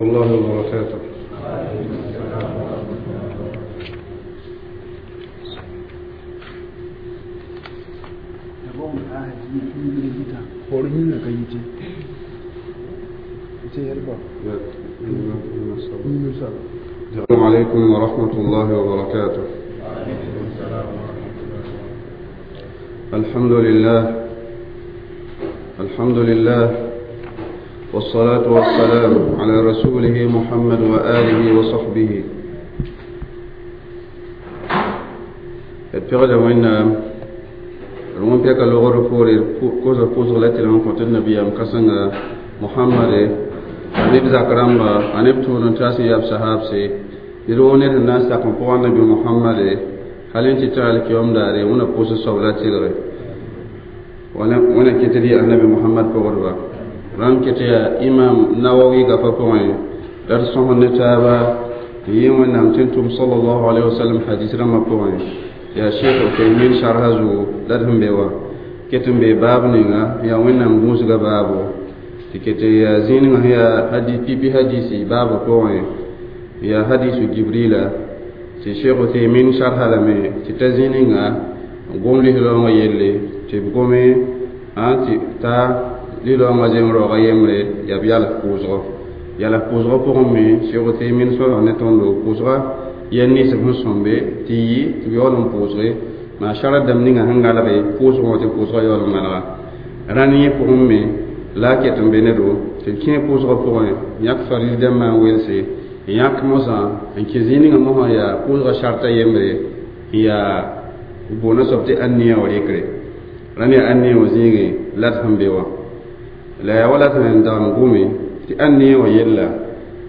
الله وبركاته. السلام عليكم ورحمة الله وبركاته. الحمد لله، الحمد لله، والصلاة والسلام على رسوله محمد وآله وصحبه. التغدى وإن رون بيك اللغة رفوري كوزا كوزا لتي لهم قلت النبي أم محمد أنيب زكرامبا أنيب تورن تاسي ياب صحابسي يروني الناس تقوم قوان النبي محمد هل أنت تعالك يوم داري وانا كوزا صولاتي لغي وانا كتري النبي محمد بغربا رام كتيا إمام نووي غفا بوين درسه النتابة يوم نمتنتم صلى الله عليه وسلم حديث رمى بوين يا شيخ عثيمين شرح زو لدهم بيوا كتم بي باب نيغا يا وين نم غوس بابو تكتي يا زين هي حديث بي حديثي باب بوين يا حديث جبريل تي شيخ عثيمين شرح لمي تتزينيغا غوم لي لونغ يلي تي بغومي تي تا لي لونغ زين روغ يمري يا بيال كوزغو يا لا كوزغو بوغمي شيخ عثيمين سو نتوندو كوزغا yenni se hun sombe ti yi ti yɔɔl n pʋʋsge maa shara dãmb ninga sẽn galge pʋʋsgõ tɩ pʋʋsgã yaool n malga rãn yẽ pʋgẽ me la a ket n be ne do tɩ d kẽ pʋʋsgã pʋgẽ yãk faril dãmbã n welse n yãk mosã n kẽ zĩig ninga mosã yaa pʋʋsgã sharta yembre n yaa boona soab tɩ ãn-nia wã rɩkre rãn yaa ãn-nia wã zĩigẽ la d sẽn be wã la yaa wala sẽn dag n gome tɩ ãn-nia wã yella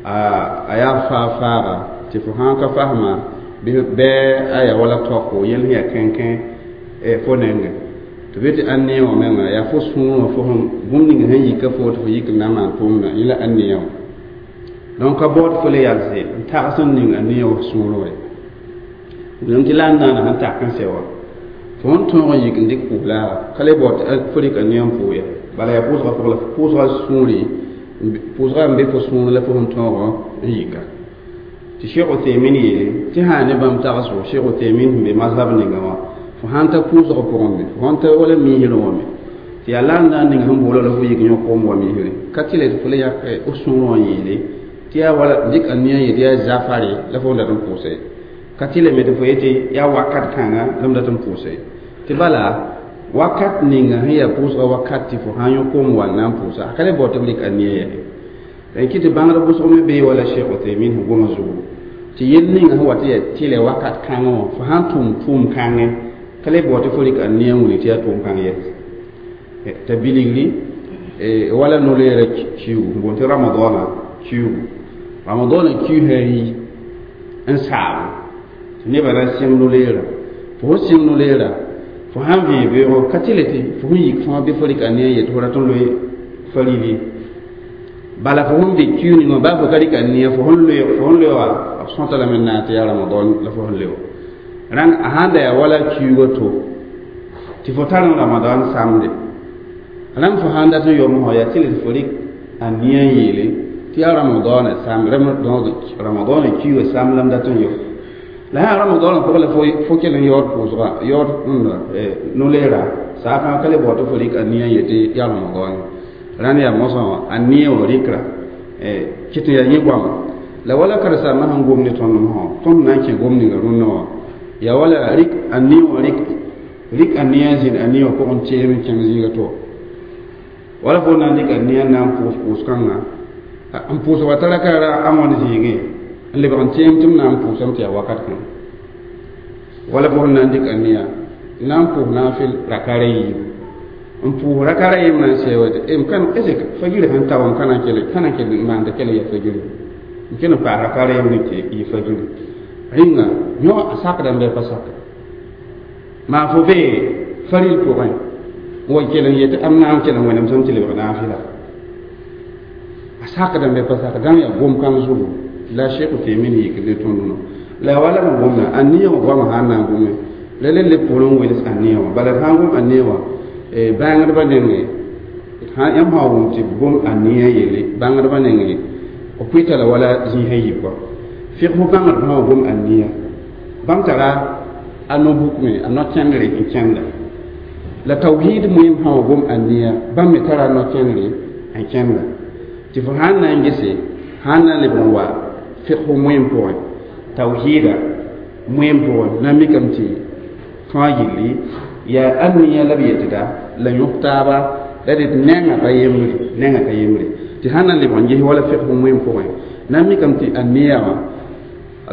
a yaa faa-faaga tɩ fo sãn ka fasma bɩ aya wala tɔko yel sẽn yaa kẽnkẽ fo nengẽ tɩ be tɩ ãn-nia wã menga yaa fo sũurã wã fo sẽn bũmb ning sẽn yika fo tɩ fo yik n na n maan tʋʋmdã yẽ la ãn-nia wã donc ka baood fo le yalse n tags n ning ãn-nia wã sũurẽ wã wilem tɩ la n naana sẽn tak n sɛ wã fo sẽn tõog n yik n dɩk pʋʋs-laaga ka le baood tɩ fo rɩk ãn-nia n pʋʋs ya bala yaa pʋʋsgã pʋgã la pʋʋsgã sũuri pʋʋsgã n be fo sũurẽ la fo sẽn tõog n yika tɩ Cheikh Uthaymin yeele tɩ sã ne bãmb tagsgo Cheikh Uthaymin sẽn be mazhab ninga wã fo sãn ta pʋʋsgã pʋgẽ me fo sãn ta wala miisrẽ wã me tɩ yaa la n na n ning sẽn boola la fo yik yõ koom wa miisre ka tɩ le tɩ fo le yak f sũurẽ wã yeele tɩ yaa wala dɩk a nia yetɩ yaa zafare la fo dat n pʋʋse ka tɩ le me tɩ fo yetɩ yaa wakat kãnga la m dat n pʋʋse tɩ bala wakat ninga sẽn yaa pʋʋsgã wakat tɩ fo sãn yõ koom wa n na n pʋʋsa a ka le bao tɩ b rɩk a nia yɛse n kɩ tɩ bãngd bʋsg me bee wala Cheikh Uthaymin sẽn goma zugu tɩ yel ninga sẽn wa tɩ yaa tɩlɛ wakat kãngã wã fo sãn tʋm tʋʋm kãngẽ ka le bao tɩ fo rɩk a nia n wilg tɩ yaa tʋʋm kãng yɛs t'a bilgri wala no-leerã kiugu n boond tɩ ramadɔɔna kiugu ramadɔɔna kiusã yi n saabo tɩ nebã na sẽng no-leerã fo sẽn sẽng no-leerã fo sãn vẽe beoogo ka tɩ le tɩ fo sẽn yik fãa bɩ fo rɩk a nia n yet fo rat n loe farili bala fo sẽn be kiu ninga baa fo ka rɩk a nia fo sẽn leooga b sõta lame n na n tɩ yaa ramadɔn la fo sẽn leo rãng a sãn da yaa wala kiuga to tɩ fo tar n ramadan samde rãmb fo sãn dat n yom fo yaa tɩ le tɩ fo rɩk a nia n yeele tɩ yaa ramadɔɔna samd ramadɔɔna kiuga samd la m dat n yo la sã ramadɔɔna pʋgã la fo kell n yaood pʋʋsga yaood no-leera saafã ka le bao tɩ fo rɩk a nia n yetɩ yaa ramadɔɔne rãnd yaa mosã wã a nia wã rɩkra kɩt n yaa yẽ goama la wala karen-saambã sẽn gom ne tõnd mosã tõnd na n kẽ gom ninga rũnnã wã yaa wala rɩk a nia wã rɩk a nia n zĩnd a nia wã pʋgẽ teem n kẽng zĩiga to wala fo na n dɩk a nia n na n pʋʋs pʋʋs-kãnga n pʋʋs wa tara ka ra a wãn zĩigẽ n lebg n teem tɩ m na n pʋʋsame tɩ yaa wakat kãngã wala fo sẽn na n dɩk a nia n na n pʋʋs naafɩl rakara yiibu n pʋʋs rakara yem na n sɛ wa m kan est fagirã sẽn ta wã m ka na n kell ka na n kell n maanda kell ya fagirã n kell n paas rakara yem ne tɩ yɩ fagirã rĩnga yõ a sakdame bɩ a pa saka maa fo bee faril pʋgẽ n wa kell n yetɩ am na n kell n wẽnem sẽm tɩ lebg naafɩla a sakdame bɩ a pa saka dãng yaa gom-kãng zugu la Cheikh Uthaymin yik ne tõnd no la wala n gomda a nia wã goamã sãn na n gome la le le pʋʋr n wels a nia wã bala d sãn gom a nia wã bãngdbã nengẽ yãmb sã n wʋm tɩ b gom a nia yelle bãngdbã nengẽ b pʋɩta la wala zĩisã yiib kɔ figsg bãngd sã wa gom aniya bãmb tara a no-buk me a no-kẽndre n kẽnda la tawhid moem sã wa gom aniya bãmb me tara a no-kẽndre n kẽnda tɩ fo sãn na n gese sãn na n leb n wa figsg moem pʋgẽ tawhida moem pʋgẽ na n mikame tɩ tõa yilli yaa aniya la b yetda la yõk taaba la d nengã pa yembre nengã ka yembre tɩ sãn na n lebg n ges wala figsg moem pʋgẽ na n mikame tɩ aniya wã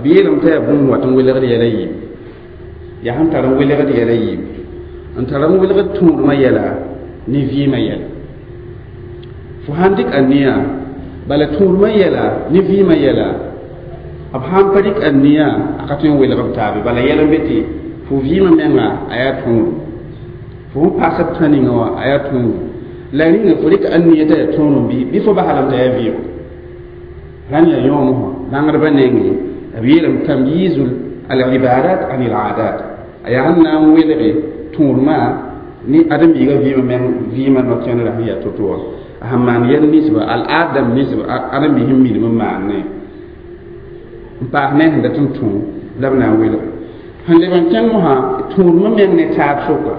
b yeelame t'a yaa bũmb wat n welgd yɛla yiib yaa sẽn tar n welgd yɛla yiib n tar n welgd tũudmã yɛla ne vɩɩmã yɛla fo sãn dɩk aniya bala tũudmã yɛla ne vɩɩmã yɛla b sãn pa dɩk aniya a ka tõe n welg b taabe bala yɛl n be tɩ fo vɩɩmã menga a yaa tõodum fo sẽn paas b tã ninga wã a yaa tõodum la rĩnga fo rɩk aniya t'a yaa tõodum bɩ fo basalame t'a yaa vɩɩgo rãnd yaa yõom sã bãngdbã nengẽ b yeelame tamyizu al-ibadat an al-adat a yaa sẽn na n welge tũudmã ne ãdem-biigã vɩɩmã meng vɩɩmã no-kẽndrã sẽn yaa to-to wã a sẽn maan yɛl ninsba al-aad dãmb ninsba ãdem-biis sẽn minim n maanne n paas ne sẽn dat n tũ la b na n welge sẽn leb n kẽng mosã tũudmã meng ne taab sʋka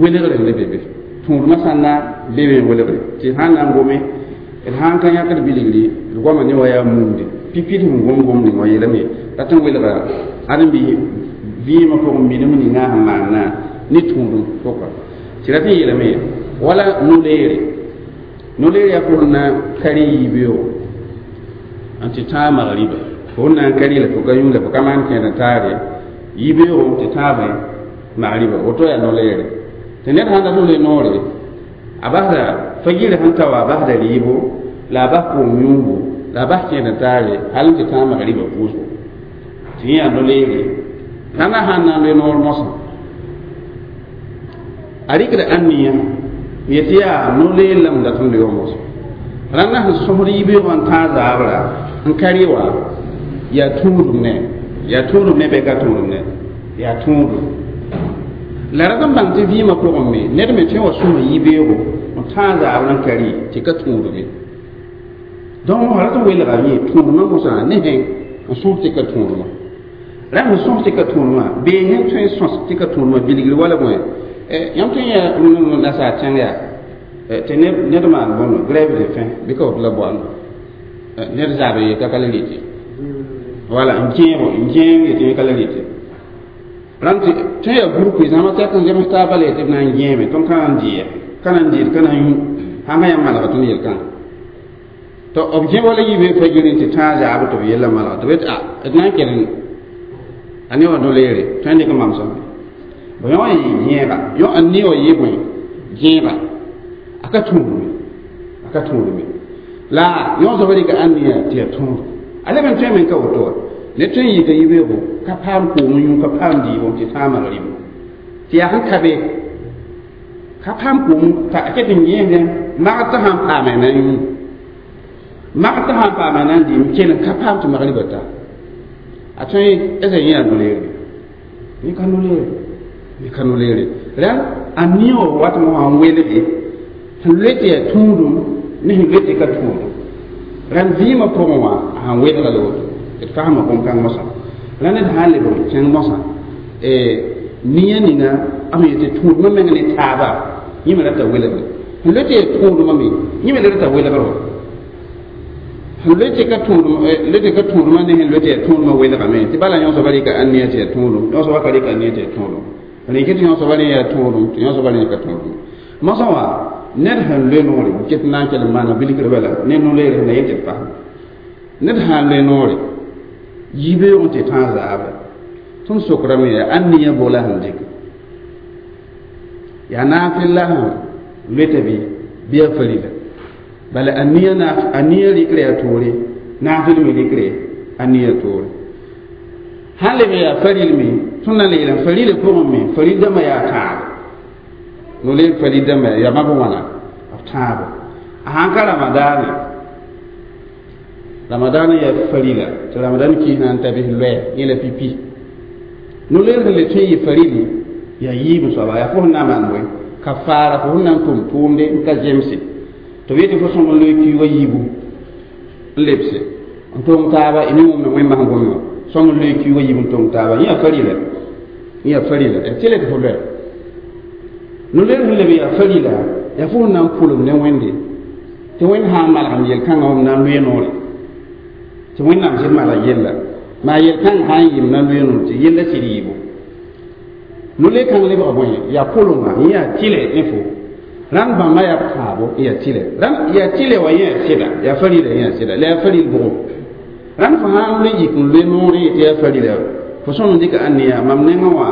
welgre n le be be tũudmã sã n na be be n welgre tɩ sã n na n gome d sãn ka yãkd bilgri d goama ne wa yaa mumde pipi d sẽn gom gom ning wã yeelame rat n welga ãdem-biis vɩɩmã pʋgẽ minim ninga sẽn maanna ne tũudum pʋka tɩ rat n yeelame wala no-leere no-leer yaa fo sẽn na kari yiibeoogo n tɩ tãag magriba fo sẽn na n kari la fo ka yũ la fo ka maan kẽed n taare yiibeoogo tɩ tãabẽ magriba woto yaa no-leere tɩ ned sãn dat n loe noore a basda fagirã sẽn ta wa a basda rɩɩbo la a bas koom yũugo la a bas kẽed n taare hal n tɩ tãag magriba pʋʋsgo tɩ yẽ yaa no-leere rãndã sãn na n loe noor mosã a rɩkda ãnniya n yetɩ yaa no-leer la m dat n loe wã mosã rãndã sẽn sõsd yibeoogã n tãag zaabra n ka rɩ wã yaa tũudum ne yaa tũudum ne bɩ ka tũudum ne yaa tũudum la rat n bãng tɩ vɩɩmã pʋgẽ me ned me tõe wa sõs yibeoogo n tãag zaabr n ka rɩ tɩ ka tũudume donc rat n welga yẽ tũudmã mosã ne sẽn n sõs tɩ ka tũudmã ra sẽn sõs tɩ ka tũudmã bee sẽn tõe n sõs tɩ ka tũudmã bilgr wala bõe yãmb tõe n yaa rũnã nasaar tẽng yaa tɩ ned maan bõndo grève de faim bɩ ka woto la boando ned zaab n yeta ka la rɩtɩ wala n kẽebo n kẽem yetɩ yẽ ka la rɩtɩ rãnd tɩ tõe yaa groupe zãma tɛk n zems taaba la yetɩ b na n gẽeme tõnd ka na n dɩɩ ka na n dɩɩd ka na n yũ sãn ka yãmb malga tõnd yel-kãnga tɩ b gẽ wala yibe fajir tɩ tãag zaab tɩ b yella malga tɩ b yetɩ a d na n kell a ne wa no-leere tõe n dɩk n mam sõmbe b yõ n yɩ gẽega yõ n ne wa yɩ bõe gẽega a ka tũudme a ka tũudme la yõ soaba rɩka ãnniya tɩ yaa tũud a leb n tõe me n ka woto wa ne tõe n yika yibeoogo ka paam koom yũ ka paam dɩɩbo tɩ tãag magrɩbo tɩ yaa sẽn ka be ka paam koom t'a ket n gẽesdẽ magd t'a sãn paame na n yũ magd t'a sãn paame na n dɩɩm kell n ka paam tɩ magriba ta a tõe esa yẽ yaa no-leere yẽ ka no-leere yẽ ka no-leere ra a nia wa wat mosã n welge sẽn loe tɩ yaa tũudum ne sẽn loe tɩ ka tũudum rãnd vɩɩmã pʋgẽ wã a sãn welga la woto d fasma bõn-kãng mosã ra ned sã n leb n kẽng mosã nia ninga b sẽn yetɩ tũudmã meng ne taaba yẽ me rata welgre sẽn loe tɩ yaa tũudmã me yẽ me le rata welgr wa sẽn loe tɩ ka tũudm loe tɩ ka tũudmã ne sẽn loe tɩ yaa tũudmã welgame tɩ bala yõ soaba rɩka ãnnia tɩ yaa tũudum yõ soaba ka rɩka ãnnia tɩ yaa tũudum rẽke tɩ yõ soaba rẽ yaa tũudum tɩ yõ soaba rẽ ka tũudum mosã wã ned sẽn loe noore ket na n kell n maana bilgr bala ne no-leer sẽn na yel tɩ d fasem ned sã n loe noore yibeoog tɩ tãag zaabra tõnd sokrame yaa ãnniya bola sẽn dɩk yaa naafɩl la sẽn loeta bɩ bɩ yaa farila bala aniya na aniya rɩkra yaa toore naafɩl me rɩkre aniya toore sãn leb yaa faril me tõnd na n le yeelame farila pʋgẽ me faril dãmbã yaa tãabo no-leer faril dãmbã yaa mab wãna b tãabo a sãn ka ramadaane ramadaana yaa farila tɩ ramadan kiis na n ta bɩs loɛɛ yẽ la pipi no-leer sẽn le tõe n yɩ farili yaa yiib soaba yaa fo sẽn na n maan bõe ka faara fo sẽn na n tʋm tʋʋmde n ka zemse tɩ b yetɩ fo sõm n loe kiuugã yiibu n lebse n tʋng taaba y ne wʋmda wẽnnaam sẽn gom wã sõm n loe kiuugã yiib n tʋng taaba yẽ yaa farila yẽ yaa farila yaa tɩlɛ tɩ fo loɛ no-leer sẽn leb yaa farila yaa fo sẽn na n pʋlem ne wẽnde tɩ wẽnd sã n malgem yel-kãngã m na n loe noore tɩ wẽnnaam sɩd malg yella maa yel-kãng sã n yɩ m na n loe noore tɩ yella sɩd yɩɩbo no-leer kãng lebga bõe yaa pʋlenga yẽ yaa tɩlɛ ne fo rãnd bãmba yaa tãabo yaa tɩlɛ rãnd yaa tɩlɛ wa yẽ yaa sɩda yaa farila yẽ yaa sɩda la yaa faril bʋgo rãnd fo sã n le yik n loe noore tɩ yaa farila fo sõm n dɩka ãnneya mam nengã wã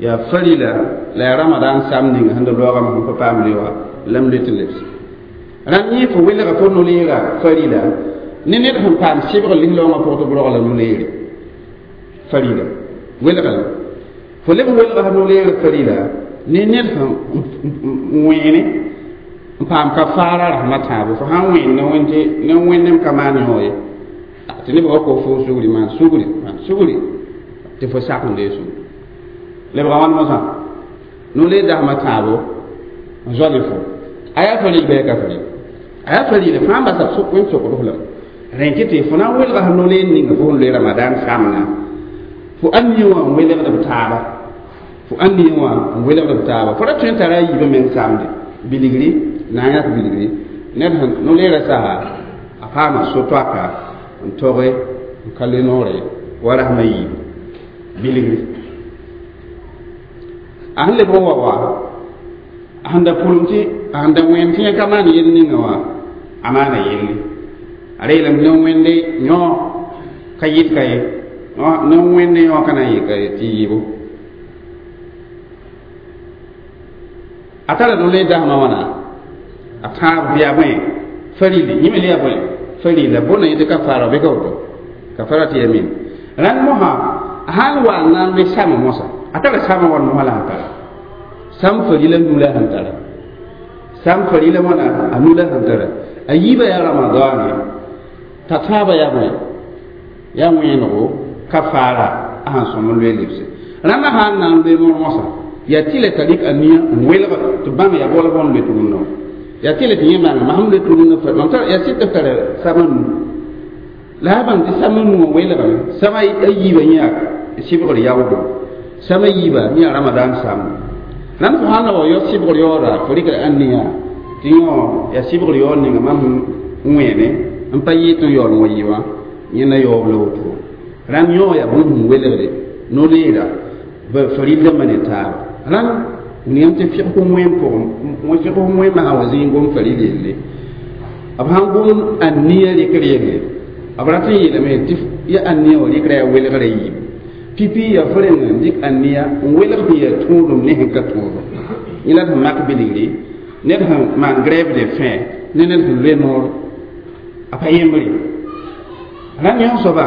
yaa farila la yaa ramadan sam ninga sẽn da loogame sẽn pa paam le wã la m le tɩ lebse rãnd yẽ fo welga fo no-leera farila ne ned sẽn paam sɩbg lislaoongã pʋg tɩ b rogla no-leere farila welga la fo leb welga no-leer farila ne ned sẽn wẽene n paam kafaara rasmã tãabo fo sãn wẽen ne wẽnd tɩ ne wẽnnem ka maan yõ ye tɩ neb wa ko fo sugri maan sugri maan sugri tɩ fo sak n dee sugri lebga wãn mosã no-leer dasmã tãabo n zoale fo a yaa faril bɩ ka faril a yaa farila fãa basa wẽnd sokd f lame rẽ tɩ tɩ fo na n welga sẽn no-leer ninga fo sẽn loe ramadan samna fo ãnd yẽ wã n welgd b taaba fo ãnd yẽ wã n welgd b taaba fo ra tõe n tara a yiibã meng samde bilgri na n yãk bilgri ned sẽn no-leerã sasa a paama so-toaka n toge n ka le noore wa rasmã yiibu bilgri a sẽn lebg n wa wa a sẽn da pʋlem tɩ a sẽn da wẽen tɩ yẽ ka maan yell ninga wã a maana yelle a ra yeelame ne wẽnde yõ ka yɩt ka ye ne wẽnde yõ ka na n yɩ ka ye tɩ yɩɩbo a tara no-leer dasmã wãna a tãab yaa bõe farili yẽ me le yaa bõe farila bõna yẽ tɩ kafaara bɩ ka woto kafara tɩ yamin rãnd mosã sãn wa n na n loe sama mosã a tara sama wãn mosã la sẽn tara sam farila nu la sẽn tara sam farila wãna a nu la sẽn tara a yiibã yaa ramadaane t'a tãabã yaa bõe yaa wẽenego kafaara a sẽn sõm n loe lebse rãndã sã n na n loe moor mosã yaa tɩlɛ t'a rɩk a nia n welg tɩ bãmb yaa bol bõn loe tʋgʋndã yaa tɩlɛ tɩ yẽ maanga mam sẽn loe tʋgʋndã mam tar yaa sɩd tɩ b tara sama nu la a bãng tɩ sama nu wã welgame sama a yiibã yẽ yaa sɩbgr yaoodo sama yiibã yẽ yaa ramadan samd rãnd fo sãn na wa yao sɩbgr yaooda fo rɩkda ãnneya tɩ yõ yaa sɩbgr yaood ninga mam sẽn wẽene n pa yɩɩ tɩ n yaool n wa yɩ wã yẽ na yaoob la woto rãnd yõ yaa bũmb sẽn welgde no-leera faril dãmbã ne taaba rãnd william tɩ fɩgs wẽn pʋgẽ fɩgs wẽn masã wa zĩig gom faril yelle b sãn gom ãnnia rɩkr yelle b rat n yeelame tɩ ya ãnnia wã rɩkra yaa welgrã yiib pipi yaa fo reng n dɩk ãnnia n welg sẽn yaa tũudum ne sẽn ka tũudum yẽ la sẽn mak bilgri ned sẽn maan grève de faim ne ned sẽn loe noor a pa yembre rãnd yõ soaba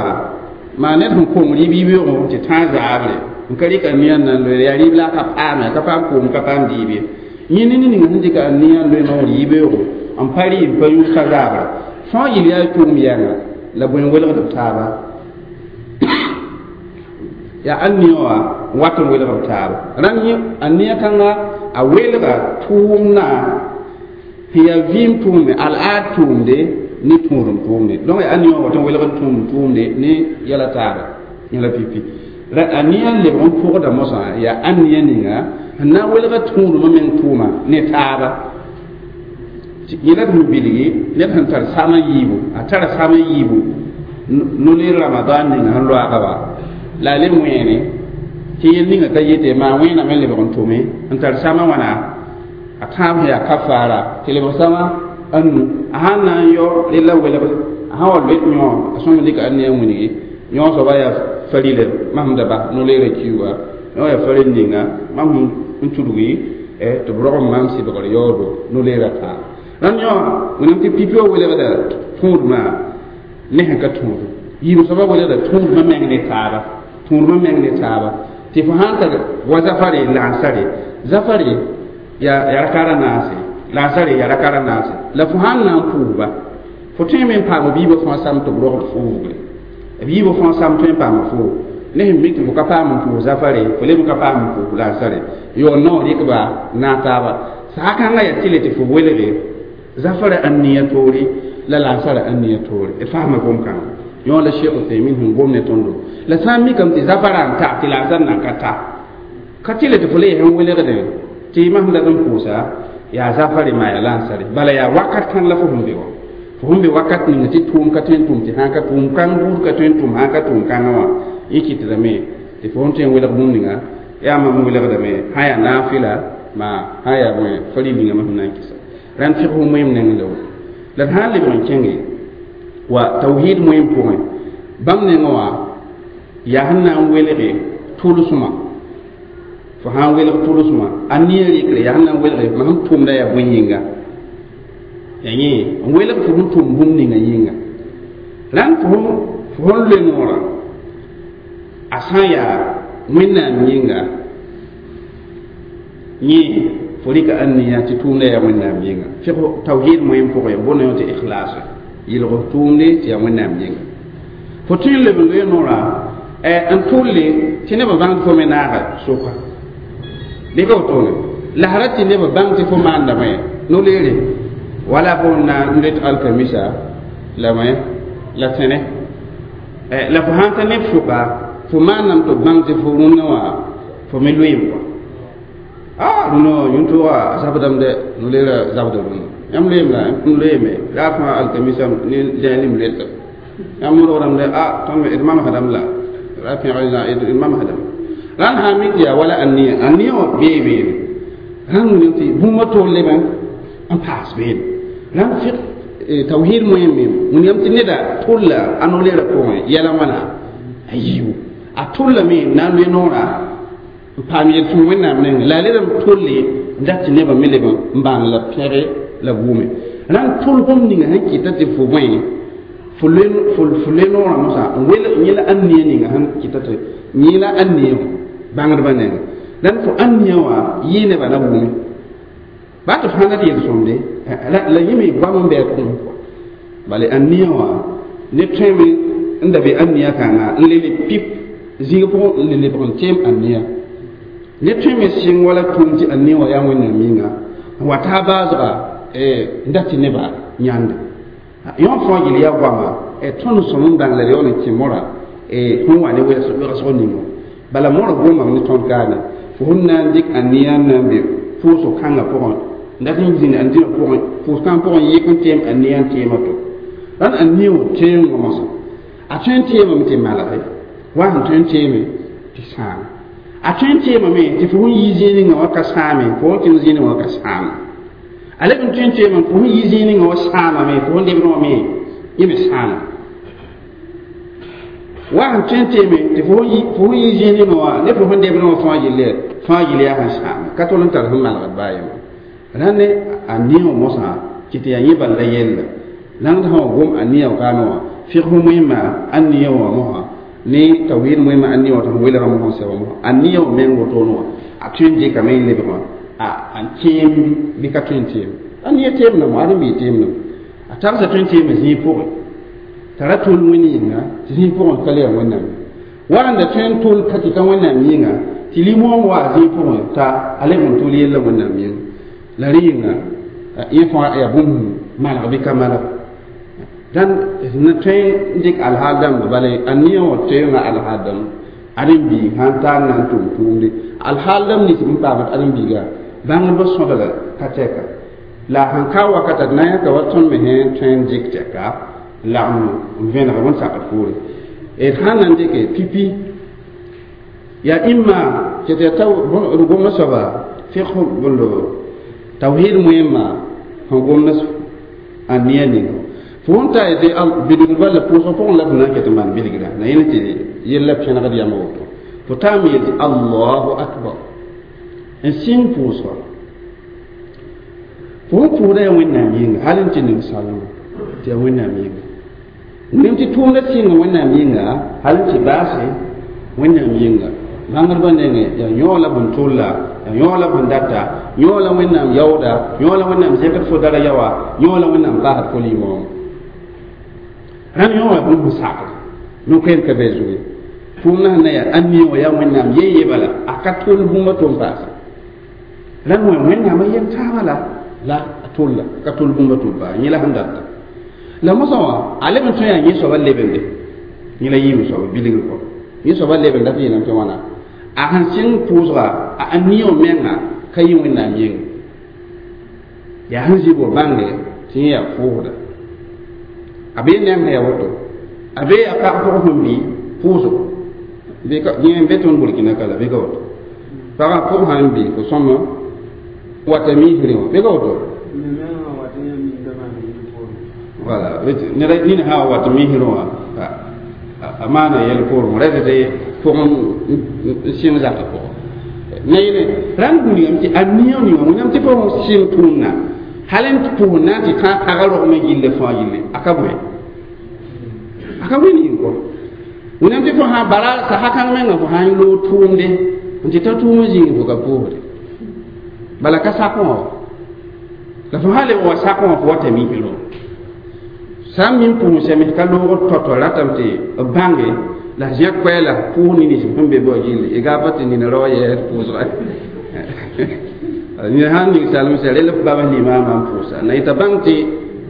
maa ned sẽn kong rɩɩb yibeoogo tɩ tãag zaabre n ka rɩk ania n na n loe yaa rɩɩb la a ka paame a ka paam koom ka paam dɩɩb ye yẽ ne ning sẽn dɩka ania n loe noor yibeoogo n pa rɩ n pa yũus ka zaabra fãa yɩl yaa tʋʋm yɛnga la bõe n welgd b taaba yaa ania wã wat n welg b taaba rãnd yẽ ania kãnga a welga tʋʋmdã sẽn yaa vɩɩm tʋʋmde al-aad tʋʋmde ne tũudum tʋʋmde donc yaa ania wã wat n welg n tũudum tʋʋmde ne yɛla taaba yẽla pipi a nia n lebg n pʋgda mosã yaa ania ninga sẽn na n welga tũudumã meng tʋʋma ne taaba yẽ la d sẽn bilgi ned sẽn tar sama yiibu a tara sama yiibu no-leer ramadan ninga sẽn loaaga wa la a leb wẽene tɩ yel ninga ka yete maa wẽename n lebg n tʋme n tar sama wãna a tãab sẽn yaa kafaara tɩ lebg sama a nu a sãn na n yao rella welg a sã wa loet yõ a sõm dɩka a nia wilgi yõ soaba yaa farila mam da bas no-leerã kiuga yõ yaa faril ninga mam n tudgi tɩ b rog n maam sɩbgr yaoodo no-leerã tãab rãnd yõ wẽnnaam tɩ pipi wã welgda tũudmã ne sẽn ka tũudum yiib soaba welgda tũudmã meng ne taaba tũudmã meng ne taaba tɩ fo sãn tar wa zafare lansare zafare yaa rakara naase lansare yaa rakara naase la fo sãn na n pʋʋsba fo tõe me n paam biibã fãa sam tɩ b rogd fuugre biibã fãa sam tõe n paam fuug ne sẽn mik tɩ fo ka paam n pʋʋs zafare fo leb n ka paam n pʋʋs lansare yaool naoor rɩkba naag taaba sã kãngã yaa tɩle tɩ fo welge zafara ãnnia toore La lansara ãn nia toore d fasma gom-kãnga yõ la Sheikh Uthaymin sẽn gom ne tõndo la sã n mikame tɩ zafara n ta tɩ lansar nan ka ta ka tɩ le tɩ fo le yaa sẽn welgdẽ tɩ masem dat n pʋʋsa yaa zafare maa yaa lansare bala yaa wakat kãng la fo sẽn be wã fo sẽn be wakat ninga tɩ tʋʋm ka tõe n tʋm tɩ sãn ka tʋʋm kãng buud ka tõe n tʋm sãn ka tʋʋm kãngã wã yẽ kɩtdame tɩ fo sẽn tõe n welg bũmb ninga yaa mam welgdame sã yaa naafɩla maa sã yaa bõe faril ninga masem na n kɩsa rãnd fɩg fo moeem neng la woto la d sã n lebg n kẽnge wa tawhid moeem pʋgẽ bãmb nengã wã yaa sẽn na n welge tʋlsmã fo sã n welg tʋlsmã a nia rɩkre yaa sẽn na n welge mam sẽn tʋmda yaa bõe yĩnga yaa yẽ n welg fo sẽn tʋm bũmb ninga yĩnga rãnd fo sẽn loe noorã a sã n yaa Wẽnnaam yĩnga yẽ fo rɩka ãn nia tɩ tʋʋmda yaa Wẽnnaam yĩnga fɩg tawhid moeem pʋgẽ bõna yõ tɩ ikhlas yɩlg tʋʋmde tɩ yaa Wẽnnaam yĩnga fo tõe n leb n loe noorã n tʋlle tɩ nebã bãng tɩ fo me naaga soka bɩ ka wotone la sã rat tɩ nebã bãng tɩ fo maandame no-leere wala fo na n let alkamisa la bõe la tẽne la fo sãn ta neb sʋka fo maandame tɩ b bãng tɩ fo rũnnã wã fo me loeem kɔa a rũnnã wã yũn-toogã zabdame dɛ no-leerã zabda rũnnã yãmb loeem la n loeeme raa fãa alkamisa ne zẽelim leta yãmb modgdame dɛ a tõnd d mamsdame la ra pẽgr d mamsdame rãnd sã n mik tɩ yaa wala ãn-nia ãn-nia wã bee beene rãnd wilg tɩ bũmba tol leb n paas beene rãnd fɩg tawhid moeem me wilgame tɩ neda tʋlla a no-leerã pʋgẽ yɛla wãna a yiibu a tʋllame n na n loe noorã n paam yel-sõm Wẽnnaam nengẽ la a led n tolle n dat tɩ nebã me leb n bãng la pẽge la gʋʋme rãnd tʋl bũmb ninga sẽn kɩta tɩ fo bõe fo loe noorã mosã n wel yẽ la ãn-nia ninga sẽn kɩta tɩ yẽ la ãn-nia bãngdbã nengẽ rãnd fo ãn-nia wã yɩ nebã na gʋʋme baa tɩ fãa dat yel-sõmde la yẽ me goam n bɩ a pʋgẽ bala ãn-nia wã neb tõeme n da be ãn-nia kãnga n le le pip zĩig pʋgẽ n le lebg n teem ãn-nia neb tõeme sɩng wala tʋʋm tɩ ãn-nia wã yaa Wẽnnaam yĩnga n wa taa baasga n dat tɩ nebã yãnde yõ fãa yel yaa goama tõnd sõm n bãng la d yaool n kẽ mora sẽn wa ne wegsg ningo bala mora gomame ne tõnd kaane fo sẽn na n dɩk ãn-nia n na n be pʋʋsg kãngã pʋgẽ n dat n zĩnd ãn-dĩmã pʋgẽ pʋʋs kãng pʋgẽ yɩk n teem ãn-nia n teema to rãnd ãn-nia wã teengõ mosã a tõe n teemame tɩ malge wa sẽn tõe n teeme tɩ sãame a tõe n teemame tɩ fo sẽn yi zĩig ninga wã ka sãame fo sẽn kẽng zĩig ninga wã ka sãame a leb n tõe n teemame fo sẽn yi zĩig ninga wã sãamame fo sẽn lebd wã me yẽ me sãama wa sẽn tõe n teeme tɩ fo sẽn yi zĩig ninga wã ne fo sẽn lebd wã fãa yelle yaa sẽn sãame ka tol n tar sẽn malgd baa yema rãnd ne a nia wã mosã tɩ tɩ yaa yẽ bal la yella lãngd sã wa gom a nia kaame wã fɩg fo moẽmã a nia wã mosã ne tawhid moẽmã a nia wã tɩ f welgã mosã sɛba mosã a nia wã meng wotone wã a tõe n dɩkame n lebg wã a teem bɩ ka tõe n teem a nia teemdame wã ad n bɩ teemdame a tagsa tõe n teema zĩig pʋgẽ t'a ra tʋl wẽnd yĩnga tɩ zĩig pʋgẽ ka le yaa Wẽnnaam wa n da tõe n tʋl ka tɩ ka Wẽnnaam yĩnga tɩ limõom wa zĩig pʋgẽ t'a a leb n tʋl yella Wẽnnaam yĩnga la rẽ yĩnga yẽ fãa yaa bũmb malg bɩ ka malg dãn na tõe n dɩk alhaal dãmba bala a nia wã toeengã alhaal dãmb ãdem-biig sãn tar na n tʋm tʋʋmde alhaal dãmb nins n paamd ãdem-biiga bãngdbã sõdga ka tɛka la sãn ka wakata d na n yãka wa tõnd me sẽn tõe n dɩk tɛka n lagem n vẽneg wẽn-sakd poore d sãn na n dɩke pipi yaa ĩmma tɩ tɩ yaa d gomda soaba fɩg bõndo tawhid moẽmma sẽn gomda ãn-nia ninga fo sẽn ta yetɩ bilgd bal la pʋʋsg pʋgẽ la f na n ket n maan bilgra na yẽnd tɩ yella pẽnegd yãmb woto fo taame yel tɩ allahu akbar n sɩng pʋʋsga fo sẽn pʋʋsda yaa Wẽnnaam yĩnga hal n tɩ ning salma tɩ yaa Wẽnnaam yĩnga nem tɩ tʋʋmda sɩnga Wẽnnaam yĩnga hal n tɩ baase Wẽnnaam yĩnga bãngdbã nengẽ yaa yõo la bõn tʋlla yaa yõo la bõn data yõo la Wẽnnaam yaooda yõo la Wẽnnaam zẽkd fo dara yaoa yõo la Wẽnnaam paasd fo limoom rãnd yõ wã bũmb sakr no-koɛɛm ka bɛ zugu tʋʋmdã sẽn na yaa ãn-nia wã yaa Wẽnnaam ye bala a ka tʋl bũmba tʋm paase rãnd wẽ Wẽnnaamã yel taabã la a tʋlla ka tʋl bũmba tʋm paase yẽ la sẽn data La mosã wã a leb n tõe yaa yẽ soabã lebende yẽ la yɩɩm soaba bilgr kɔ yẽ soabã lebenda tɩ yeelame tɩ wãna a sẽn sɩng pʋʋsga a niõ menga ka yɩ wẽnnaam yĩnga yaa sẽn zɩ bo bãnge tɩ yẽ yaa pʋʋsda a bee neng sẽn yaa woto a bee a pag pʋg sẽn bɩ pʋʋsgo yẽ n be tõnd Burkina ka la bɩ ka woto pagã pʋg sãn bɩ fo sõma wata miisrẽ wã bɩ ka woto voilà ned nina sã wa wat misrẽ wã a maana yɛl poorẽ rɛd tɩ pʋgẽ n sɩng zakã pʋgẽ na yele rãnd gũudgame tɩ a niõ ninga wẽnnaam tɩ fo sɩng tʋʋmdã hal n pʋʋsd na n tɩ tãag pagã rogmẽ gilli fãa gilli a ka bõe a ka wẽnd yĩng kɔ wẽnnaam tɩ fo sã bara sasa kãng menga fo sã n loog tʋʋmde n tɩ ta tʋʋm zĩig fo ka pʋʋsde bala ka sakẽ wã la fo sã leb wa sakẽ wã fo wata misrẽ sã n min pʋʋs sẽme ka loogr tɔtɔ ratame tɩ b bãnge la zẽ koɛɛla pʋʋs nins sẽn be bao gilli y gaab tɩ nina rao yɛɛd pʋʋsga nina sãn ning salem sã rel b bab limaamã n pʋʋsa na yeta bãng tɩ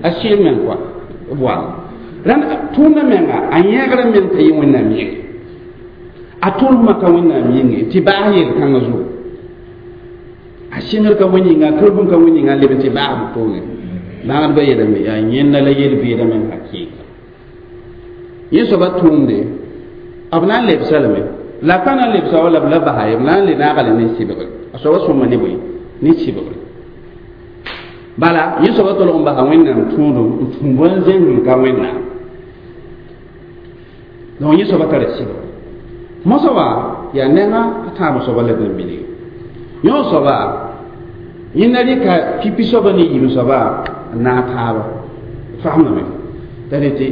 a sɩɩl meng kɔa b wall rãnd tʋʋmda menga a yẽegrã meng t'a yɩ wẽnnaam yĩnge a tʋlsmã ka wẽnnaam yĩnge tɩ baas yel-kãngã zugu a sɩngr ka wẽn yĩnga a kɩrb ka wẽn yĩnga n leb n tɩ baas b tʋʋme bãgdbã yeelame yaa yẽnda la yel-vɩɩdã meng hakɩɩka yẽ soaba tʋʋmde b na n lebsa lame la pa na n lebsa wala b la basa ye b na n le naagale ne sɩbgre a soaba sõma ne bõe ne sɩbgre bala yẽ soaba tolg n basa wẽnnaam tũudum n tũ bõn-zẽng ka wẽnnaam donc yẽ soaba tara sɩbgre mosã wã yaa nengã a tãab soaba leb n bilg yõ soaba yẽnda rɩka pipi soaba ne yiib soaba n naag taaba fagemdame t'a tɩ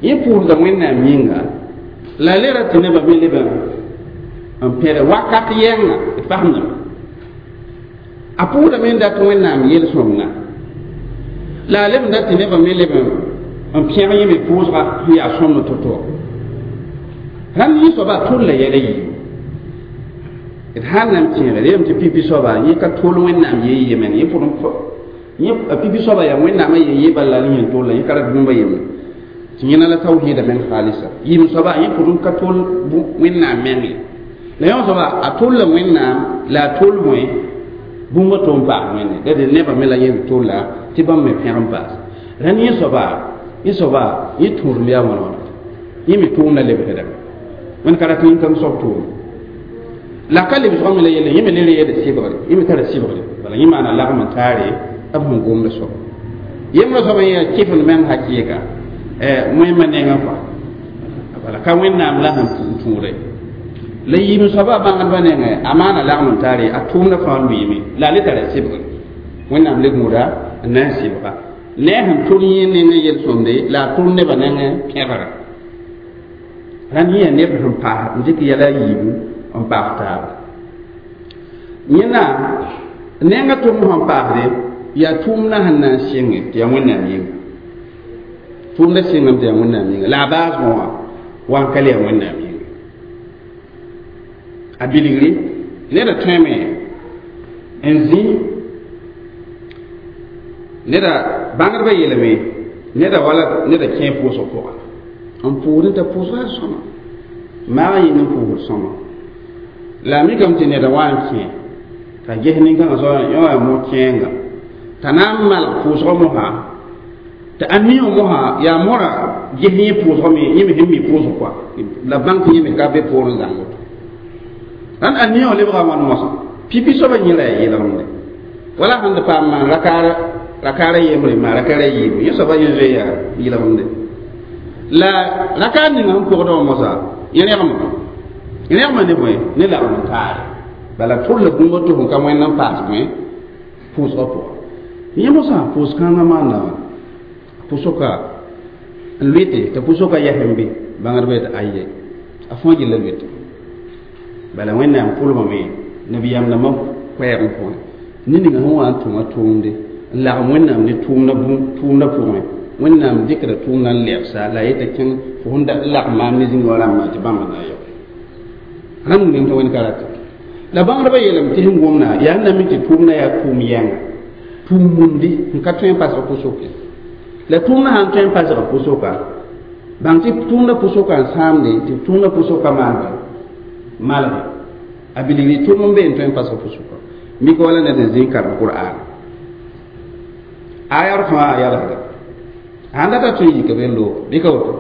yẽ pʋʋsda wẽnnaam yĩnga la le ra tɩ nebã me leb n pẽd wakat yɛnga d fagemdame a pʋʋsdame n dat wẽnnaam yel-sõmda la a leb n dat tɩ nebã me leb n pẽg yẽ me pʋʋsga sẽn yaa sõmd to-to rãnd yẽ soaba a tʋlla yɛla yiibu d sãn na n tẽegre yeelame tɩ pipi soaba yẽ ka tol wẽnnaam yee ye meng yẽ pʋd yẽ pipi soaba yaa wẽnnaamã yee ye bala la yẽn tolla yẽ ka rat bũmba yembre tɩ yẽna la tawhiida meng xaalisa yɩɩm soaba yẽ pʋd n ka tol wẽnnaam meng ye la yõ soaba a tolla wẽnnaam la a tol bõe bũmba to n paas wẽnde la de nebã me la yẽ tolla tɩ bãmb me pẽg n paas rãnd yẽ soaba yẽ tũudem yaa wãna wãna yẽ me tʋʋmda lebsdame wẽnd ka rat yĩn-kãng soab tʋʋm la ka lebsgã me la yelle yẽ me le reeda sɩbgre yẽ me tara sɩbgre bala yẽ maana lagm n taare b sẽn gomda soaba yembrã soaba yẽ yaa kɩfend meng hakɩɩka wẽmba nengã kɔa bala ka wẽnnaam la sẽn tũuda la yiim soaba bãngdbã nengẽ a maana lagm n taare a tʋʋmda fãa lʋɩɩme la a le tara sɩbgre wẽnnaam le gũuda n na n sɩbga ne a sẽn tʋl yẽ nengẽ yel-sõmde la a tʋl nebã nengẽ pẽgra rãnd yẽ yaa neb sẽn paas n dɩk yɛla a yiibu n paas taaba yẽna nenga tʋʋm sẽn paasde yaa tʋʋmdã sẽn na n sɩnge tɩ yaa wẽnnaam yĩnga tʋʋmdã sɩngame tɩ yaa wẽnnaam yĩnga la a baasgõ wã wa n ka le yaa wẽnnaam yĩnga a bilgri neda tõeme n zĩ neda bãngdbã yeelame neda wala neda kẽ pʋʋsg pʋga n pʋʋsd n t'a pʋʋsga yaa sõma maag yĩng n pʋʋsd sõma la a mikame tɩ neda wa n kẽ t'a ges nin-kãngã soaba yõ yaa mo-kẽenga t'a na n malg pʋʋsgã mosã tɩ a niõ mosã yaa mora ges yẽ pʋʋsgã me yẽ me sẽn mi pʋʋsg kɔa la bãng tɩ yẽ me ka be poorẽ zãng woto rãnd a niõ lebga wãn mosã pipi soaba yẽ la yaa yeelgemde wala sẽn d paam maan rakaara yembre maa rakaara yiibu yẽ soaba yẽ zoe yaa yeelgemde la rakaar ninga sẽn pʋgdã wã mosã yẽ rẽgma ne bõe ne lagm n taare bala tʋlla bũmb tɩ fõn ka wẽnd n paas bõe pʋʋsgã pʋga yẽ mosã pʋʋs-kãngã maanda wã pʋsoka n lʋɩte tɩ pʋsoka yɛsẽ be bãngdbã yetɩ aye a fõa gilla lʋɩte bala wẽnnaam pʋlgame nabiyaam dãmbã koɛɛg n pʋgẽ ne ninga sẽn wa n tʋma tʋʋmde n lagem wẽnnaam ne tʋʋmdã pʋgẽ wẽnnaam dɩkda tʋʋmdã n lɛbsa la a yeta kẽng fo sẽn lagm maam ne zĩnga wã rãmbã tɩ bãmb na yao rãmb wilame tɩ wẽnd ka rata la bãngdbã yeelame tɩ sẽn gomda yaa n na mi tɩ tʋʋmdã yaa tʋʋm yɛnga tʋʋm mundi n ka tõe n pasg pʋsʋke La tʋʋmdã sãn tõe n pasg pʋsʋka bãng tɩ tʋʋmdã pʋsʋka n sãamde tɩ tʋʋmdã pʋsʋka maan malge a bilgri tʋʋm n be n tõe n pasg pʋsʋka mik wala ned n zĩ karem qur'an ayar fãa a yalsda sãn data tõe n yika be n loog bɩ ka woto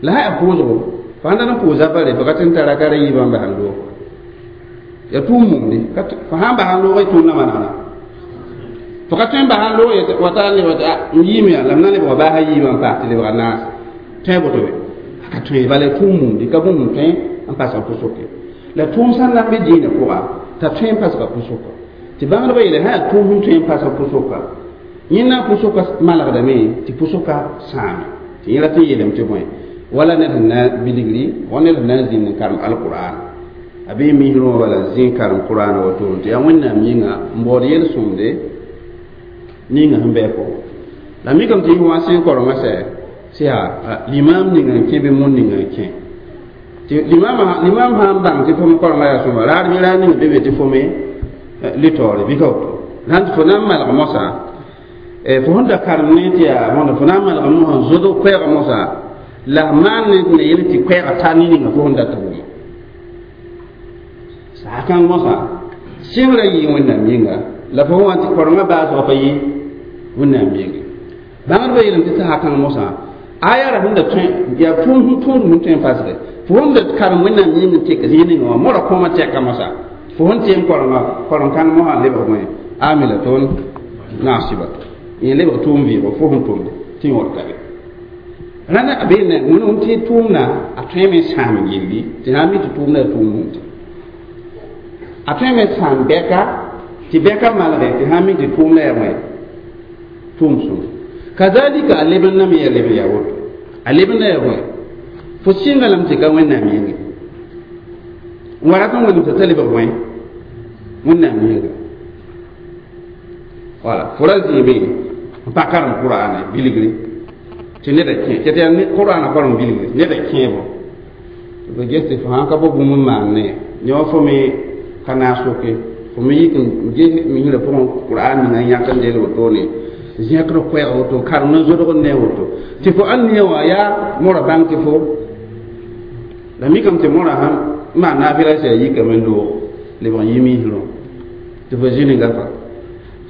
la sã yaa pʋʋsgo fo sãn dat n pʋʋs zapare fo ka tɩ n tara ka ra yiibã n bas n loog ya tʋʋm mumde fo sãn bas n loog y tʋʋmdã manegna fo ka tõe n bas n loog wata n lebg n yiime la m na lebga baasa yiibã n paas tɩ lebga naas tõe boto be a ka tõe bala tʋʋm mumde ka bũmb n tõe n pasg pʋsʋke la tʋʋm sãn na n be dĩinã pʋga t'a tõe n pasga pʋsʋka tɩ bãngdbã yeele sã yaa tʋʋm sẽn tõe n pasg pʋsʋka yẽnda pʋsʋka malgdame tɩ pʋsʋka sãame tɩ yẽ rat n yeelame tɩ bõe wala ned sẽn na bilgri wa ned sẽn na n zĩnd n karem alqur'an a bee misrẽ wã bala n zĩ karem qur'an woto tɩ yaa wẽnnaam yĩnga n baood yel-sõmde ninga sẽn bɩ a pʋgẽ la mikame tɩ yɩ wã sẽn korengã sɛ tɩ yaa limam ninga n kẽ bɩ mon ninga n kẽ tɩ limam sã n bãng tɩ fo me korengã yaa sõma raad bɩ raad ninga be be tɩ fo me litaoore bɩ ka woto sãn tɩ fo na n malg mosã fo sẽn da karem ne tɩ yaa mõnda fo na n malg mosã n zodg koɛɛga mosã la f maan ne yel tɩ koɛɛga ta ne ninga fo sẽn dat wʋma saakãng mosã sɩngrã yɩ wẽnnaam yĩnga la fo wã tɩ korengã baasgã pa yɩ wẽnnaam yĩnga bãngdbã yeelame tɩ saakãng mosã aya ra sẽn da tõe yaa tʋʋm sẽn tõod sẽn tõe n pasge fo sẽn da karem wẽnnaam yĩng n tek zĩig ninga wã mora kõoma tɛka mosã fo sẽn tɩ n korengã koreng-kãng mosã n lebg bõe amila toon naasiba yẽ lebg tʋʋm vɩɩgo fo sẽn tʋmde tɩ yõod ka be rãnda a bee na wẽn tɩ tʋʋmda a tõeme sãam gilli tɩ sã n mi tɩ tʋʋmda yaa tʋʋm tɩ a tõeme sãam bɛka tɩ bɛka malge tɩ sã n mi tɩ tʋʋmda yaa wẽ tʋʋm sõm kazalika a lebendame yaa lebend yaa woto a lebenda yaa wẽ fo sɩnga lame tɩ ka wẽnnaam yĩnge n wa rat n wẽnem t'a lebg wẽ wẽnnaam yĩnga wala fo ra zĩime n pa karem qur'ane bilgri tɩ neda kẽ tɩ yaa qur'ana korem bilgri neda kẽebo b ges tɩ fo sãn ka bao bũmb n maan ne yõ fo me ka naas soke fo me yik n ges misrã pʋgẽ qur'an ninga n yãk n del wotone zẽkd koɛɛg woto karem n zodg n ne woto tɩ fo ãn ne wã yaa mora bãng tɩ fo la mikame tɩ mora sãn maan naafɩla sã yikame n loog lebg n yi misrõ tɩ fo zĩ ne gafa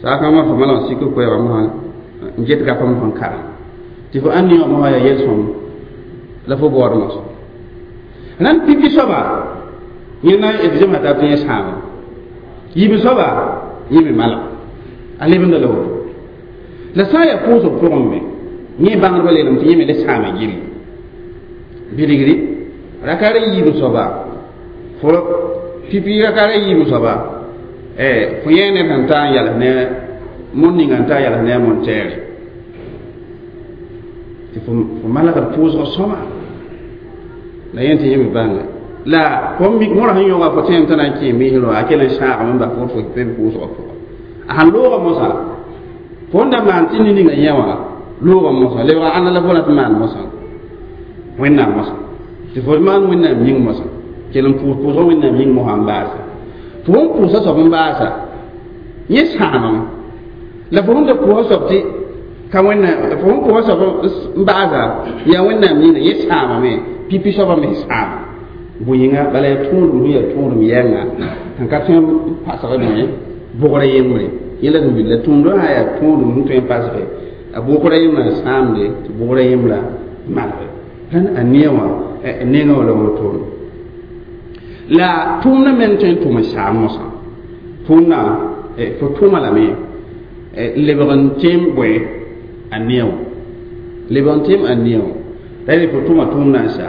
saakãngã fo malg n sik koɛɛgã mosã n get gapa mosã n karem tɩ fo ãn ne wã mosã yaa yel-sõm la fo baood mosã rãnd pipi soaba yẽ na d zemsa tab tɩ yẽ sãama yiib soaba yẽ me malg a lebenda la woto la sã n yaa pʋʋsg pʋgẽ me yẽ bãngdbã leelame tɩ yẽ me le sãama gilli bilgri raka ra yiib soaba fo pipi raka ra yiib soaba fo yẽ ned sẽn ta n yals ne mon ninga n ta n yals ne a mon-tɛɛre tɩ fo malgd pʋʋsg sõma la yẽ tɩ yẽ me bãnga la fo mik mora sẽn yõga fo tẽem t'a na n kẽ misrẽ wã a kell n sãagame n bas fo fo pe pʋʋsgã pʋga a sãn looga mosã fo n da maan tɩ ne-ninga yẽ wã looga mosã lebga ãnna la fo rat n maan mosã wẽnnaam mosã tɩ fo maan wẽnnaam yĩng mosã kell n pʋʋs pʋʋsgã wẽnnaam yĩng mosã n baasa fo sẽn pʋʋsa soab n baasa yẽ sãamame la fo sẽn da pʋʋsa soab tɩ ka wẽnnaam fo sẽn pʋʋsa soab n baasa yaa wẽnnaam yĩnga yẽ sãamame pipi soabã me sãama bõe-yĩnga bala yaa tõodem sẽn yaa tõodem yɛnga sẽn ka tõe n pasg bõe bʋgrã yembre yẽ la sẽn bil la tũudã sã yaa tõodem sẽn tõe n pasge a bʋgrã yembrã n sãamde tɩ bʋgrã yembrã malge rãnd a neẽ wã nengã wã la wotone la tʋʋmdã me n tõe n tʋm n saam mosã tʋʋmdã fo tʋma lame lebg n tẽem bõe a neẽ wã lebg n tẽem a neẽ wã la yele fo tʋma tʋʋmdã n sa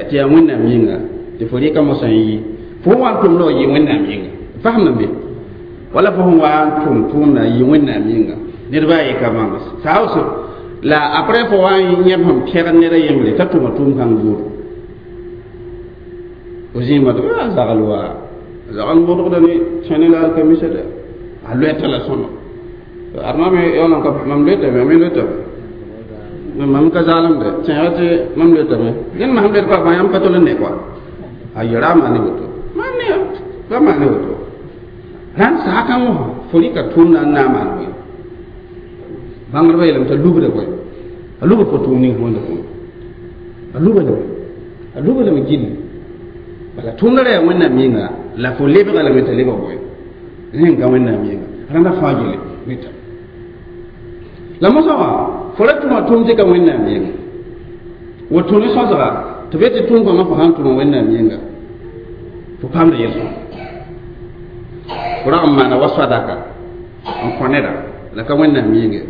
tɩ yaa wẽnnaam yĩnga tɩ fo rɩka mosã n yi fo wa n tʋmda wa yɩ wẽnnaam yĩnga fasem be wala fo sẽn wa n tʋm tʋʋmda yɩ wẽnnaam yĩnga ned baa yɩ ka bãng saos la après fo wa n yẽb sẽn pɛgd ned a yembre t'a tʋma tʋʋm kãng zuuru fo zĩigmã tɩ a zagl wa zagl modgda ne tẽne la alkamisa de a loɛta la sõma adma me yaoolã ka mam loetame me loetame mam ka zaalemde tẽega tɩ mam loetame dẽnd masem loet pa yãmb pa tol n ne koa a yɛra a maan ne woto maan ne pa maan ne woto rãnd saakã wã fo rɩka tʋʋmda n na n maan bõe bãngdbã yeelame t'a lubda bõe A lubd fo tʋʋm ning fo wẽnda tʋʋm a luba lame gilli bala tʋʋmda ra yaa wẽnnaam yĩnga la fo lebga lame t'a lebg bõe rẽn ka wẽnnaam yĩnga rãndã fãa gelle rɩta la mosã wã fo ra tʋma tʋʋm tɩ ka wẽnnaam yĩnga woto ne sõsga tɩ b yetɩ tʋʋm kãngã fo sãn tʋma wẽnnaam yĩnga fo paamda yel-sõm fo rag n maana wa sadaka n kõ neda la ka wẽnnaam yĩnge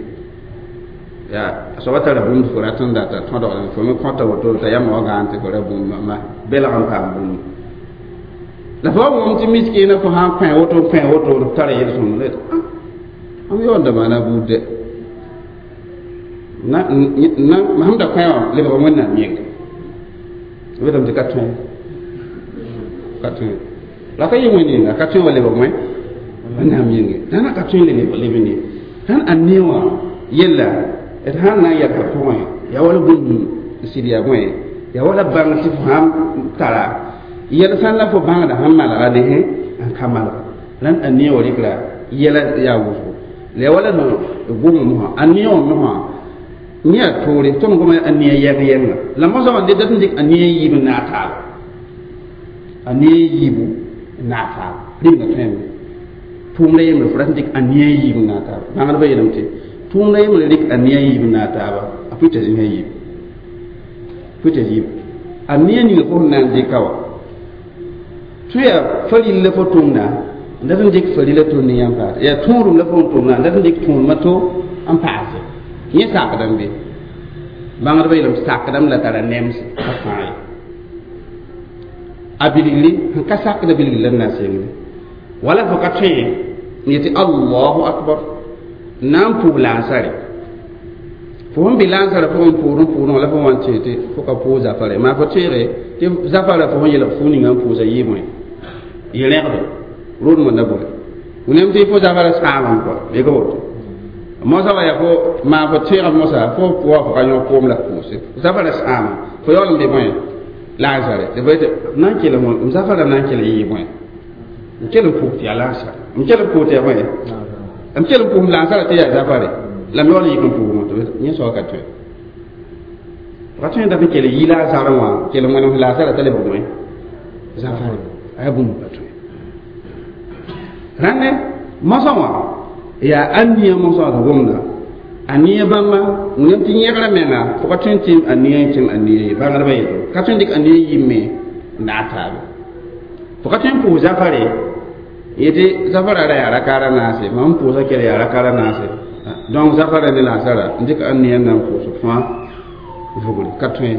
yaa a soaba tara bũmb fo rat n data tõdgd fo me kõta woto t'a yãmb wa gãan tɩ fo ra bũmb ma belg n paam bũmb la fo wa wʋm tɩ miskiina fo sãn kõ woto kõ woto tara yel-sõmd la am yaoonda maana buud de na sẽn da kõ wã lebg wẽnnaam yĩnga b yetame tɩ ka tõe la ka yɩ wẽnd yĩnga ka tõe wa lebg wẽ wẽnnaam yĩnge dãna ka tõe le lebg ne sãn a ne wã yella d sãn na n yɛka pʋgẽ yaa wala bũmb n sɩd yaa bõe yaa wala bãng tɩ fo sãn tara yɛl sãn la fo bãngda sẽn malga ne n ka malga rãnd a ne wã rɩkra yɛla yaa wʋsgo la yaa wala gom mosã a ne wã mosã yẽ yaa toore tõnd goma a ne yɛng yɛnga la mosã wã dat n dɩk a ne yiib n naag taaba a ne yiibu n naag taaba rĩmda tõeme tʋʋmda yembre fo rat n dɩk a ne yiib n naag taaba bãngdbã yeelame tɩ tʋʋmda yembre rɩk a ne yiib n naag taaba a pʋɩ t'a zĩsã yiib pʋɩ t'a yiib a ne ninga fo sẽn na n dɩka wã tɩ yaa faril la fo tʋmda n dat n dɩk farila tʋm ne yãmb paase yaa tõodum la fo n tʋmda n dat n dɩk tõodmã to n paase yẽ sakdame be bãngdbã yeelame sakdame la tara nems a fãa ye a bilgri sẽn ka sakda bilgri la n na n sengde wala fo ka tõe n yetɩ allahu akbar na n pʋʋg lansare fo sẽn be lansara pʋgẽ n pʋʋd n pʋʋdẽ la fo wa n tẽ tɩ fo ka pʋʋg zafare maa fo teege tɩ zafara fo sẽn yelg fuu ninga n pʋʋsa yɩɩ bõe yɩ rẽgdo rodmã na bõe wẽnem tɩ fo zafara sãamem kɔa bɩ woto mosã wa yaa fo maa fo tẽeg mosã fo pʋga fo ka yõ koom la pʋʋse zafara sãama fo yaool n be bõe lansare tɩ fo yetɩ na n kell m zafara na n kell yɩɩ bõe n kell n pʋʋg tɩ yaa lansare n kell n pʋʋg tɩ yaa bõe n kell n pʋʋs lansara tɩ yaa zafare la m yaool n yik n pʋʋgmã tɩ yẽ soaba ka tõe ka tõe dat n kell yɩ lansarẽ wã kell n wẽnem lansara t'a lebg bõe zafare a yaa bũmb pa tõe rãnde mosã wã yaa a nia mosã wã gomda a nia bãmba wẽnem tɩ yẽgrã menga fo ka tõe n tɩ a nia n kẽng a nia ye bãngdbã yeto ka tõe n dɩk a nia yɩɩm n naag taaba fo ka tõe n pʋʋs zafare yetɩ zafara ra yaa rakaara naase mam n pʋʋsa kell yaa rakaara naase donc zafara ne lansara n dɩk a nia n na n pʋʋs fãa vugri ka tõe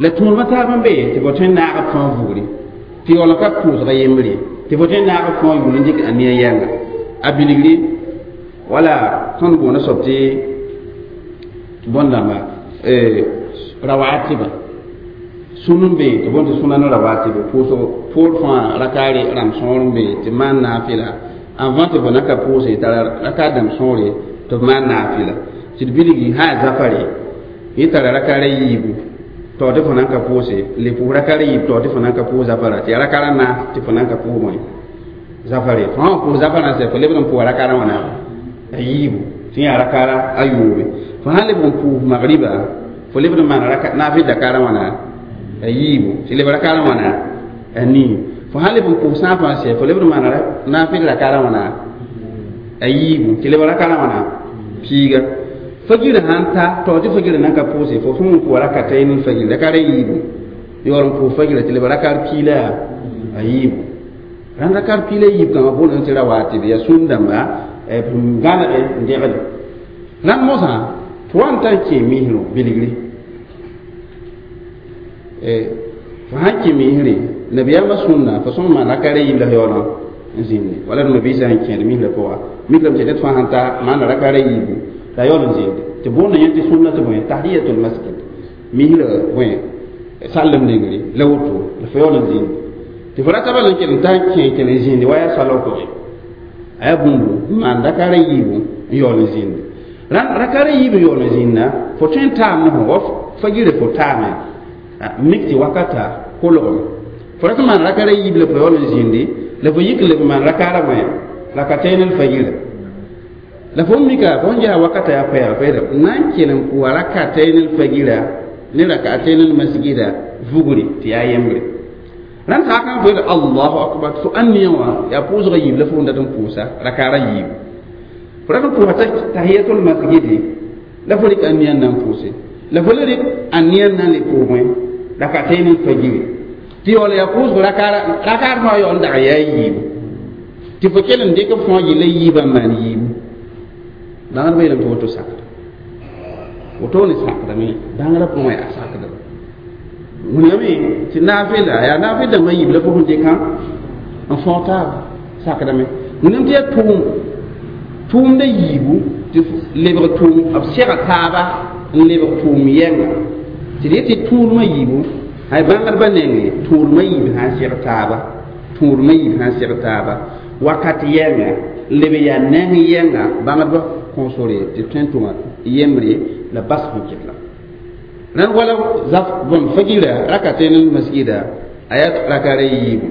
la tũudmã taab n be tɩ fo tõe n naag b fãa vugri tɩ yaool n ka pʋʋsga yembre tɩ fo tõe n naag b fãa yʋl n dɩk a nia yɛnga a bilgri wala tõnd boonda soab tɩ bõn-dãmba rawatiba sũn n be tɩ boond tɩ sũna ne rawatiba pʋʋsg poor fãa rakaare rãmb sõor n be tɩ maan naafɩla avant tɩ fo na ka pʋʋse tara rakaar dãmb sõore tɩ f maan naafɩla tɩ d bilgi sã yaa zafare yẽ tara rakaara yiibu tao tɩ fo na n ka pʋʋse le pʋʋs rakaara yiib tao tɩ fo na n ka pʋʋs zafara tɩ yaa rakaara naas tɩ fo na n ka pʋʋs bõe zafare fo sã n pʋʋs zafarã sɛ fo lebd n pʋʋsa rakaarã wãna a yiibu tɩ yaa rakaara a yoobe fo sã n lebg n pʋʋs magriba fo lebd n maana naafɩl dakaarã wãna a yiibu tɩ leb rakaarã wãna a nii fo sã n leb n pʋʋs sãafã sɛ fo lebd n maana naafɩl rakaarã wãna a yiibu tɩ leb rakaarã wãna piiga fagirã sãn ta tao tɩ fagirã na n ka pʋʋse fo sẽn pʋʋs rakatayn n fagir rakaara yiibu yaool n pʋʋs fagirã tɩ leb rakaar piila a yiibu rãnd rakaar piila yiib kãngã boond tɩ rawatib yaa sũn-dãmba n gãnege n dẽgde rãnd mosã tɩ wa n tar kẽ misrẽ bilgri fo sãn kẽ misre nabiyaamã sũnna fo sõm maan rakaara yiib la yaoolã n zĩnde wala d mabiisã sẽn kẽed misrã pʋga mikrame tɩ ned fãa sãn ta maana rakaara yiibu la yaool n zĩnde tɩ boonda yẽ tɩ sũnna tɩ bõe tahiyatul masjid misrã bõe sallem nengre la woto la fo yaool n zĩnde tɩ fo rata bala n kell n ta n kẽ kell n zĩndi wa yaa salg pʋgẽ a yaa bũmbu n maan rakaara yiibu n yaool n zĩnde rakaara yiib n yaool n zĩnda fo tõe n taam ne fo wa fagirã fo taame mik tɩ wakata kolgem fo rat n maan rakaara yiib la fo yaool n zĩndi la fo yik leb n maan rakaara bõe rakatayn l fagira La fo mika fo ja wakata ya pɛɛg fo nan kell n pʋʋsa rakatayn l-fagira ne rakatayn l-masgida vugri tɩ yaa yembre rãnd sã kan fo Allahu akbar fo ãnniya wã yaa pʋʋsgã yiib la fo n dat n pʋʋsa rakaara yiibu fo rat n pʋʋsa tahiyatul masgidi la fo rɩk ãnniya n na n pʋʋse la fo le rɩk ãnniya n na n le pʋʋgẽ rakatayn l-fajiri tɩ yaool yaa pʋʋsg rakaar fãa yaool n dag yaa yiibu tɩ fo kell n dɩk b fãa yella yiibã n maan yiibu bãngdbã yeelame tɩ woto sakda woto ne sakdame bãngrã pʋgẽ a sakda wẽnnaame tɩ naafɩla yaa naafɩl dãmbã yiib la fo sẽn dɩkã n fõog taaba sakdame wẽnnaam tɩ yaa tʋʋm tʋʋmda yiibu tɩ lebg tʋʋm b sɛga taaba n lebg tʋʋm yɛnga tɩ d yetɩ tũudmã yiibu hay bãngdbã nengẽ tũudmã yiib sã n sɛg taaba tũudmã yiib sã n sɛg taaba wakat yɛnga leb yaa neng yɛnga bãngdbã kõ sore tɩ tõe n tʋma yembre la bas sẽn kɩt la rãnd wala zaf bõn fagira rakaten masgida a yaa rakaara yiibu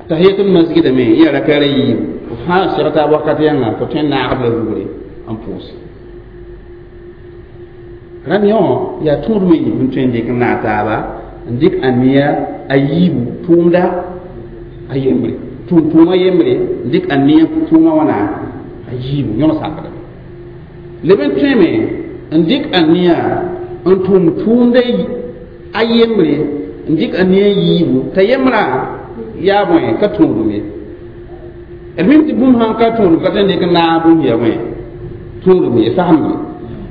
tahiyatul masgida me yaa rakaara yiibu fãa sɛg taab wakat yãnga fo tõe n naagd la vugre n pʋʋse rãnd yõ yaa tũudmã yiib n tõe n dɩk n naag taaba n dɩk ãnniya a yiibu tʋʋmda a yembre tʋʋm tʋʋma yembre n dɩk ãnniya tʋʋma wãna a yiibu yõn sakdame leb n tõeme n dɩk ãnniya n tʋʋm tʋʋmda a yembre n dɩk ãnniya yiibu t'a yembrã yaa bõe ka tũudum ye d mim tɩ bũmb sãn ka tũudum ka tõe n dɩk n naag bũmb ya bõe tũudum ye fasembre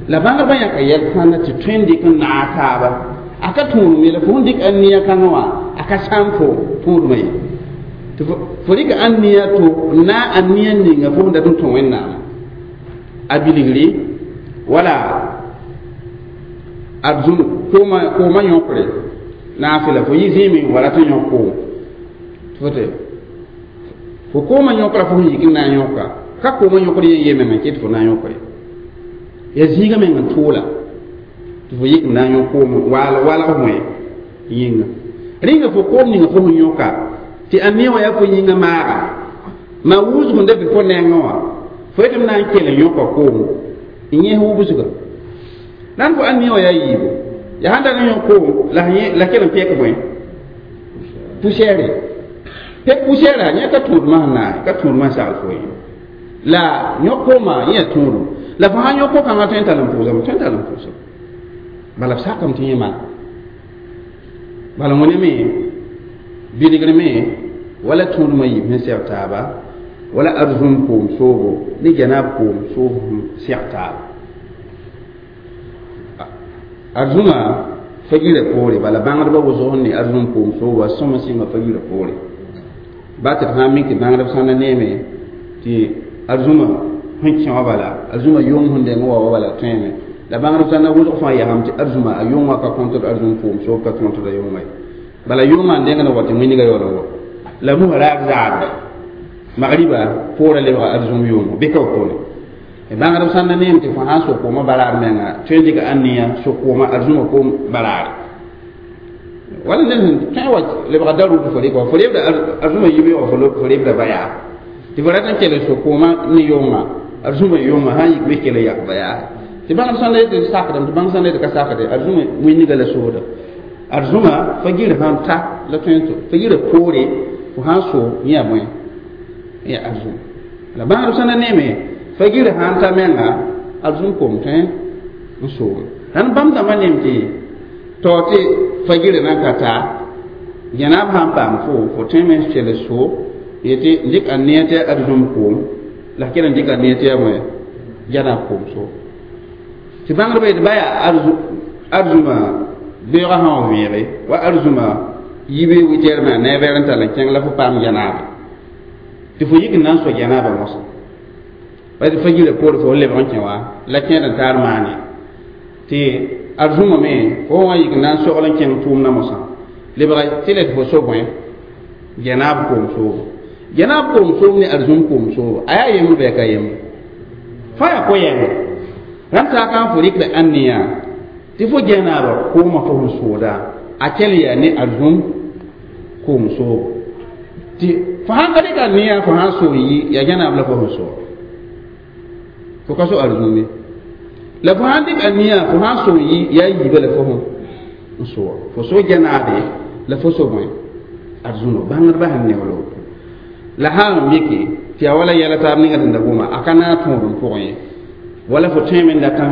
la bãngdbã yãka yɛl kãna tɩ tõe n dɩk n naag taaba a ka tũudum ye la fo sẽn dɩk ãnniya kãngã wã a ka sãam fo tũudumã ye tɩ fo rɩka ãnniya to n naag ãnniya ninga fo sẽn dat n tõ wẽnnaam a bilgri wala arzum kooma yõkre naafɩla fo yɩ zĩime wala tɩ yõk koom tɩ fo kooma yõkra fo sẽn yik n na n yõka ka kooma yõkr yẽ yeme me kɩ tɩ fo na n yõkre yaa zĩigã meng n tʋʋla tɩ fo yik n na n yõk koom walg bõe yĩnga rĩnga fo koom ninga fo sẽn yõka tɩ ãnniya wã yaa fo yĩngã maaga maa wʋsg n da be fo nengẽ wã fo yetɩ m na n kell n yõka koom n yẽs wubsga rãnd fo ãnniya wã yaa yiibu yaa sãn dag n yõk koom la kell n pẽk bõe poussière pẽk poussière yẽ ka tũudmã sẽn naag ka tũudmã n sagl fo ye la yõk koomã yẽ yaa tũudum la fo sãn yõk ko-kãngã tõe n tall n pʋʋsame tõe n tall n pʋʋsame bala b sakame tɩ yẽ maan bala wẽname bilgr me wala tũudmã yiib sẽn sɛg taaba wala arzũm koom soobo ne janaab koom soob sẽn sɛg taaba arzũmã fagirã poore bala bãngdbã wʋsg sẽn ne arzũm koom soobo a sõma sɩnga fagirã poore ba tɩ d sã n mik tɩ bãngdb sãn na neeme tɩ arzũmã sẽn kẽ wã bala arzũmã yong sẽn deng wa wa bala tõeme la bãngdb sãn na wʋsg fãa yasame tɩ arzũmã a yong wã ka kõntd arzũm koom soob ka tõntd a yongã ye bala yongã n dengd wa tɩ wĩnigã yaool n wa la musã raab zaadba magriba poorã lebga arzũm yʋʋmo bɩ ka wotone bãngdb sãn na neem tɩ fo sãn sok koomã baraar menga tõe n dɩka ãnniya sok koomã arzũmã koom baraare wala ned sẽn tõe wa lebga darʋʋd fo rɩka wa fo rebda arzũmã yibe wa fo rebda ba yaa tɩ fo rat n kell n sok koomã ne yʋnga arzũmã yʋnga sãn yik bɩ kell n yak ba yaa tɩ bãngd sãn la yetɩ sakdame tɩ bãng sãn la yetɩ ka sakde arzũmã wĩnniga la sooda arzũmã fagir sãn ta la tõe n fagirã poore fo sãn so yẽ yaa bõe yaa arzũm la bãngdb sãn na neeme fagir sãn ta menga arzũm koom tõe n soome rãnd bãmb dãmbã neem tɩ tao tɩ fagirã na n ka ta janaab sãn paam fo fo tõeme n kell so yetɩ n dɩk ãnniya tɩ arzũm koom la kell n dɩk ãnniya tɩ yaa bõe janaab koom so tɩ bãngdbã yetɩ ba yaa arzũmã beoogã sã wa vẽege wa arzũmã yibe witɛɛr me a neebɛɛr n tall n kẽng la fo paam janaaba tɩ fo yik n na n so janaabã mosã wa tɩ fagirã poore fo lebg n kẽ wa la kẽed n taar maane tɩ arzũmã me fo wã yik n na n sogl n kẽng tʋʋmdã mosã lebga tɩ la tɩ fo so bõe janaab koom soobo janaab koom soob ne arzũm koom soobo a yaa yembr bɩ a ka yembre fãa yaa ko-yɛnga rãnd saaka n fo rɩkda ãnniya tɩ fo janaaba koomã fo sẽn sooda a kell yaa ne arzũm koom soobo tɩ fo sãn ka rɩka ãnniya fo sãn soog yi yaa janaab la fo sẽn soog Fo ka so arzũme la fo sãn dɩk a nia fo sãn so yaa yiibã la fo n soa fo so gɛnaade la fo so bõe arzũno bãngdbã sẽn neool woto la sã n mike tɩ yaa wala yɛla taab ninga sẽn da goma a ka naag tõod n pʋgẽ ye wala fo tõeme n datã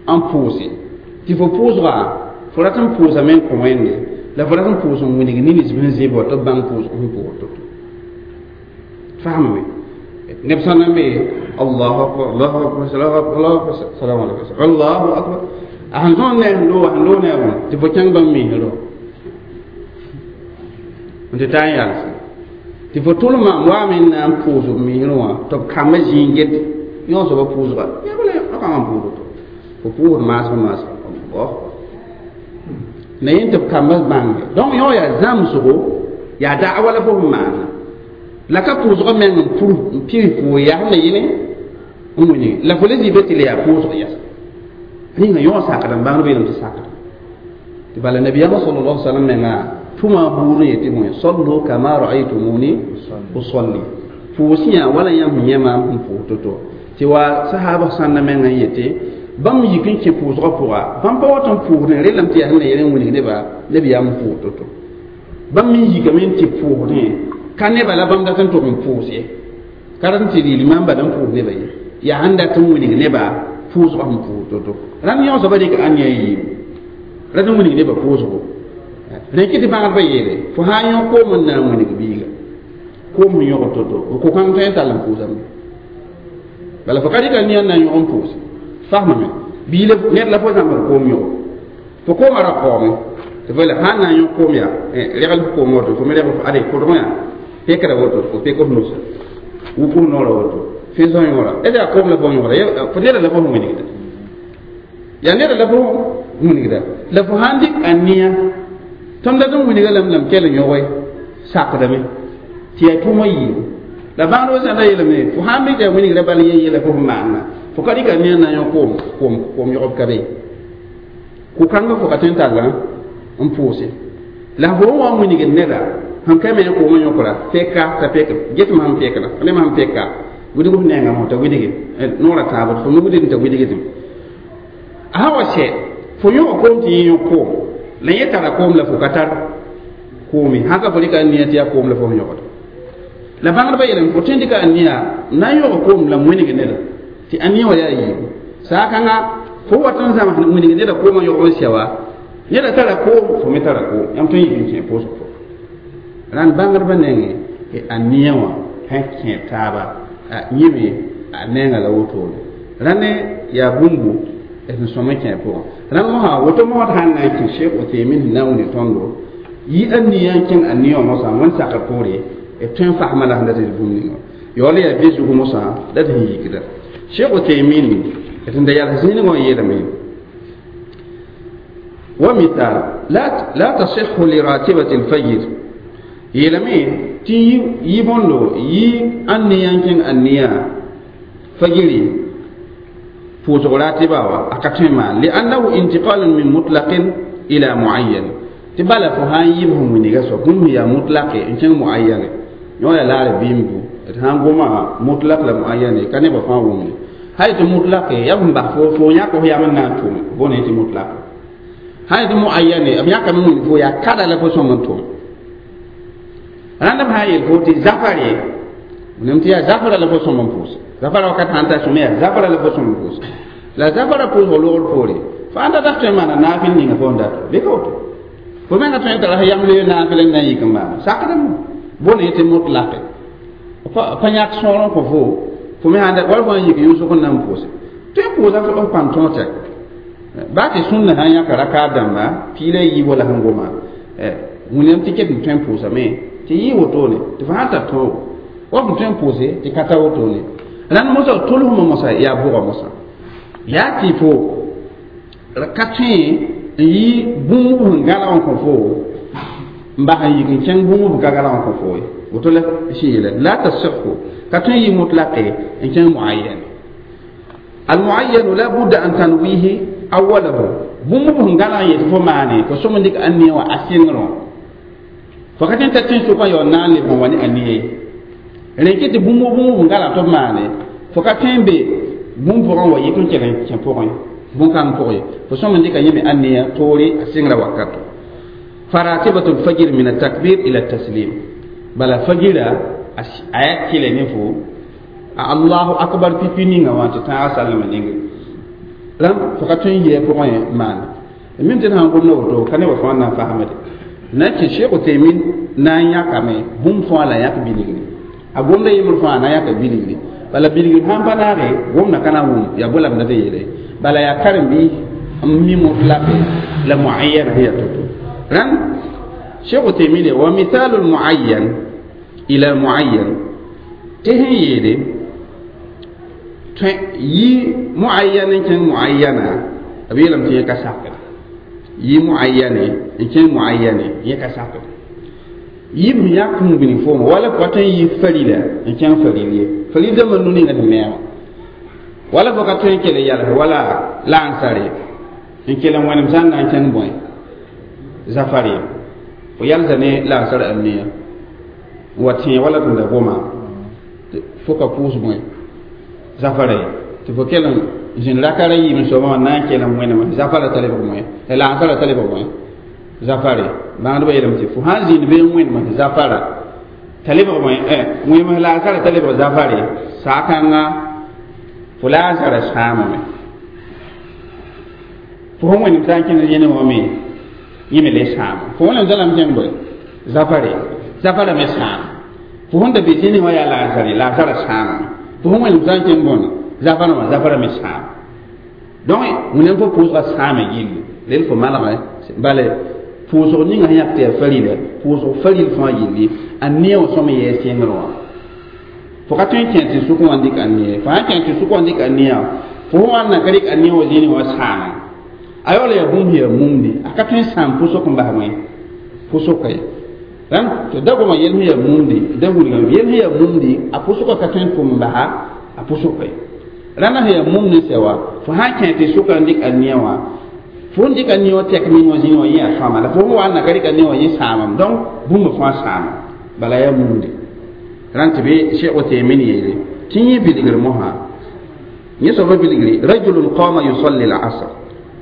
n pʋʋse tɩ fo pʋʋsga fo rat n pʋʋsame n kõ wẽnde la fo rat n pʋʋs n wilg nins sẽn zɩ tɩ b bãng pʋʋsg sẽn pʋʋs to-to fahmame neb sã na n be allahu akbar allahu akbar allahu akbar allahu akbar salamu alaykum allahu akbar a sẽn tõnd ne sẽn looga sẽn loog ne a bõe tɩ fo kẽng bãmb miisrõ n tɩ taa n yalse tɩ fo tʋlmã n waame n na n pʋʋs b miisrẽ wã tɩ b kambã zĩig get yõ soaba pʋʋsga yabla kãngã n pʋʋs woto fo pʋʋsd maasg maasg allah la yẽ tɩ b kambã bãnge donc yõ yaa zãmsgo yaa da'wa la fo sẽn maana la ka pʋʋsgã meng n pur n pir pʋʋs yaa sẽn na yẽne n wilg la fo le zĩ be tɩ la yaa pʋʋsg yɛs rĩnga yõ sakd n bãngd beelem tɩ sakd tɩ bala nabiyaamã sallallahu alaihi wasallam menga tʋma buud n yetɩ bõe sallu kama ra'aytumuni usalli pʋʋs yã wala yãmb sẽn yẽ maam sẽn pʋʋs to-to tɩ wa sahaba sãnda menga n yetɩ bãmb yik n kẽ pʋʋsgã pʋga bãmb pa wat n pʋʋsdẽ relame tɩ yaa sẽn na yel n wilg nebã nabiyaam n pʋʋs to-to bãmb me yikame n tɩ pʋʋsdẽ ka neba la bãmb dat n tʋg n pʋʋs ye ka rat n tɩ rɩɩl maam bala n pʋʋs neba ye yaa sẽn dat n wilg nebã pʋʋsgã sẽn pʋʋs to-to rãnd yõ soaba dɩk ãn yaa yiibu rat n wilg nebã pʋʋsgo rẽk tɩ bãgdbã yeele fo sã n yõ koom n na n wilg biiga koom sẽn yõgd to-to f ko-kãng tõe n tall n pʋʋsame bala fo ka dɩka nia n na n yõg n pʋʋse fasmame bii ned la fo zãmbd koom yõg fo koomã ra kaoome tɩ fo yeela sã n na n yõg koom yaa regl f koom woto fo me reg ade kʋdg yã pekra woto fo pek f nusa wuk f noorã woto fẽs f yõora d yaa koom la fo yõgda fo neda la fo sẽn wilgda yaa neda la fo wilgda la fo sãn dɩk a nia tõnd dat n wilga lame lame kell n yõge sakdame tɩ yaa tʋʋmã yiibu la bãngdbã sã da yeelame fo sãn mik yaa wilgra bal yen yela fo sẽn maanna fo ka dɩka nia na n yõ koom koom koom yõgb ka be ko-kãngã fo ka tõe n talla n pʋʋse la fo n wa n wilgd neda sẽn ka me koomã yõkra peka t'a pek getmã sẽn pekra nemã sẽn peka wilg f nengã fo t'a wilge noorã taabd fo me wilgd t'a wilgdẽ a sã wa sɛ fo yõg koom tɩ yẽ yõk koom la yẽ tara koom la fo ka tar koome sã ka fo dɩka a nia tɩ yaa koom la fo sẽn yõgd la bãngdbã yeelame fo tõe n dɩka a nia na n yõg koom la wilg neda tɩ a nia wã yaa yiibu saa-kãnga fo wat n zãms wilg neda koomã yõg n sɛ wa neda tara koom fo me tara koom yãmb tõe n yik n kẽ pʋʋsg pʋgẽ rãnd bãngdbã nengẽ a nia wã sẽn kẽ taaba yẽme a nenga la wotone rãnd yaa bũmbu d sõm n kẽ pʋgẽ rãnd mosã woto mosd sãn na n kẽ Sheikh Uthaymin sẽn na n wilg tõndo yɩ a nia n kẽng a nia wã mosã wẽnd sakr poore b tõe n fasmã la sẽn dat d bũmb ninga yaool yaa be zug mosã la d sẽn yikda Sheikh Uthaymin d sẽn da yals zĩnigã wã yeelame wa misal la tasihhu li ratibati alfajr yeelame tɩ yɩ bõndo yɩ a nia n kẽng a nia fajiri pʋʋsg ratiba wa a ka tõe n maan liannahu intiqalun min mutlaqin ila muayyan tɩ bala fo sã n yɩb sẽn wilga soab bũmb sẽn yaa mutlaqe n kẽng muayyane yõ yaa laar bɩɩm bu d sã n goma mutlaq la muayyane ka nebã fãa wʋmde sã yetɩ mutlaqe yaa b bas fo yãk f yam n na n tʋm bõne tɩ mutlaq sã yetɩ muayyane b yãkame wilg fo yaa kada la fo sõm n tʋm rãnd b sã n yel fo tɩ zafare nem tɩ yaa zafara la fo sõm n pʋʋs zafara wakat sãn ta sõm yaa zafara la fo sõm n pʋʋs la zafara pʋʋsg logr poore fo ãnda dat tõe n maana naafɩl ninga fo n dato bɩ ka woto fo menga tõe n tara yam le naafɩl n na n yik n maana sakdame bõne tɩ mutlaqe pa yãk sõor n kõ fo fo me sãn wala fo n yik yʋsg n na n pʋʋse tõe n pʋʋsa f pãn tõog tɛk baa tɩ sũnna sã n yãka rakaab dãmba piila yiib wala sẽn goma wĩnam tɩ ket n tõe n pʋʋsame tɩ yɩ wotone tɩ fo sãn tar tõogo wa f tõe n pʋʋse tɩ ka ta wotone rãnd mosã tolsmã mosã yaa bʋga mosã yaa tɩ fo ka tõe n yɩ bũmb sẽn gãlag n kõ fo n bas n yik n kẽng bũmb b ka gãlag n kõ fo ye woto la sẽn yeela la tasihhu ka tõe n yɩ mutlaqe n kẽng muayyan almuayyanu la budda an tanwihi awalahu bũmb sẽn gãlag n yetɩ fo maane fo sõm n dɩk a nia wã a sɩngrẽ fo ka tõe n ta tẽn-sʋkã yaool na n leb n wa ne a nia ye rẽn kɩ tɩ bũmb sẽn gãlag tɩ b maane Fo ka tõe n be bũmb pʋgẽ wa yik n kell n kẽ pʋgẽ bũn-kãng pʋgẽ fo sõm n dɩka yẽme aniya toore a sɩngrã wakato faratibatu lfajir min atakbir ila taslim bala fajira a yaa kele ne fo allahu akbar pipi ninga wã tɩ tãaga sallama ninge rãmb fo ka tõe n yɩ a pʋgẽ maana mim tɩ d sãn gomda woto ka ne wa fãa na n fasemde na kẽ Sheikh Uthaymin na n yãkame bũmb fãa la yãk bilgri a gomda yembr fãa na yãka bilgri bala bilgri sãn pa naage gomda ka na wʋm yaa bo la b dat n yeele bala yaa karen-biis n mi mutlaqe la muayyana sẽn yaa to-to rãnd Sheikh Uthaymin wa mithalu lmuayyan ila muayyan tɩ sẽn yeele tõe yi muayyan n kẽng muayyana b yeelame tɩ yẽ ka sakd yi muayyane n kẽng muayyane yẽ ka sakd yib sẽn yãk n bilg fooma wala fo ka tõe n yi farila n kẽng faril ye faril dãmbã nu ninga sẽn neema wala fo ka tõe n kell n yals wala laansare n kell n wẽnem sã n na n kẽng bõe zafar ye fo yalsa ne laansar aniya n wa tẽe wala tɩ da goma fo ka pʋʋs bõe zafara ye tɩ fo kell n zĩnd raka ra yiib n soabã wã na n kell n wẽneme zafara t'a lebg bõe laansara t'a lebg bõe zafare bãngdbã yeelame tɩ fo sãn zĩnd bee n wẽnem zafara t'a lebg bõe wẽnem laansara t'a lebg zafare saakãnga fo laansara sãamame fo sẽn wẽnem sã n kẽnd yẽnem wã me yẽ me le sãama fo wẽnem zãlame kẽng bõe zafare zafara me sãam fo sẽn da be zĩnig wã yaa laansare laansara sãamame fo sẽn wẽnem sã n kẽng bõne zafara wã zafara me sãam donc wẽnem fo pʋʋsga sãame gilli rel fo malgẽ bale pʋʋsg ninga sẽn yãk tɩ yaa farila pʋʋsg faril fãa yilli a neẽ wã sõm yɛɛ sɩngr wã fo ka tõe n kẽ tɩ sʋk wã n dɩk a neẽ fo sãn kẽ tɩ sʋk wã n dɩk a neã fo sẽn wa n na ka dɩk a neẽ wã zĩnig wã sãama a yaool yaa bũmb sẽn yaa mumdi a ka tõe n sãam pʋsg n bas wẽ pʋsgka ye rãmb tɩ da goma yel sẽn yaa mumdi da wilgame yel sẽn yaa mumdi a pʋsgã ka tõe n tʋm n basa a pʋsgka ye rãndã sẽn yaa mumd n sɛ wa fo sãn kẽ tɩ sʋka n dɩk a neẽ wã fo n dɩk a neẽ wã tɛk ning wã zĩig wã yẽ yaa sõama la fo sẽn wa n na ka dɩk a neẽ wã yẽ sãamame donc bũmb fãa sãama bala yaa mumdi rãnd tɩ bɩ Cheikh Uthaymin yeele tɩ yẽ bilgr mosã yẽ soaba bilgri rajulun qama yusalli al-asr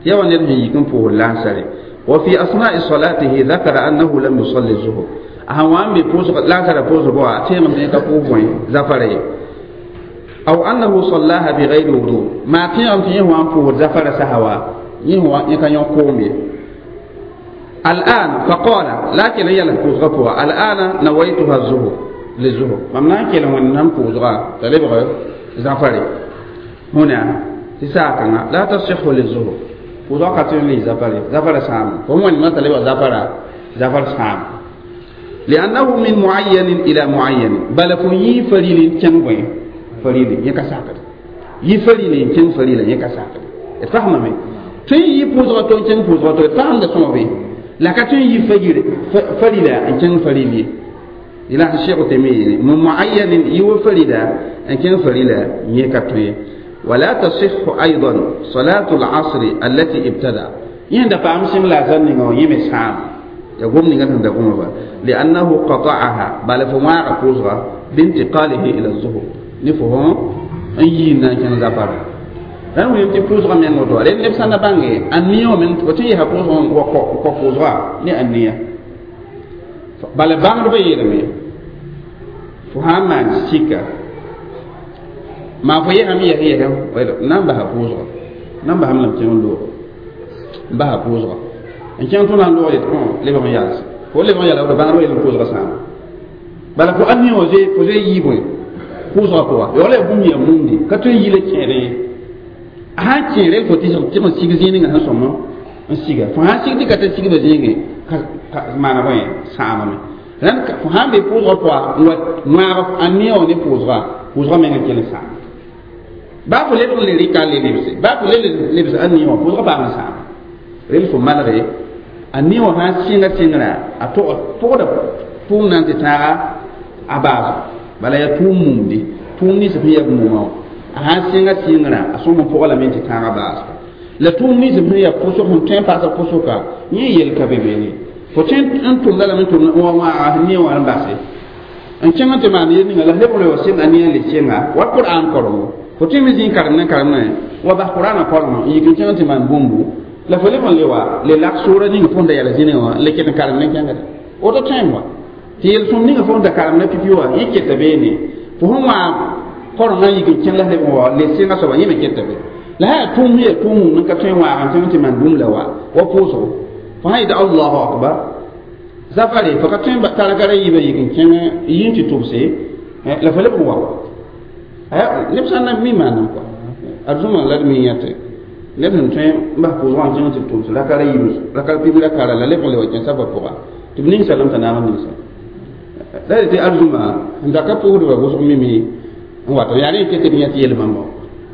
yaa wa ned sẽn yik n pʋʋsd laansare wa fi asna'i salatihi dhakara annahu lam yusalli zuhur a sãn wa n be laansara pʋʋsg wã a tẽegame tɩ yẽ ka pʋʋs bõe zafara ye aw annahu sallaha bighayri wudu maa tẽegame tɩ yẽ wa n pʋʋsd zafara sasa wa yẽ ka yõ koom ye الآن فقال لكن هي الفوزغة بوا الآن نويتها الظهر للظهر ممنا كلا ونم فوزغة تلبغ زفري هنا تساكنا لا تصح للظهر فوزغة كتير لي زفري زفر سام فهم ما تلبغ زفر زفر سام لأنه من معين إلى معين بل في فريل كان فريل يكساكت يفريل كان فريل يكساكت اتفهم مي تي يفوزغة تو كان فوزغة تو تفهم ده سمو la ka tõe n yi farila n kẽng faril ye la Cheikh Uthaymin min muayyanin yi wa farila n kẽng farila yẽ ka tõe wala tasihhu aidan salatu al-asr allati ibtada yẽ da paam sẽng la zan ninga wã yẽ me sãam ya gom ninga sẽn da goma ba li'annahu qata'aha bala fo wãaga pʋʋsga bintiqalihi ila zuhur ne fo n yiin na n kẽng zafara rãnd wilm tɩ pʋʋsgã meng woto rẽ neb sã n na bãnge a nia wã meng fo tɩ n yesa pʋʋsgã wa kɔ pʋʋsga ne a nia bala bãngdbã yeelame fo sã n maan sika maa fo yesame yɛs yɛsɛ na n basa pʋʋsga na n basame lame kẽng n loog n basa pʋʋsga n kẽng tʋ na n loog yetɩ lebg n yals fo lebg n yala woto bãngdbã yeelame pʋʋsga sãama bala fo a nia wã zoe fo zoe yii bõe pʋʋsga pʋga yaoola yaa bũmb yaa mumdi ka tõe n yi la kẽedẽ ye a sãn kẽere fo tɩ n sig zĩig sẽn sõm n siga fo sãn sig tɩ ka tɩ sigda zĩige ka maana bõe sãamame rãnd fo sãn be pʋʋsgã pʋga n wa wãag a nia wã ne pʋʋsga pʋʋsgã meng n kell n sãama baa fo lebg n le rɩka n le lebse baa fo le lebs a nia wã pʋʋsgã paam n sãama rel fo malge a nia wã sãn sɩnga sɩngrã a pʋgda tʋʋm na n tɩ tãaga a baasgo bala yaa tʋʋm mumdi tʋʋm nins sẽn yaa mumã wã a sãn sɩnga sɩngrã a sõm n pʋga lame tɩ tãagã baasga la tʋʋm nins sẽn yaa pʋsg sẽn tõe n paasa pʋsga yẽ yel ka be beene fo tõe n tʋmda lame n tʋmd n wa wãaga nia wã n base n kẽng tɩ maan yel ninga la lebg le wa sɩng a nia le sɩnga wa Qur'an korengo Fo tõe me zĩ karem ne karem ne wa bas qur'ana korengã n yik n kẽng tɩ maan bũmbu la fo leb n le wa le lak soora ning fo n da yɛla zĩnẽ wã le ket n karem ne kẽngda woto tõem wa tɩ yel-sõm ninga fo n da karem ne pipi wã yẽ keta beene fo sẽn wã korengã n yik n kẽng la leb n wa le sɩngã soaba yẽ me keta be la sã yaa tʋʋm sẽn yaa tʋʋm n ka tõe n waag n kẽng tɩ maan bũmb la wa wa pʋʋsgo fo sã yetɩ allahu akbar zafare fo ka tõe n targara yiibã yik n kẽng yĩn tɩ tʋbse la fo leb n wa neb sã n na mi maanam kɔa arzũma la d mi yãte neb sẽn tõe n bas pʋʋsgã n kẽng tɩ tʋbs rakara yiib rakar pib rakara la leb n le wa kẽ safã pʋga tɩ b ning salam t'a naag n ninsa la tɩ arzũma n da ka pʋʋsdbã wʋsg mimi n wato yaa rẽ ket d yã tɩ yel-bãmba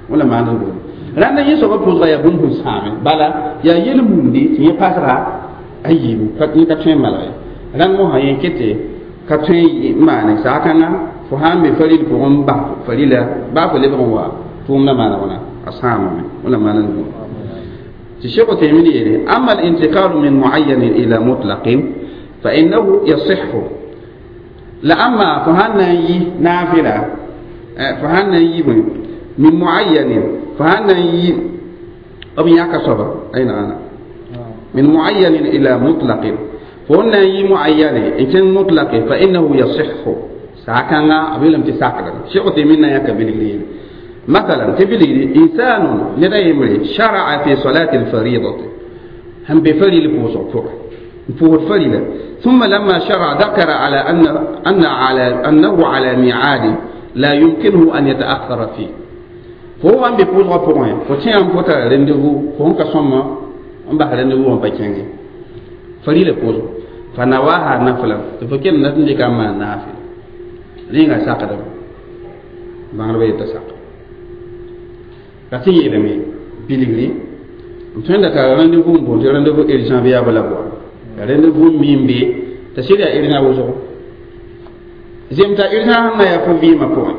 wẽla maand n boole rãnda yẽ soabã pʋʋsga yaa bũmb sẽn sãame bala yaa yel-mumdi tɩ yẽ pasga a yiibu yẽ ka tõe n malg ye rãnd mosã yẽ kete ka tõe n maane saakãnga fo sãn be faril pʋgẽ n bas farila baa fo lebg n wa tʋʋmdã maana wãna a sãamame wẽla maan n dũni tɩ Cheikh Uthaymin yeele ama al-intiqalu min muayyanin ila mutlaqin fa innahu yasihhu la amma fo sãn na n yi naafila fo sãn na n yi bõe min muayyanin fo sãn na n yi b yãka soaba ayna ãna min muayyanin ila mutlaqin fo n na n yi muayyane n kẽng mutlaqe fa innahu yasihhu saakãnga b yeelame tɩ sakdame Cheikh Uthaymin na n yãka bilgr yeele مثلا تبلغ إنسان لدى يمري شرع في صلاة الفريضة هم بفريل بوزع فوق الفريلة ثم لما شرع ذكر على أن أن على أنه على ميعاد لا يمكنه أن يتأخر فيه فهو أن بيبوزع بوين فتيان فوتا rendez-vous فهم كسوما أم بح rendez-vous أم بكينجي فريلة بوزع فنواها نفلا تفكر نتنجي كما نافل رينغا ساقدم بانغربي يتساق la tɩ yeelame bilgri n tõe n da tara rendez-vous n boond tɩ rendez-vous urgent bɩ yaa bala bʋa ya rendez-vous n mi n be t'a sɩd yaa urgent wʋsgo zem t'a urgent sẽn na yaa fo vɩɩmã pʋgẽ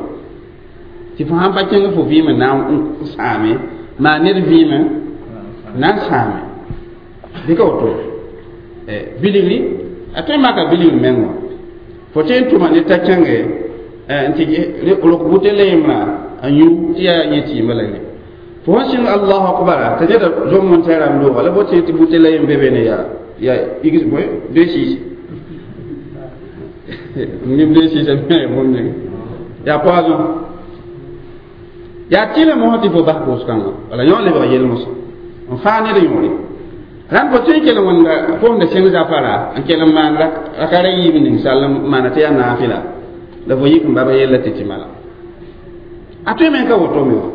tɩ fo sãn pa kẽng fo vɩɩmã na n sãame maa ned vɩɩmã na n sãame bɩ ka woto bilgri a tõe n maka bilgr meng wã fo tõe n tʋma ned t'a kẽnge n tɩ rok bʋte la yembrã a yũ tɩ yaa yẽ tɩɩmã la ye fo sẽn sɩng allahu akbara t'a neda zom n tɛɛra n looga la bo tɩ tɩ bute la yem be be ne yaa yaa x bõe deux six neb deux six bũmb ninga yaa poison yaa tɩlem mosã tɩ fo bas pʋʋs-kãngã wala yõ lebg yel-mosã n faa ned yõore rãnd fo tõe n kell wẽnda fo sẽn da sẽng zafara n kell n maan rakara yiib ning sall n maana tɩ yaa naafɩla la fo yik n bab yella tɩ tɩ mala a tõe me n ka woto me wã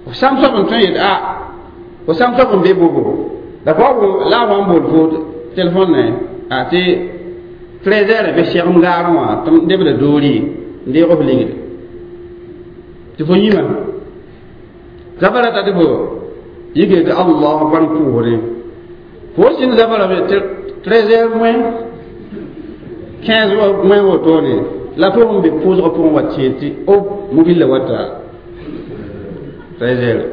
f sãm soab n tõe n yet a fo sãm soab n be bobo la fo la a wa n bool fo telefon ne a tɩ 13 heures be segem gaarẽ wã tɩ debda doori n deeg f ligde tɩ fo yĩma zafara ta tɩ fo yike tɩ allah akbar n pʋʋsdẽ fo sɩng zafara be 13 heures moins 15 moins wotone la fo sẽn be pʋʋsgã pʋgẽ wa tẽ tɩ o mobile wata 13 heures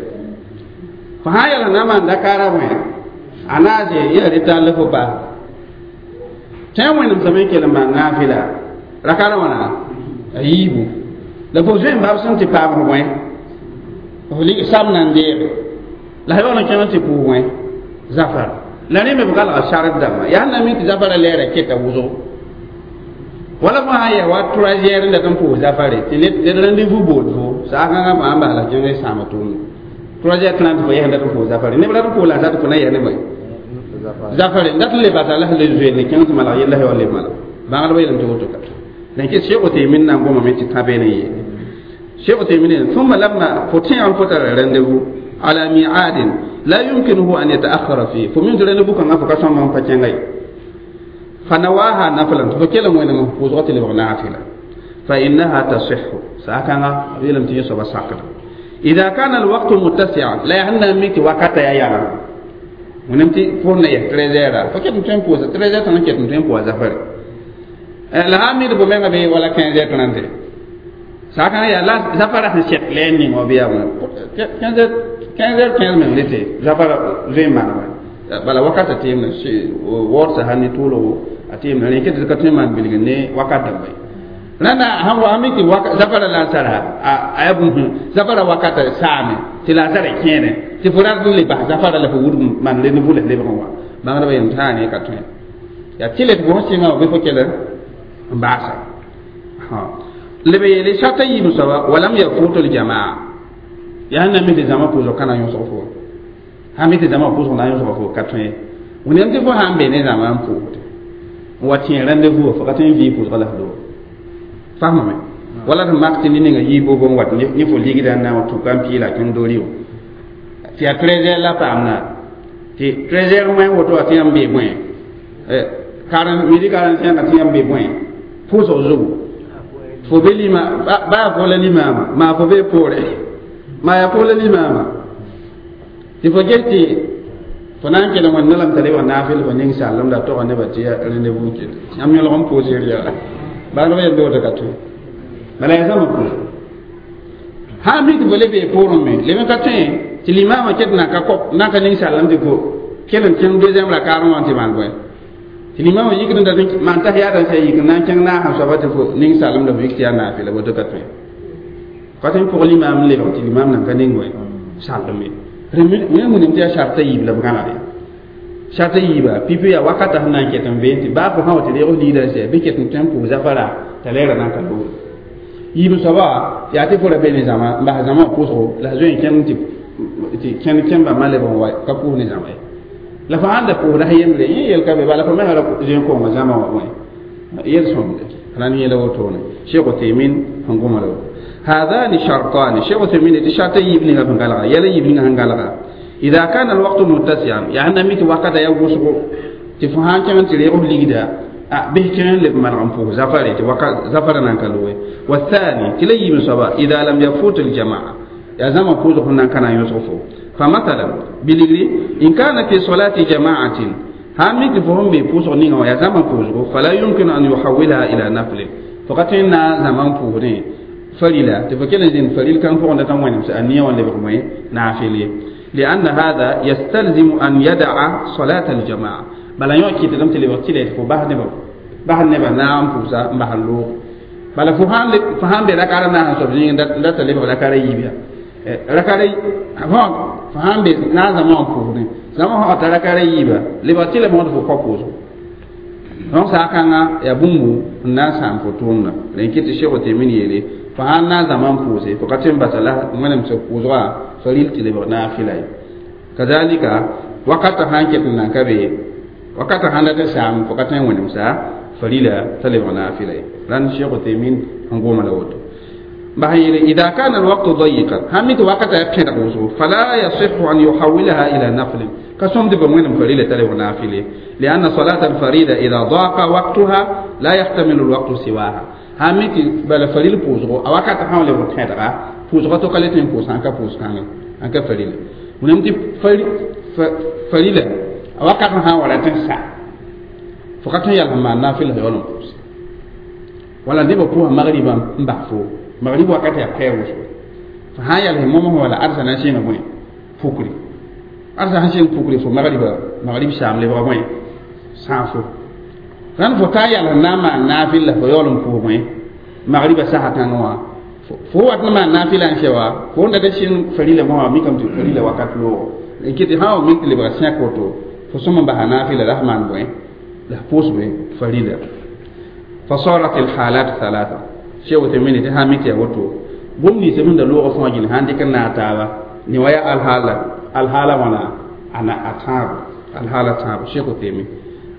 fo sã n yɛls na n maan dakaara wẽ a naase yã reta la fo bas tõe n wẽnem same n kell n maan naafɩla rakara wãna a yiibu la fo zoe n bab sẽn tɩ paam f wẽ f sam na n deege la yaool n kẽng tɩ pʋʋs wẽ zafar la rẽ me b galga sard dãmba yaa na mi tɩ zafara lɛɛra keta wʋsgo wala fo sã n yaa wa 3 heures n dat n pʋʋs zafare tɩ ned rendez-vous bool fo saakãngã fãa n bas la kẽng sãama tʋʋmde 3 heures 30 fo yɛs n dat n pʋʋs zafare neb rat n pʋʋs la a zat fo na yɛs ne bõe zafare n dat n le basa la sẽn le zoeer ne kẽng tɩ malg yella sã wa le malg bãngdbã yeelame tɩ woto ka dẽn kɩ Cheikh Uthaymin na n gomame tɩ tã beene yeele Cheikh Uthaymin ثم لما fo tẽeg n fo tara rendez-vous على ميعاد لا يمكنه أن يتأخر فيه فمن rendez-vous kãngã fo ka sõma n pa kẽnga ye فنواها نفلا فكلا وين فوزغت لبغ نافلة فإنها تصح ساكنا بيلم تيسو بساكنا إذا كان الوقت متسعا لا يهنا ميتي وقت يا يا ونمتي فورنا يا 13 فكيف نتوين بوزا 13 تنا كيف نتوين بوزا فري لا امير بومena be wala 15 heures 30 sakana ya la zafara sẽn sek lɛɛn ning wã bɩ yaa 15 heures 15 heures 15 minutes zafara zoe n maan bala wakata tɩɩmna waood sã ne tʋʋlgo a tɩɩmna rẽ ket ka tõe n maan bilg ne wakat dãmba ye Rãnda sãn wa mi tɩ zafara lansara a yaa bũmb zafara wakata saame tɩ lansara kẽene tɩ fo rat n le bas zafara la fo wudg maan rendez-vous la lebg n wa bãngdbã yem tãa ne ka tõe yaa tɩ le tɩ fo sẽn sɩnga wã bɩ fo kell n baasa leb yeele sarta yiib soaba walam yafutu ljamaa yaa sẽn na mi tɩ zãma pʋʋsg ka na yõsg fo sãn mi tɩ zãma pʋʋsg na yõsg fo ka tõe wẽnnaam tɩ fo sãn be ne zãma n pʋʋsde n wa tẽ rendez-vous fo ka tõe n vɩɩ pʋʋsga la f loog fahmame wala tɩ mak tɩ ne ninga yiib bo n wat ne fo ligda n na n tʋka n pɩɩla kẽng dori wã tɩ yaa 13 heures la paamda tɩ 13 heures wẽ woto wã tɩ yãmb bee bõe midi 45 tɩ yãmb bee bõe pʋʋsg zugu fo be lima baa fo la limaama maa fo bee poore maa yaa fo la limaama tɩ fo ges tɩ fo na n kelg wẽnna lame t'a lebg naafɩl fo ning sallem la toga nebã tɩ ya rendez-vous ket yãmb yõlg n pʋʋsr yaa bãngdbã yel woto ka tõe bala yaa zãma pʋʋsg sãn mi tɩ fo le bee poorẽ me leb n ka tõe tɩ limaamã ket na ka kop na ka ning sallem tɩ fo kell n kẽng deuxième rakaarẽ wã tɩ maan bõe tɩ limaamã yikd n dat maan tahiyaada n sã yik n na n kẽng naasã soaba tɩ fo ning sallem la fo yik tɩ yaa naafɩla woto ka tõe ka tõe n pʋg limaam n lebg tɩ limaam nan ka ning bõe sallem ye wẽn wĩnam tɩ yaa sarta yiib la b gãneg ya sarta yiiba pipi yaa wakata sẽn na n ket n veen tɩ baa fo sã wa tɩ reeg liidã sɛ bɩ ket n tõe n pʋʋs zafara t'a lɛɛra na n ka loore yiib soaba yaa tɩ fo ra be ne zãma n bas zãma wã pʋʋsgo la zoe n kẽng tɩ kẽnd kẽmba ma lebg n wa ka pʋʋs ne zãma ye la fo sãn da pʋʋsda sã yembre yẽ yel ka be bala fo menga ra zoe n konga zãma wã bõe yel sõmde rãnd yẽla wotone Cheikh Uthaymin sẽn goma la woto هذان شرطان شيخ عثيمين شرط يبني sẽn galga yɛla yiib ninga sẽn galga إذا كان الوقت متسعا يعني ميت وقت يا وسغ tɩ fo sãn kẽng tɩ reeg f ligda bɩ kẽng leb maneg n pʋʋs zafare tɩ waka zafara nan ka loe والثاني tɩ la yiib soaba إذا لم يفوت الجماعة yaa zãma pʋʋsg sẽn nan ka na n yõsg fo فمثلا biligri إن كان في صلاة جماعة sãn mi tɩ fo sẽn be pʋʋsg ninga wã yaa zãma pʋʋsgo فلا يمكن أن يحولها إلى نفل fo ka tõe n na zãma n pʋʋsdẽ farila tɩ fo kell n zĩnd faril kãng pʋgẽ dat n wẽnemse a nia wã lebg bõe naafɩl ye لأن هذا يستلزم أن يدع صلاة الجماعة bala yõ kɩtdame tɩ lebg tɩ la tɩ fo bas nebã naag n pʋʋsa n bas n loog bala fo sãn be rakara naas n soab zĩig n dat t'a lebg rakara yiib ya rakara fo sãn be naag zãma wã pʋʋsdẽ zãma sã t'a rakara yiiba lebg tɩ la mõd fo kao pʋʋsgo donc saakãngã yaa bũmbu n na n sãam fo tʋʋmda rẽn kɩ tɩ Cheikh Uthaymin yeele fo sãn na n zãma n pʋʋse fo ka tõe n basa la wẽnemsg pʋʋsgã faril tɩ lebg naafɩla ye kazalika wakata sãn ket n nan ka be wakata sãn dat n saam fo ka tõe n wẽnemsa farila t'a lebg naafɩla ye rãnd Cheikh Uthaymin sẽn goma la woto bas yeele إذا كان الوقت ضيقا sãn mi tɩ wakata yaa pẽdg wʋsgo فلا يصح أن يحولها إلى نفل ka sõm tɩ ba wẽnem farila t'a lebg naafɩle لأن صلاة الفريضة إذا ضاق وقتها لا يحتمل الوقت سواها sãn mi tɩ bala faril pʋʋsgo a wakata sã n lebg tẽdga pʋʋsga to ka le tõe n pʋʋs sãn ka pʋʋs kãngã sãn ka farila wẽnnaam tɩ farila a wakat sã n wa rat n sa fo ka tõe n yals n maan naafɩl yaool n pʋʋs wala nebã pʋʋsa magribã n bas fo magrib wakat yaa pɛɛ wʋsgo fo sã n yals momsã wala arsa na n sɩnga bõe pukri arsa sãn sɩng pukri fo magriba magrib saam lebga bõe sãafo rãnd fo ka yals n na n maan naafɩl la fo yaool n pʋʋs bõe magriba sasa kãngã wã fo wat n maan naafɩla n sɛ wa fo n dat n sɩng farila mosã mikame tɩ farila wakat loogo n kɩ tɩ sã wa mik tɩ lebga sẽk woto fo sõm n basa naafɩla la f maan bõe la f pʋʋs bõe farila فصارت الحالات ثلاثة Cheikh Uthaymin tɩ sã n mi tɩ yaa woto bũmb nins sẽn da loogã fãa gil sãn dɩk n naag taaba ne wa yaa alhaala alhaala wãna ana a tãabo alhaala tãabo Cheikh Uthaymin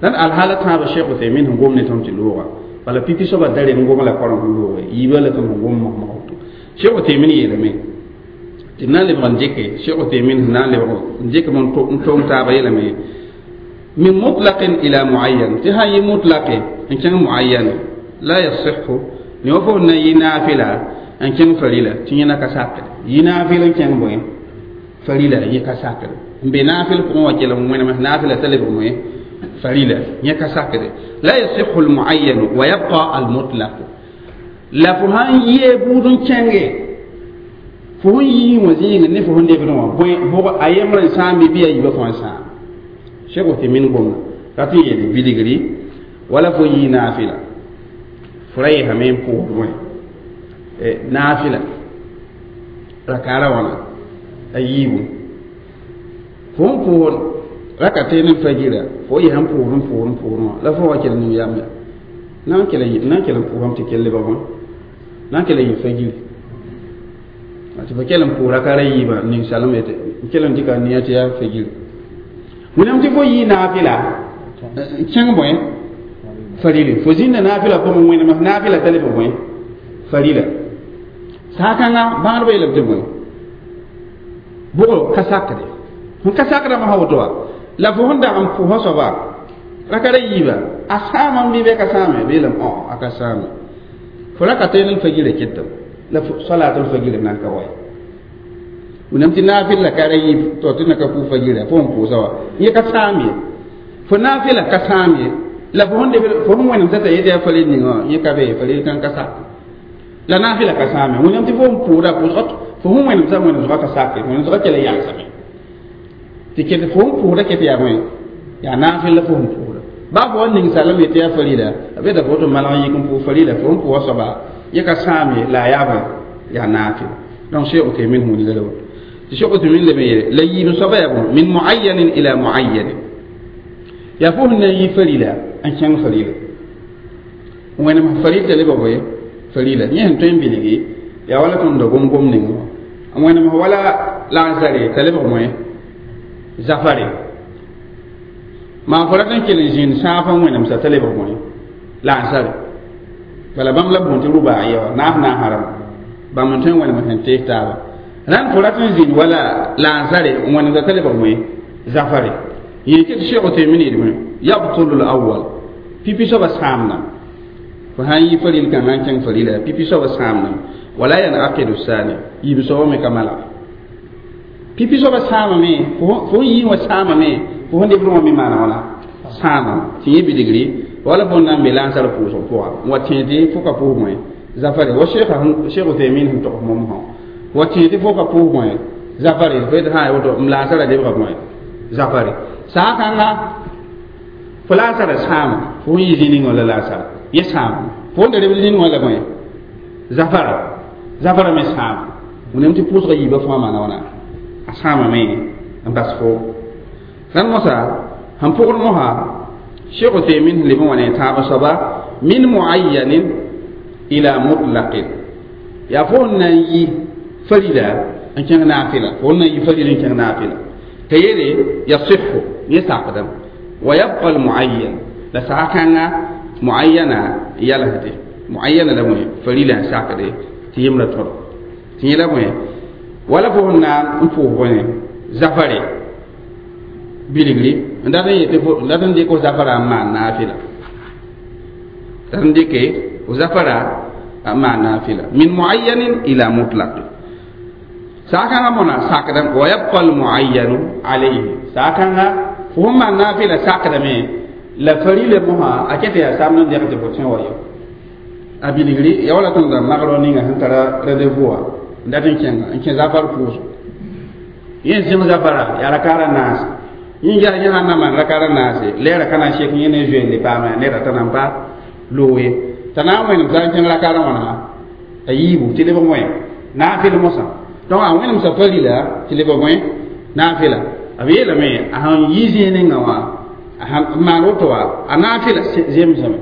rãnd alhaala tãaba Cheikh Uthaymin sẽn gom ne tõnd tɩ looga bala pipi soaba da rem gom la korem sẽn looge yiibã la tõnd sẽn gom mosmos woto Cheikh Uthaymin yeelame tɩ na n lebg n dɩke Cheikh Uthaymin sẽn na n lebg n dɩkm n tong taaba yeelame من مطلق إلى معين tɩ sã n yɩ mutlaqe n kẽng muayyan لا يصح ne wa fo na yɩ naafɩla n kẽng farila tɩ yẽna ka sakd yɩ naafɩl n kẽng bõe farila yẽ ka sakd n be naafɩl pʋgẽ wã kell n wẽnem naafɩla t'a lebg bõe farila yẽ ka sakde لا يصح المعين ويبقى المطلق la fo sãn yee buud n kẽnge fo sẽn yii wã zĩigẽ ne fo sẽn lebdẽ wã bõe bʋg a yembr n sãam bɩ a yiibã fãa sãam Cheikh Uthaymin gomna rat n yeele bilgri wala fo yii naafɩla Fo ra yesame n pʋʋsd bõe naafɩla rakaara wãna a yiibu fo n pʋʋs raka teene fajira fo yesa n pʋʋsd n pʋʋsd n pʋʋsd wã la fo wa kell ning yam ya na n kell n pʋʋsame tɩ kell lebg bõe na n kell n yɩ fajiri tɩ fo kell n pʋʋs rakaara yiibã ning salem n kell n dɩka nia tɩ yaa fajiri wẽnnaam tɩ fo yɩ naafɩla kẽng bõe farila fo zĩnda naafɩla pʋgẽ wẽnem naafɩla t'a lebg bõe farila saakãnga bãadbã yeelame tɩ bõe bʋgɔ ka sakde n ka sakdame sã woto wa la fo sẽn dag n pʋsa soaba rakara yiiba a sãamame bɩ bɩ ka sãame bɩ yeelame a ka sãame fo raka teel n fajira ketame la salaat fajira nan ka wa ye wẽnnaam tɩ naafɩl la ka ra yiib to tɩ na ka pʋʋs fajira fo n pʋʋsa wa yẽ ka sãam ye fo naafɩla ka sãam ye la fo sẽn wẽnem t'a yetɩ yaa faril ninga wã yẽ ka be faril kãn ka sak la naafɩla ka sãame wẽnnaam tɩ fo n pʋʋda pʋʋsga fo sẽn wẽnem t'a wẽnem ka sake wẽnem zʋga kell n yagsame tɩ ket fo n pʋʋda ket yaa bõe yaa naafɩl la fo sẽn pʋʋda baa fo wa ning salem yetɩ yaa farila a beta fo tɩ malg n yik n pʋʋs farila fo n pʋʋsa soaba yẽ ka sãam ye la a yaa bõe yaa naafɩla donc Cheikh Uthaymin wilga la woto tɩ Cheikh Uthaymin leb n yeele la yiib soaba yaa bõe min muayyanin ila muayyanin yaa fo sẽn na n yi farila n kẽng farila wẽnem faril t'a lebg bõe farila yẽ sẽn tõe n bilgi yaa wala tõnd da gom-gom ning wã wẽnem wala lansare t'a lebg bõe zafare maa fo rat n kell n zĩnd sãaf n wẽnemsa t'a lebg bõe lansare bala bãmb la bõe tɩ rubaa ye wa naas naasã rãmba bãmb n tõe n wẽnem sẽn tees taaba rãnd fo rat n zĩnd wala lansare n wẽnemsa t'a lebg bõe zafare yẽ ket Cheikh Uthaymin yeelame yabtulu l-awwal pipi soaba sãamdame fo sã n yi faril kãngã n kẽng farila pipi soaba sãamdame wala yanaqidu sani yiib soaba me ka malg pipi soaba sãamame fo n yii wã sãamame fo sẽn debd wã me maana wãna sãamame tɩ yẽ bilgri wala fo n na n be lansar pʋʋsg pʋga n wa tẽ tɩ fo ka pʋʋs bõe zafare wa Cheikh Uthaymin sẽn tog mom sã wa tẽ tɩ fo ka pʋʋs bõe zafare fo yetɩ sã woto m lansara lebga bõe zafare saakãnga fo lansara sãama fo n yɩ zĩ ning wã la lansara yẽ sãama fo n da lebd zĩ ning wã la bõe zafara zafara me sãama wẽnnaam tɩ pʋʋsga yiibã fãa maana wãna a sãamame n bas fo rãnd mosã sẽn pʋgd mosã Cheikh Uthaymin sẽn leb n wa ne tãab soaba min muayyanin ila mutlaqin yaa fo n na n yi farila n kẽng naafɩla fo n na n yi farila n kẽng naafɩla t'a yeele yasihu yẽ sakdame wa yabqa almuayyan la saakãnga muayyana yalsde muayyana la bõe farila n sakde tɩ yembrã tõd tɩ yẽ la bõe wala fo sẽn na n pʋʋs bõe zafare bilgri n dat n yetɩ n dat n dɩk f zafara n maan naafɩla dat n dɩke f zafara n maan naafɩla min muayyanin ila mutlaqin saakãngã mõna sakdame wa yabqa almuayyanu alayhi saakãnga fo sẽn maan naafɩla sakdame la farila mosã a ket yaa samd n dẽg tɩ fo tẽ wa yo a bilgri ya wala tõnd da magrõ ninga sẽn tara rendez-vous wã n dat n kẽnga n kẽ zafar pʋʋsgo yẽ zẽng zafara yaa rakaara naase yẽ yaa yẽ sãn na maan rakaara naase lɛɛra ka na n sek yẽ ne zoeen le paama neda t'a na n pa loog ye t'a na n wẽnem t'a n kẽng rakaarã wãna a yiibu tɩ lebg wẽ naafɩl mosã donc a wẽnemsa farila tɩ lebg wẽ naafɩla b yeelame a sẽn yi zĩig ninga wã a sãn maan woto wa a naafɩla zemsame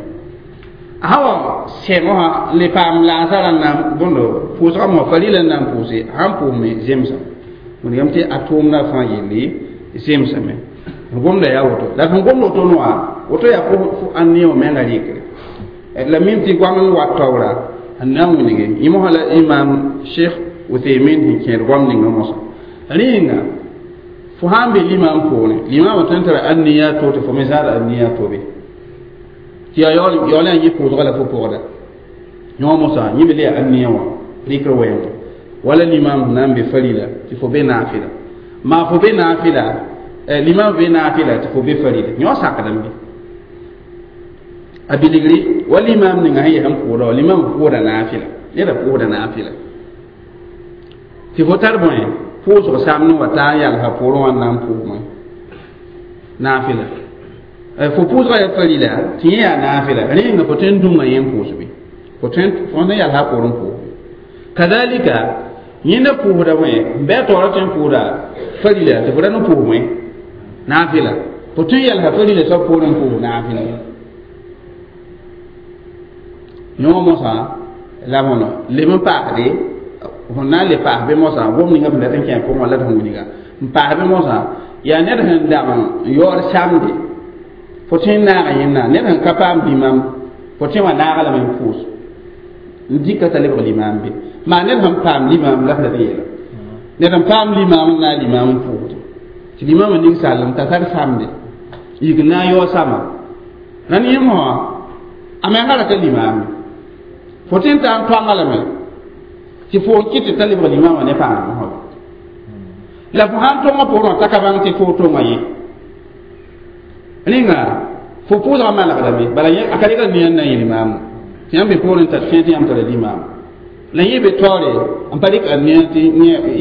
a sã wa sɛng wã le paam laasara n na n bõndo pʋʋsgã mosã farila n na n pʋʋse a sãn pʋʋsme zemsame wẽnegame tɩ a tʋʋmdã fãa yelle zemsame n gomda yaa woto la sẽn gomd woto wã woto yaa fo ãn ne wã menga rɩkre la mim tɩ goam n wat taoora n na n wĩnge yẽ mosã la imam Cheikh Uthaymin sẽn kẽed goam ninga mosã rẽenga fo sã n be limam poorẽ limamã tõe n tara aniya to tɩ fo me zãada aniya tobe tɩ yaa yaool yaa yẽ pʋʋsga la fo pʋgda yõ mosã yẽ me le yaa aniya wã rɩkr wɛɛngã wala limam sẽn na n be farila tɩ fo be naafɩla maa fo be naafɩla limam be naafɩla tɩ fo be farila yõ sakdame a bilgri wa limam ninga sẽn yaa n pʋʋda wa limam pʋʋda naafɩla neda pʋʋsda naafɩla tɩ fo tar bõe pʋʋsg samd n wa taa n yalsa poorẽ wã n na n pʋʋs bõe naafɩla fo pʋʋsga yaa farila tɩ yẽ yaa naafɩla rẽenga fo tõe n dũnga yẽ n pʋʋs be Fo tõe n yalsa a poorẽ n pʋʋs. Kadalika yẽnda pʋʋsda bõe n bɩ a taoorã tõe n pʋʋsda farila tɩ fo ra ne pʋʋs bõe naafɩla fo tõe n yalsa farila soab poorẽ n pʋʋs naafɩla yõ mosã la bõno leb n paasde fo na n le paas bɩ mosã gom ninga sẽn dat n kẽ pʋgẽ wã la d sẽn wilga n paas bɩ mosã yaa ned sẽn dag n yaood samde fo tõe n naaga yẽnna ned sẽn ka paam limam fo tõe wã naaga lame n pʋʋs n dɩka t'a lebg limam be maa ned sẽn paam limam la f dat n yeela ned sẽn paam limam n naag limam n pʋʋsde tɩ limamã ning sallem t'a tar samde yik n na n yaoog sama rãnd yẽ mosã a menga ra ka limam fo tõe n taa n toanga lame tɩ fo n kɩt tɩ t'a lebg limamã ne pãng mosã la fo sãn tõngã poorẽ t'a ka bãng tɩ fo tonga ye rẽnga fo pʋʋsgã malgdame bala a ka rɩka nia n na n yɩ limaamu tɩ yãmb be poorẽ tar fẽe tɩ yãmb tara limaamu la yẽ be taoore n pa rɩk a nia tɩ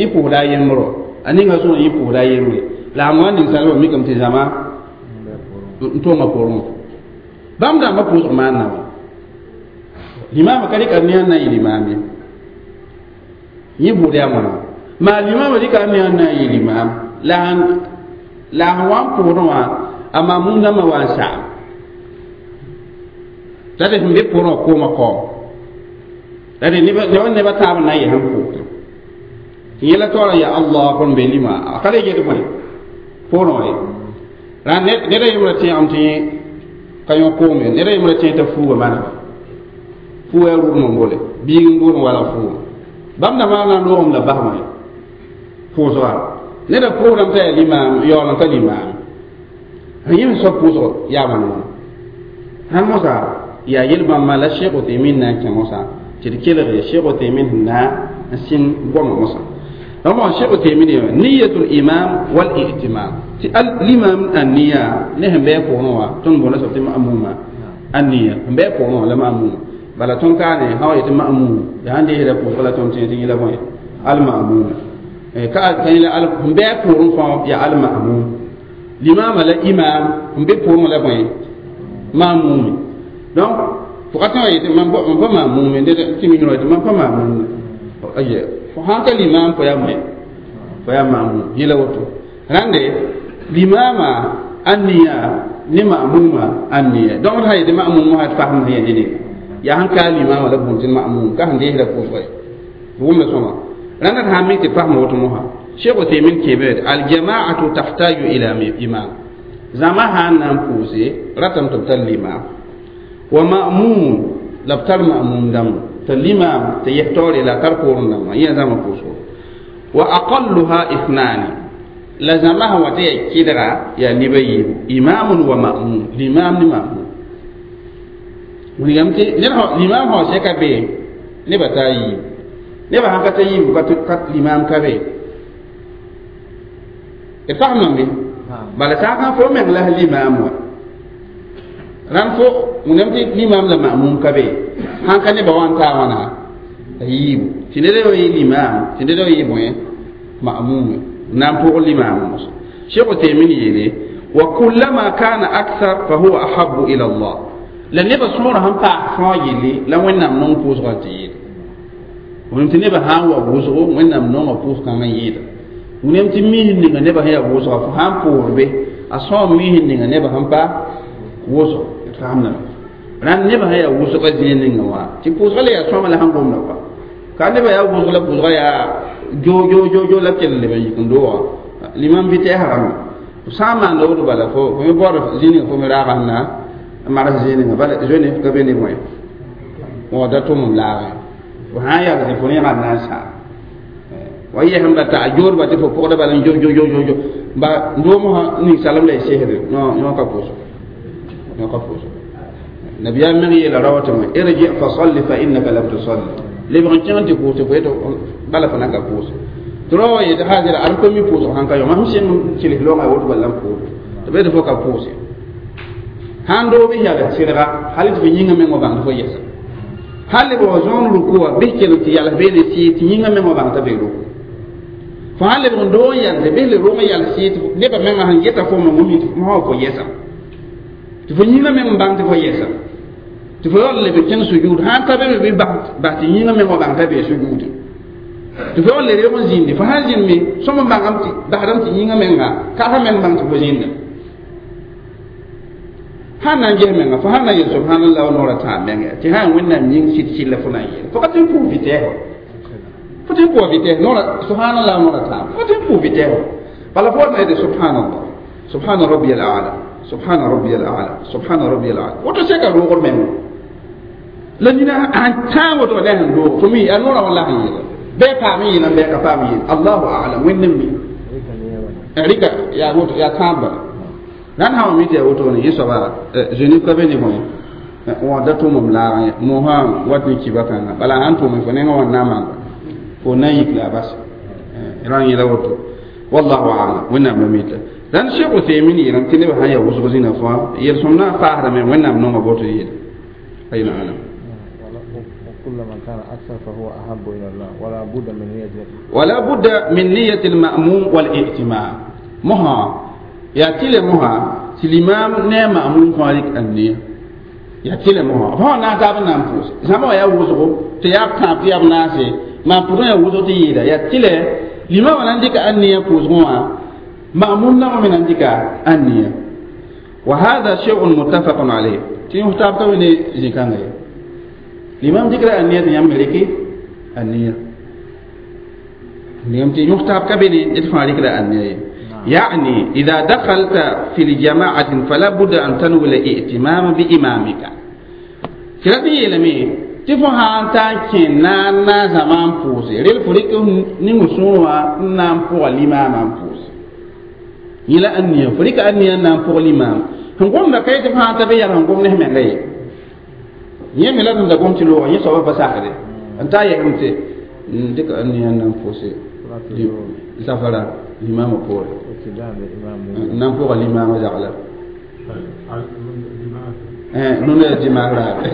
yẽ pʋʋsda a yembrõ a ninga sõor yẽ pʋʋsda a yembre la a wã ninsalbã mikame tɩ zãma n tõngã poorẽ bãmb dãmbã pʋʋsg maan na wã limaamã ka rɩk a nia n na n yɩ limaam ye yẽ bʋʋd yaa wãna maa limaamã rɩka a nia n na n yɩ limaam la sẽn wa n pʋʋsdẽ wã a mamum dãmbã wa n sagam la d sẽn be poorẽ wã koomã kaoom la d neba taab n na n yɛs n pʋʋsdẽ tɩ yẽla taoorã yaa allah kõn be lima a ka le get bõe poorẽ wã ye rã ned a yembrã tẽegame tɩ ka yõ koom ye ned a yembrã tẽeg t'a fuuga manega fuuga yaa rʋʋdem n bole biig n bool n walg fuuga bãmb dãmbã na n loogem la basmã ye pʋʋsga ned a pʋʋsdame t'a yaa limaam yaool n ka limaam yẽ sẽn soab pʋʋsg yaa wãn wãna sãn mosã yaa yel-bãmbã la Sheikh Uthaymin na n kẽ mosã tɩ d kelg Sheikh Uthaymin sẽn na n sɩng goamã mosã donc Sheikh Uthaymin yeelame niyatul imam wal i'timam tɩ l'imam an-niya ne sẽn bɩ a pʋgẽ wã tõnd boonda soab tɩ ma'muma an-niya sẽn bɩ a pʋgẽ wã la ma'muma bala tõnd kaane sã wa yetɩ ma'mum yaa sãn deesda pʋʋsg la tõnd tẽ tɩ yẽla bõe al-ma'mum ka yẽla sẽn bɩ a pʋgẽ fãa yaa al-ma'mum limaamã la imam n be pʋgẽ la bõe ma'mum donc fo ka tõe yetɩ mam pa ma'mum ned tɩ mi yõ yetɩ mam pa ma'mum aye fo sãn ka limaam fo yaa bõe fo yaa ma'mum yẽla woto rãnde limaamã an-niya ne ma'muma an-niya donc d sã yetɩ ma'mum wã d fasem sẽn yaa ne yaa sẽn ka limaamã la bũmb tɩ ma'mum ka sẽn deesda pʋʋsga ye wʋmda sõma rãnda d sãn mik tɩ fasem woto mosã Cheikh Uthaymin keeme al-jama'atu tahtaju ila imam zãma sãn na n pʋʋse ratame tɩ b tar limaam wa ma'mum la b tar ma'mum dãmb tɩ limaam tɩ yɛs taoore la a tar poorẽ dãmbã yẽ zãma pʋʋsgo wa aqalluha ithnani la zãma sẽn wa tɩ yaa kɩdga yaa neb a yiibu imamun wa ma'mum limaam ne ma'mum wilgame tɩ ned limaam sã wa sɛka bee nebã taa yiibu nebã sãn ka ta yiibu ka limaam ka be d fasem be bala saakã fo meng la limaam wa rãnd fo wẽnnaam tɩ limaam la ma'mum ka be sãn ka nebã wa n taa wãna a yiibu tɩ ned wa yɩ limaam tɩ ned wa yɩ bõe ma'mum n na n pʋg limaam mos Cheikh Uthaymin yeele wa kullama kana akthar fa huwa ahabbu ila Allah la nebã sõorã sẽn paas fãa yelle la Wẽnnaam nong pʋʋsgã tɩ yɩɩda wẽnnaam tɩ nebã sã n wa wʋsgo Wẽnnaam nonga pʋʋs-kãngã yɩɩda wẽnnaam tɩ miisd ninga nebã sẽn yaa wʋsga fo sã n pʋʋs be a sõor miisd ninga nebã sẽn pa wʋsg d faamdame rãnd nebã sẽn yaa wʋsgã zĩig ninga wã tɩ pʋʋsga la yaa sõama la sẽn gomda kɔa ka nebã yaa wʋsg la pʋʋsga yaa jo jo jo jo la kell leb n yik n doogã limam vitɛɛsã rãmba f sã n maanda woto bala fo me baood zĩig ninga fo me raaga sẽn na n mags zĩig ninga bala zoe ka be ne bõe wã da tʋm n laagẽ fo sã n yals fo rẽegã n na n sãam wa yɛsem la t'a joodba tɩ fo pʋgda bala n jo jo jo jo jo ba ndoom sã ninsalem la y sesde yõ ka pʋʋsg yõ ka pʋʋsg nabiyaam meng yeela rawa tɩ irji fa salli fa innaka lam tusalli lebg n kẽng tɩ pʋʋs tɩ fo yetɩ bala fo na ka pʋʋs tɩ rawa wa yetɩ haazɩra ad pa mi pʋʋsg sãn ka yõ mam sẽn kelg loogã woto bala n pʋʋs tɩ b yetɩ fo ka pʋʋse sãn doo bɩ yals sɩdga hal tɩ fo yĩngã meng wa bãng tɩ fo yɛsa hal b wa zõon ruku wã bɩ kelg tɩ yals beene sɩɩ tɩ yĩngã meng wa bãng t'a be ruku fo sãn lebg n doo n yalse bɩ le rong yals sɩɩ tɩ nebã mengã sẽn geta fo meng mi tɩ fo yɛsa tɩ fo yĩngã meng n bãng tɩ fo yɛsa Tɩ fo yaool leb kẽng sujud sãn ka be bɩ bas tɩ yĩngã meng wa bãng t'a bee sujudẽ tɩ fo yaool le reeg n zĩndi fo sãn zĩnd me sõm n bãngame tɩ basdame tɩ yĩngã menga ka meng bãng tɩ fo zĩnda sãn na n ges menga fo sãn na n yel subhanallah wa noorã tãab menga tɩ sã n wẽnnaam yĩng sɩd sɩd la fo na n yeel fo ka tɩ n pʋʋs vitɛɛs wa fo tɩ n pʋʋs vitɛɛs noorã subhanallah noorã tãab fo tɩ n pʋʋs vitɛɛs wa bala fo wat na yetɩ subhanallah subhana rabbi al a'la subhana rabbi al a'la subhana rabbi al a'la woto seka roogr menga la nina sãn tãag woto la sẽn doog fo mi a noorã wã la sẽn yeela bɩ paam n yeelame bɩ ka paam n yeel allahu a'lam wẽnd n mi rɩka yaa woto yaa tãab bala nan sã wa mi tɩ yaa woto ne yẽ soaba Genève ka be ne fõ wã da tʋʋmem laagã ye mosã wat ne kiba kãnga bala sãn tʋʋme fo nengã wã n na n manga fo na n yik la a bas rã n yẽla woto wallahu a'lam wẽnnaam la mita dãn Cheikh Uthaymin yeelame tɩ nebã sãn yaa wʋsg zĩna fãa yel-sõm na n paasdame wẽnnaam nonga boto yeele ayna alam. كلما كان أكثر فهو أحب إلى الله ولا بد من نية ولا بد من نية المأموم والائتمام مها يا تيل مها تلمام نعم مأموم فارق النية يا تيل مها فهو ناتاب نام فوس زما يا وزغو تياب تاب تياب ناسي ما بودون يا وزغو تيدا يا تيل لما عندك النية فوزغوا مأموم نعم من عندك النية وهذا شيء متفق عليه تيم تاب توني زكانه الإمام ذكر النية يملك النية اليوم يختار كبني يدفع ذكر النية يعني إذا دخلت في الجماعة فلا بد أن تنوي الائتمام بإمامك كرتي يلمي تفهم أنت كنا زمان فوزي ريل فريق نمسوا نام فوق الإمام فوز إلى النية فريق النية نام فوق الإمام هنقوم بكيت تفهم أنت بيا هنقوم نهم غير yẽ me la d da gom tɩ loogã yẽ soabã pa sakde n ta yɛsem tɩ n dɩk a nia n na n pʋʋse zafara limaamã poore n na n pʋga limaamã zagla nuna ya dimaas raare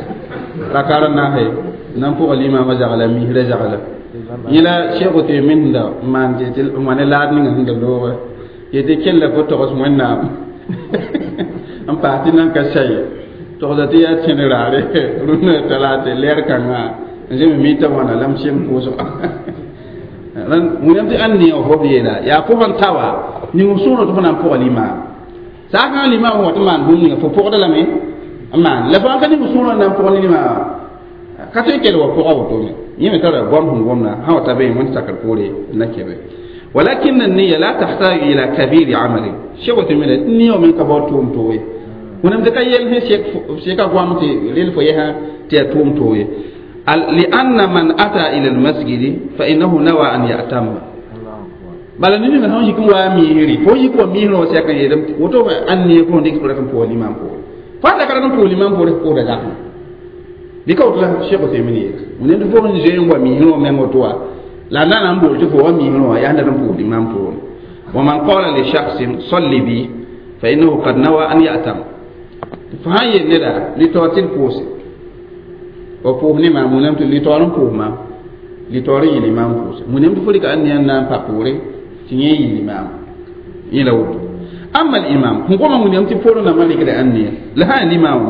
rakar n naase n na n pʋga limaamã zagla misrã zagla yẽ la Cheikh Uthaymin da n maan tɩ n wa ne laad ninga sẽn da loogã yetɩ kell fo togs wẽnnaam n paas tɩ nan ka saye togsa tɩ yaa tẽd raare rũnnã talaate lɛɛr kãngã n zeme mita wãna la m sem pʋʋsga wẽnnaam tɩ ãn ne fo b yeela yaa fo sẽn ta wa ning f sõorã tɩ fo na n pʋga limaam saakã limaam wa tɩ maan bũmb ninga fo pʋgda lame n maan la fo sãn ka ning sõorã n na n pʋg ne limaamã ka tõe n kell wa pʋga wotone yẽ me tara goam sẽn gomda sã wa ta be wẽnd sakr poore n na kɛ be ولكن النية لا تحتاج إلى كبير عمل شيخ تميل النية من كبار توم توي wẽnnaam tɩ ka yɛl sẽn seka goam tɩ rel fo yɛsã tɩ yaa tʋʋm tooye لأن من أتى إلى المسجد فإنه نوى أن يأتم bala ned ninga sẽn yik n wa miisri fo yik wa miisrã wa sɛk n yeelame woto ãn ne fo dɩk rat n pʋʋs limam poore fo sã ka rat n pʋʋs limam poore pʋʋsda zakẽ bɩ ka woto la Cheikh Uthaymin yeela wẽnnaam tɩ fo sẽn zoe n wa miisrã wã meng woto wa la na na n bool tɩ fo wa miisrã wã yaa n dat n pʋʋs limam poore ومن قال لشخص صل بي فإنه قد نوى أن يأتم fo sãn yel neda litaoor tɩ d pʋʋse wa pʋʋs ne maam wẽnnaam tɩ litaoor n pʋʋs maam litaoor n yɩl imaam pʋʋse wẽnnaam tɩ fo rɩka ãn ne n na n pa poore tɩ yẽ yɩl imaam yẽ la woto أما الإمام هم قوم من يمتي فورنا مالك لأني لها الإمام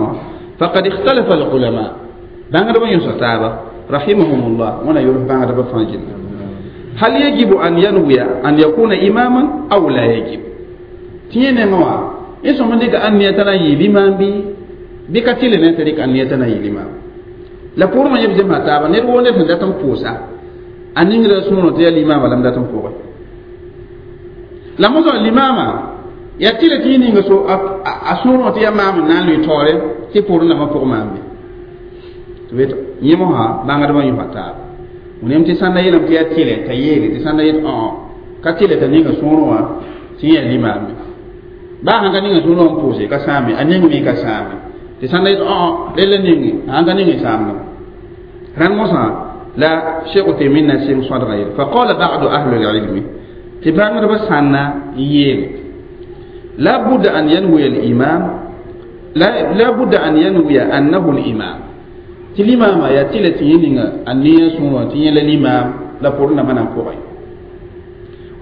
فقد اختلف العلماء بانغ ربا ينسى رحمهم الله وانا يروح بانغ ربا فانجل هل يجب أن ينوي أن يكون إماما أو لا يجب تيني موا yẽ sõm n dɩka ãn niyã t'a na n yɩ limaam bɩ bɩ ka tɩle ne t'a rɩk ãn niyã t'a na n yɩ limaam la pʋʋrmã yẽ b zemsa taaba ned woo ned sẽn dat n pʋʋsa a ningrã sõorã tɩ yaa limaamã la m dat n pʋgẽ la mosã limaamã yaa tɩle tɩ yẽ ninga so a sõorã tɩ yaa maam n na n lʋɩ taoore tɩ pʋʋr nambã pʋg maam be tɩ b yẽ mosã bãngdbã yõsa taaba wẽnem tɩ sãn da yeelame tɩ yaa tɩlɛ t'a yeele tɩ sãn da yet ka tɩle t'a ninga sõorã wã tɩ yẽ yaa limaam be baa sãn ka ninga sõorã n pʋʋse ka sãame a ning me ka sãame tɩ sãn da yet rel la ninge sãn ka ninge sãamdame rãnd mosã la Cheikh Uthaymin na sɩng sõadgã yel فقال بعض أهل العلم tɩ bãngdbã sãnna n yeele لا بد أن ينوي الإمام لا بد أن ينوي أنه الإمام tɩ limaamã yaa tɩ la tɩ yẽ ninga a neã sõorã tɩ yẽ la limaam la pʋr nambã na n pʋgẽ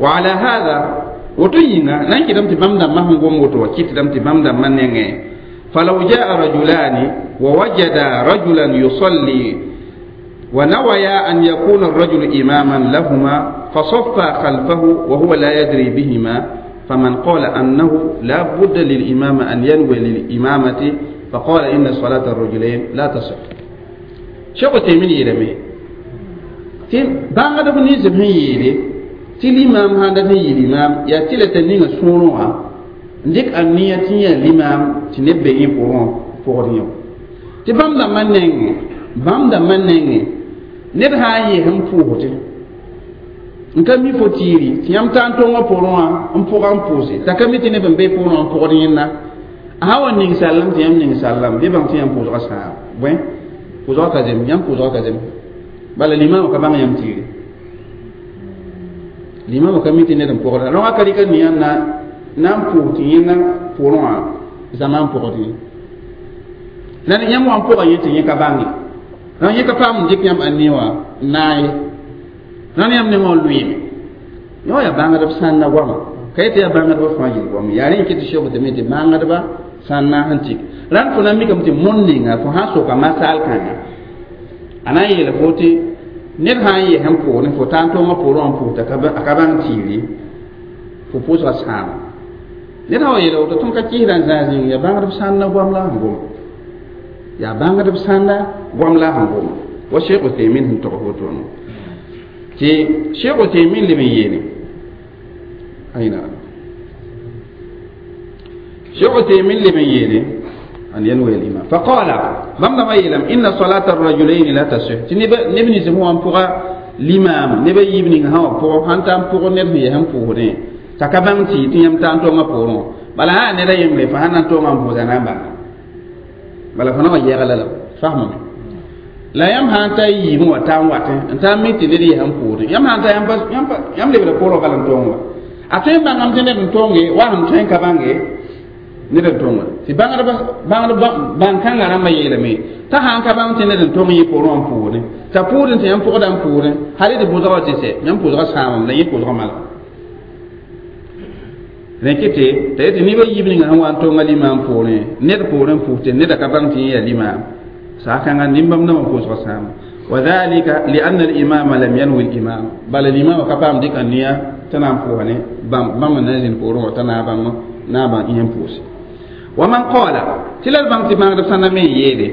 وعلى هذا woto yĩnga na n kɩtame tɩ bãmb dãmbã sẽn gom woto wa kɩtdame tɩ bãmb dãmbã nengẽ فلو جاء رجلان ووجد رجلا يصلي ونويا أن يكون الرجل إماما لهما فصفا خلفه وهو لا يدري بهما فمن قال أنه لا بد للإمام أن ينوي للإمامة فقال إن صلاة الرجلين لا تصح. شيخ تيمين يلمي تي بانغ دب ني زم يلي تي الإمام هذا ني الإمام يا تي لتنين سونوا نديك أنية تي الإمام تنبه إبورون فوريو تي بام دا منين بام دا منين ned sã n yɩs n pʋʋsdẽ n ka mi fo tiiri tɩ yãmb taa n tõngã pʋgẽ wã n pʋga n pʋʋse t'a ka mi tɩ neb n be pʋgẽ wã n pʋgd yẽnda a sã wa ning sallem tɩ yãmb ning sallem bɩ bãng tɩ yãmb pʋʋsgã sãam bõe pʋʋsgã ka zem yãmb pʋʋsgã ka zem bala limaamã ka bãng yãmb tiiri limaamã ka mi tɩ ned n pʋgda rõgã ka rɩka nia na n pʋʋs tɩ yẽnda pʋgẽ wã zãma n pʋgd yẽ la yãmb wa n pʋga yẽ tɩ yẽ ka bãnge rãn yẽ ka paam n dɩk yãmb ãnni wã n naag ye rãn yãmb nengã n lʋɩɩme yõ yaa bãngdb sãnna goama ka yetɩ yaa bãngdbã fãa yel goam yaa rẽ n kɩ tɩ sɛbd tɩ tɩ bãngdbã sãnna sẽn tɩk rãnd fo na n mikame tɩ mõnd ninga fo sã n soka masaal kãnga a na n yeela fo tɩ ned sã n yɛs n pʋʋsẽ fo taa n tõngã pʋʋrẽ wã n pʋʋs a ka bãng tiiri fo pʋʋsga sãama ned sã wa yeela woto tõnd ka kɩsda n zãas yĩng yaa bãngdb sãnna goam la sẽn goma yaa bãngdb sãnda goam la sẽn goma wa Sheikh Uthaymin sẽn tog woto tɩ Sheikh Uthaymin leb n yeele aina Sheikh Uthaymin leb n yeele an yanwi al-imam faqala bãmb dãmbã yeelame inna salata ar-rajulayn la tasih tɩ neb nins sẽn wa n pʋga limam neb a yiib ning sã wã pʋgẽ sãn ta n pʋg ned sẽn yɛs n pʋʋsdẽ t'a ka bãng tɩ tɩ yãmb taa n tõngã pʋʋrẽ wã bala sã yaa ned a yembre fo sãn na n tõngã n pʋʋsa na n bãnga bala fo na wa yɛgla la fasmame la yãmb sã n ta yiibẽ wa taa n watẽ n taa n mi tɩ ned yɛs n pʋʋsdẽ yãmb sã n ta yãmb lebda pʋʋrã bala n tõng wa a tõe n bãngame tɩ ned n tõnge wa sẽn tõe n ka bãnge ned n tõnga tɩ bãngd bãn-kãngã rãmbã yeelame t'a sã n ka bãng tɩ ned n tõng yẽ pʋʋrẽ wã n pʋʋsdẽ t'a pʋʋsdẽ tɩ yãmb pʋgda n pʋʋsdẽ hal tɩ pʋʋsga wa tɩ sɛ yãmb pʋʋsga sãamame la yẽ pʋʋsga malga rẽkɩ tɩ t'a yetɩ neb a yiib ninga sẽn wa n tõnga limaam pʋʋrẽ ned pʋʋrẽ n pʋʋs tɩ neda ka bãng tɩ yẽ yaa limaam saakãngã nin-bãmb dãmbã pʋʋsga sãama وذلك لأن الإمام لم ينوي الإمام بل الإمام كفام ديك النية تنام فوهني بام بام نازل فورو تنا بام نابا يم فوس ومن قال تلا البنك ما غدف سنة يدي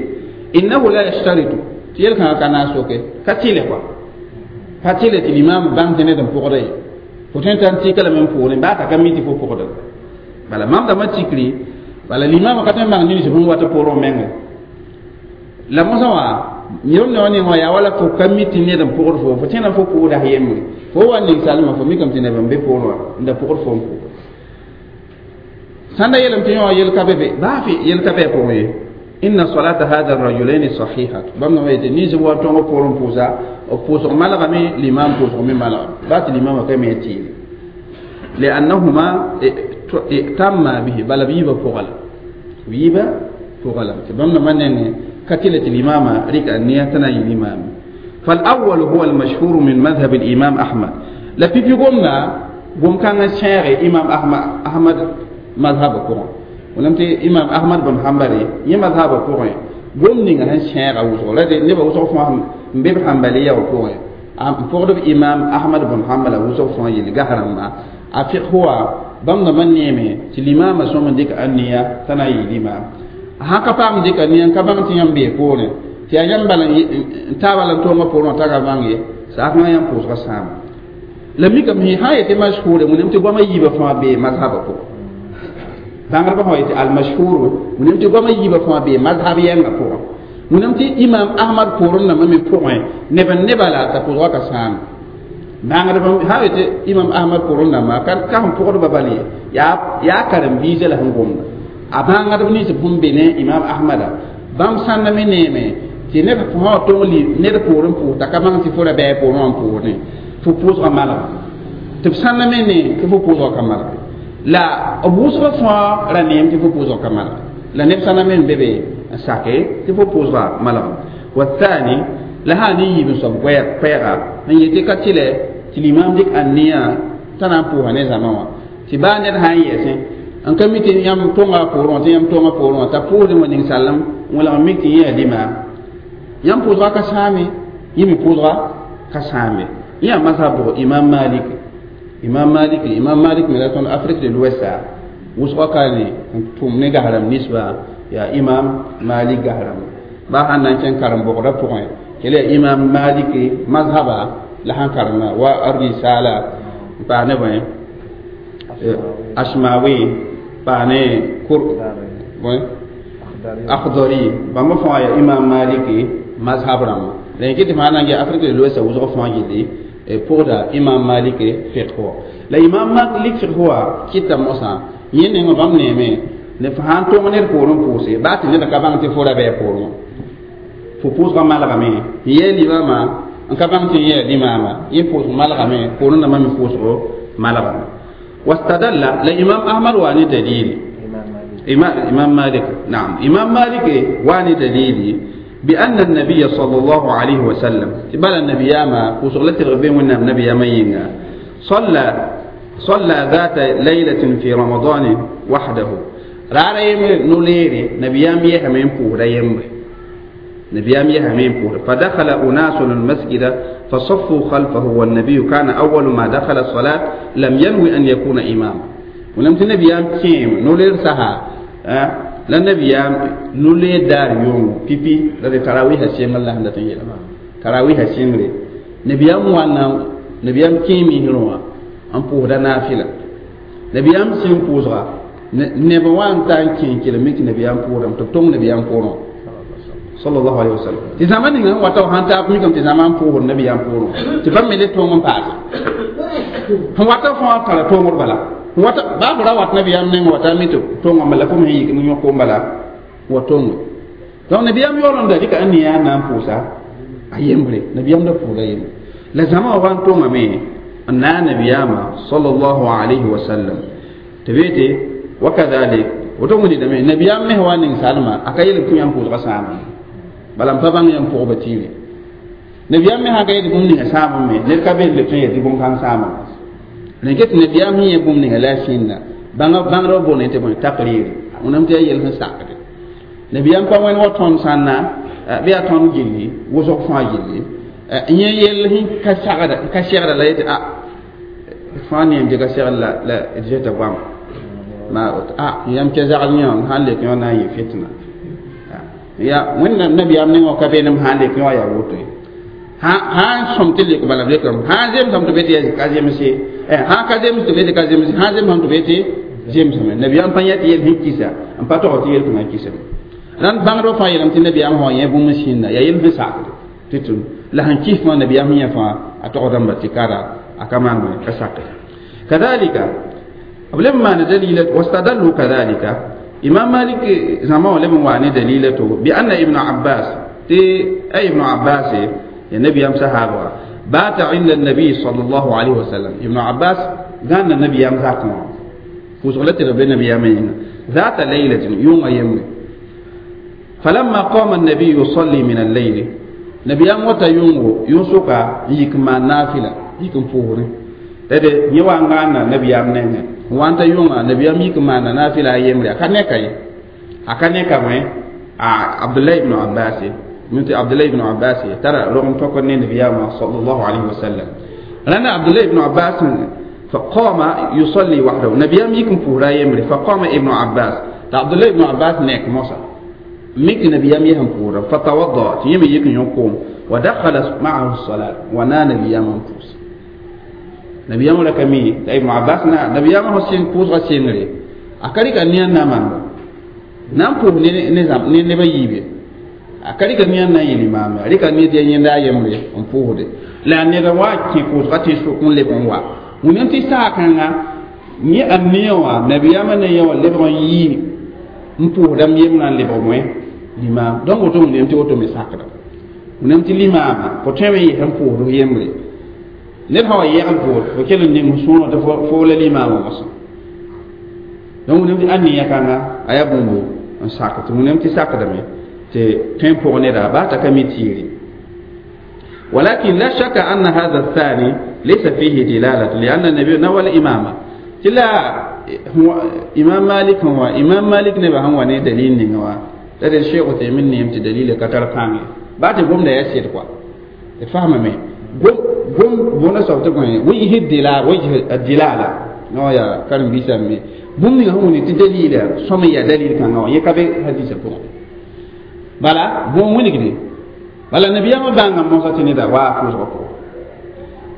إنه لا يشترط تيل كان كان سوكي كتيله كوا كتيله الإمام بام تندم فوغري fo tõe n t'a n tɩka lame n pʋʋrẽ baa t'a ka mi tɩ fo pʋgda bala mam dãmbã tikri bala limamã ka tõe n bãng nins sẽn wat pʋʋrẽ menga la mosã wã yẽm ne wã ning wã yaa wala fo ka mi tɩ ned n pʋgd fo fo tẽna fo pʋʋda yembre fo wa ning salmã fo mikame tɩ neb n be pʋʋrẽ wã n da pʋgd fo n pʋʋg sãn da yeelame tɩ yõ wã yel ka be be baa fɩ yel ka be a pʋgẽ ye inna salata hada rajulaini sahihatu bãmb dãmbã yetɩ nins wa tõng pʋʋrẽ pʋʋsa b pʋʋsg malgame limam pʋʋsg me malgame baa tɩ limamã ka me tɩɩre لأنهما ائتما به بل بيبا فغلا بيبا فغلا تبمنا من كتلة الإمامة ريك النية تنا الإمام فالأول هو المشهور من مذهب الإمام أحمد لا بيبي قمنا قم كان الشيخ إمام أحمد مذهب قرآن ولم تي إمام أحمد بن حنبل يمذهب قرآن قم نيجا الشيخ أو زغلا نبى وصف مبيب حنبلية وقرآن فقد إمام أحمد بن حنبل وصف فهم يلقى ما a fiqh wa bãmb dãmbã neeme tɩ limaamã sõm n dɩk aniya t'a na n yɩ limaam a sã ka paam dɩk aniya n ka bãng tɩ yãmb bee poorẽ tɩ yaa yãmb bala n taa bala n tõongã poorẽ wã t'a ka bãng ye saakãngã yãmb pʋʋsgã sãama la mikame sã n yetɩ mashhure wẽnem tɩ goamã yiibã fãa bee mazhabã pʋgẽ bãngdbã sã wa yetɩ almashhur wẽnem tɩ goamã yiibã fãa bee mazhab yɛngã pʋgẽ wẽnem tɩ imam ahmad poorẽ nambã me pʋgẽ neb n nebã la t'a pʋʋsgã ka sãame bãngdb sã yetɩ imam ahmad pʋʋrẽ nambã ka sẽn pʋgdbã bal ye yaa karen-biisã la sẽn gomda a bãngdb nins sẽn be ne imam ahmada bãmb sãnda me neeme tɩ neb sã wa tõng ned pʋʋrẽ pʋʋs t'a ka bãng tɩ fo ra bɩ a pʋʋrẽ wã n pʋʋsdẽ fo pʋʋsgã malga tɩ b sãnda me ne tɩ fo pʋʋsgã ka malga la b wʋsgã fãa ra neem tɩ fo pʋʋsgã ka malga la neb sãnda me n be be n sake tɩ fo pʋʋsgã malga والثاني la sã ne yiib n soab koɛɛga n yetɩ ka tɩlɛ tɩ limam dɩk aniya t'a na n pʋʋsa ne zãma wã tɩ baa ned sã n yɛsẽ N ka mi tɩ yãmb tõnga poorẽ wã tɩ yãmb tõngã poorẽ wã t'a pʋʋsdẽ wa ning salem n welg n mik tɩ yẽ yaa limaam yãmb pʋʋsga ka sãame yẽ me pʋʋsga ka sãame yẽ yaa mazhab bʋg imam malik imam malik imam malik me la tõnd afrique de l'ouest wʋsgã ka ne n tʋm ne gas-rãmb ninsbã yaa imam malik gas-rãmb baa sãn na n kẽn karen-bogdã pʋgẽ kell yaa imam malik mazhaba la sãn karemã wa ar-risala n paas ne bõe ashmawi paas ne kur bõe akhdari bãmba fãa yaa imam malik mazhab rãmba la yẽ tɩ fãa na n ges afrique de l'ouest wʋsg fãa gilli pʋgda imam malik fiqh wã la imam malik fiqh wã kɩta mosã yẽ nengã bãmb neeme ne fo sãn tõng ned poorẽ pʋʋse baa tɩ ned ka bãng tɩ fo ra bɩ a poorẽ fo pʋʋsgã malgame n yɛɛ limaamã n ka bãng tɩ n yɛɛ limaamã yẽ pʋʋsg malgame poorẽ dãmbã me pʋʋsgo malgame wastadalla la imam ahmad waa ne dalili imam malik naam imam malik waa ne dalili بأن النبي صلى الله عليه وسلم بل النبي ما وصلت الغبين والنبي النبي ما صلى ذات ليلة في رمضان وحده رارا يمر نوليري نبيام يهمين بورا يمر نبيام يهمين بورا فدخل أناس المسجد فصفوا خلفه والنبي كان أول ما دخل الصلاة لم ينوي أن يكون إماما ولم تنبيام كيم نولير سها أه؟ la nabiyam nule daar yʋngo pipi la d tarawiisã sɩngr la sẽn dat n yeelma tarawiisã sɩngre nabiyam wãnna nabiyam kẽ misrẽ wã n pʋʋsda naafɩla nabiyam sẽn pʋʋsga neb wã n ta n kẽ n kelem tɩ nabiyam pʋʋsdame tɩ b tõng nabiyam pʋʋrẽ sallallahu alaihi wasallam tɩ zãma ninga n wata sãn taab mikame tɩ zãma n pʋʋsd nabiyam pʋʋrẽ tɩ bãmb me le tõng n paase sẽn wata fãa tara tõngd bala wata baa fo ra wat nabiyam neng wata mi tɩ tõngã bala fo me sẽn yik n yõk bala wa tõngo donc nabiyam yaool n da dɩka n ne yaa na n pʋʋsa a yembre nabiyam da pʋʋda yembre la zãma wa n tõngame n na a nabiyaamã sallallahu alayhi wa sallam tɩ bee tɩ wakadhalik woto wẽndame nabiyam mes wa ning salma a ka yel tɩ yãmb pʋʋsgã sãama bala n pa bãng yãmb pʋgba tiire nabiyam me sã ka yel bũmb ninga sãamame me ned ka beel tõe n yel tɩ bũmb-kãng sãama rẽn ket nabiyam sẽn yẽ bũmb ninga la a sĩnda bãngrã boonẽ tɩ bõe taqrir wẽnnaam tɩ yaa yel sẽn sakde nabiyam pa wẽnd wa tõnd sãnna bɩ yaa tõnd gilli wʋsg fãa gilli yẽ yell sẽn ka sagda ka segda la yetɩ a fãa neem tɩ ka segd la d zeta goama ma a yãmb kɛ zagl yẽ wã sãn lek yõ na n yɩ fitna ya wẽnnaam nabiyaam nengã ka veenem sãn lek yõ yaa woto ye sãn sõm tɩ lek bala b lekame sãn zemsame tɩ be tɩ ka zemse sãn ka zems tɩ be tɩ ka zemse sãn zemsame tɩ be tɩ zemsame nabiyaam pa yã tɩ yel sẽn kisa n pa tog tɩ yel tɩ kisame rãnd bãngdb fãa yeelame tɩ nabiyaam sã yẽ bũmb sĩnda yaa yel sẽn sakde tɩ tʋm la sẽn kis fãa nabiyaam sẽn yẽ fãa a togdãmba tɩ kara a ka maan ka sake kadalika b leb n maana dalila wastadallu kadalika imam malik zãma wã leb n waa ne dalila to bi anna ibnu abbas tɩ a ibnu abbas ya nabiyam sahaba bata inda nabi sallallahu alaihi wasallam ibnu abbas gãnda nabiyam zakẽ wã pʋʋsg la tɩ b be nabiyamã yĩnga ذات ليلة يوم يمر فلما قام النبي يصلي من الليل نبيام وتا يونغو يونسوكا يكما نافلة يكم فوري tede yẽ wa n gãanna nabiyaam nengẽ n wa n ta yʋnga nabiyaam yik n maana naafɩla a yembre a ka ne ka ye a ka ne ka wẽ a abdullah ibn abbas min tɩ abdullah ibn abbas tara rog n tõkd ne nabiyaamã sallallahu alayhi wa sallam rãnda abdullah ibn abbas فقام يصلي وحده نبيام يكن فورا يمري فقام ابن عباس عبد الله ابن عباس نيك موسى ميك نبيام يهم فورا فتوضأ يمي يكن يقوم ودخل معه الصلاة ونا نبيام فوس نبيام لك مي ابن عباس نا نبيام هو سين فوس غسينري akari ka niyan na man nan pu ne ne zam ne ne ba yibe akari ka niyan na yili mama ari ka ni de yenda yemre on pu la ne da wa ki pu ga ti su kun le bon wa wẽnnaam tɩ saakãnga yẽ a neẽ wã nabiyaamã ne yẽ wã lebg n yɩ n pʋʋsdame yembrã n lebg wẽ limaam donc woto wẽnnaam tɩ woto me sakda wẽnnaam tɩ limaamã fo tõeme n yɩs n pʋʋsd yembre ned sã wa yɛgl poor fo kell n ning sõor tɩ fo la limaamã mosã donc wẽnnaam tɩ a neẽ kãnga a yaa bũmbu n sak tɩ wẽnnaam tɩ sakdame tɩ tõe n pʋg neda baa t'a ka mi tiire ولكن لا شك أن هذا الثاني ليس فيه دلالة لأن النبي نوى الإمامة تلا Imam Malik wa Imam Malik ne ba han wa ne dalil ninga wa la de Cheikh Uthaymeen ne tɩ dalila ka tar pãnge ba tɩ gomda yaa sɩd kɔa d faamame gom bõna soab tɩ bõe wɩs dila wɩs dilala no ya karen-biisã me bũmb ninga sẽn wilg tɩ dalila sõm n yaa dalil kãngã wã yẽ ka be hadisã pʋgẽ bala bõn wilgde bala nabiyaamã bãnga mosã tɩ neda waa pʋʋsgã pʋgẽ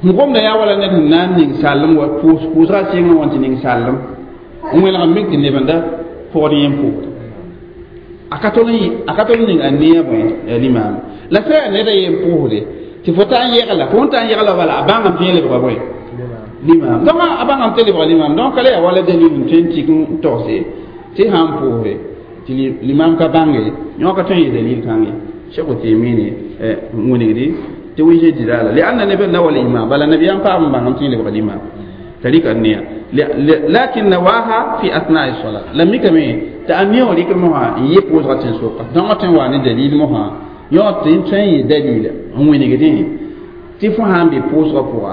n gomda yaa wala ned sẽn na n ning sallem wa pʋʋsgã sɩngã wã tɩ ning sallem n wẽlg n mik tɩ neb n da pʋgd yẽ pʋʋsd a ka tol n ning a neã bõe limaam la sã yaa ned a yen pʋʋsde tɩ fo taa n yɛgla fo n taa n yɛgla bala a bãngame tɩ yẽ lebga bõe limaam donc a bãngame tɩ lebga limaam donc ka la yaa wala dalil n tõe n tik n togse tɩ sã n pʋʋsde tɩ limaam ka bãnge yõ ka tõe n yɩ dalil kãng ye Cheikh Uthaymeen wilgdi tɩ wɩs dilala lianna neb n wala imam bala nabiyaam paam n bãngame tɩ yẽ lebga limaam tarika nia lakin nawaha fi athna'i salat la mikame ta ania wã rɩk mosã n yɩ pʋʋsgã tẽn-soka donc tõe n wa ne dalil mosã yõ tɩ n tõe n yɩ dalila n wilgdẽ tɩ fo sã n be pʋʋsgã pʋga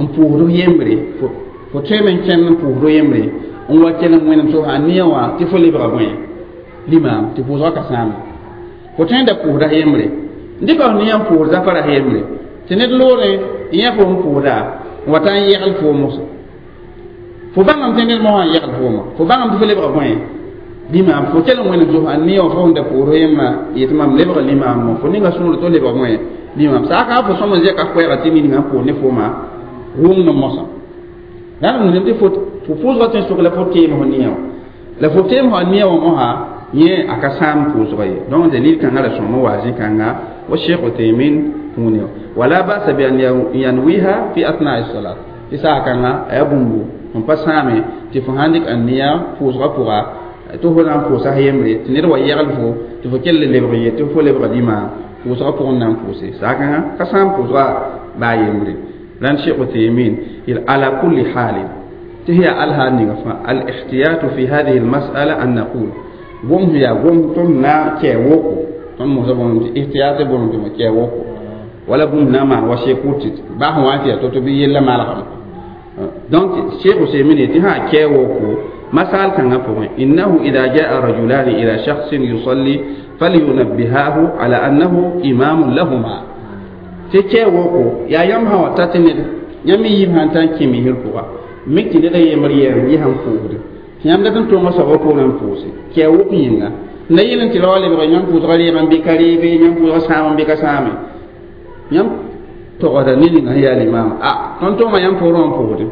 n pʋʋsd f yembre fo tõeme n kẽnd n pʋʋsd yembre n wa kell n wẽnem so a nia wã tɩ fo lebga bõe limaam tɩ pʋʋsgã ka sãame fo tõe n da pʋʋsda yembre n dɩka f nia n pʋʋs zafara yembre tɩ ned loore n yã fo n pʋʋsda n wa ta n yɛgl foom moso fo bãngame tɩ ned mosã n yɛgl fooma fo bãngame tɩ fo lebga bõe limaam fo kell n wẽnem so a nia wã fo sẽn da pʋʋs yemma yetɩ mam lebga limaam mo fo ninga sũur tɩ lebga bõe limaam saaka fo sõm n zɛka koɛɛga tɩ ninga n pʋʋs ne fooma wʋng n mosã la n wilg tɩ fo pʋʋsgã tẽn-sʋk la fo teem fo nia wã la fo teem fo a nia wã mosã yẽ a ka sãam pʋʋsgã ye donc dalil kãngã ra sõm n wa zĩ-kãnga wa Cheikh Uthaymeen wũni wala basa bi an yanwiha fi athna'i salat tɩ saa kãngã a yaa bũmbu n pa sãame tɩ fo sãn dɩk a nia pʋʋsgã pʋga tɩ fo na n pʋʋsa yembre tɩ ned wa yɛgl fo tɩ fo kell lebg ye tɩ fo lebga limaam pʋʋsgã pʋgẽ na n pʋʋse saa kãngã ka sãam pʋʋsgã baa yembre rãnd Cheikh Uthaymeen ala kulli halin tɩ ya alhaal ninga fãa al-ihtiyatu fi hadhihi al-mas'ala an naqul gom ya gom tõnd na kɛ woko tõnd mosa bõn tɩ ihtiyat bõn tɩ kɛ woko wala bũmb na n maan wa sekur tɩ baa sẽn wa n tɩ yaa to-to bɩ yella malgame donc Cheikh Uthaymeen tɩ sã kɛ woko masal kãngã pʋgẽ innahu ida jaa rajulani ila shakhsin yusalli falyunabbihahu ala annahu imamun lahuma tɩ kɛ woko yaa yãmb sã wa ta tɩ ned yãmb me yiib sã n ta n kẽ misr pʋga mik tɩ ned a yembr yɛɛm yɩ sãn pʋʋsde tɩ yãmb dat n tõoga soabã poorẽ n pʋʋse kɛ wok yĩnga la yel n tɩ ra wa lebg yãmb pʋʋsgã reegã n bɩ ka reebe yãmb pʋʋsgã sãam n bɩ ka sãame yãmb togsda ne ninga sẽn yaa limaam a tõnd tõoma yãmb poorẽ wã n pʋʋsde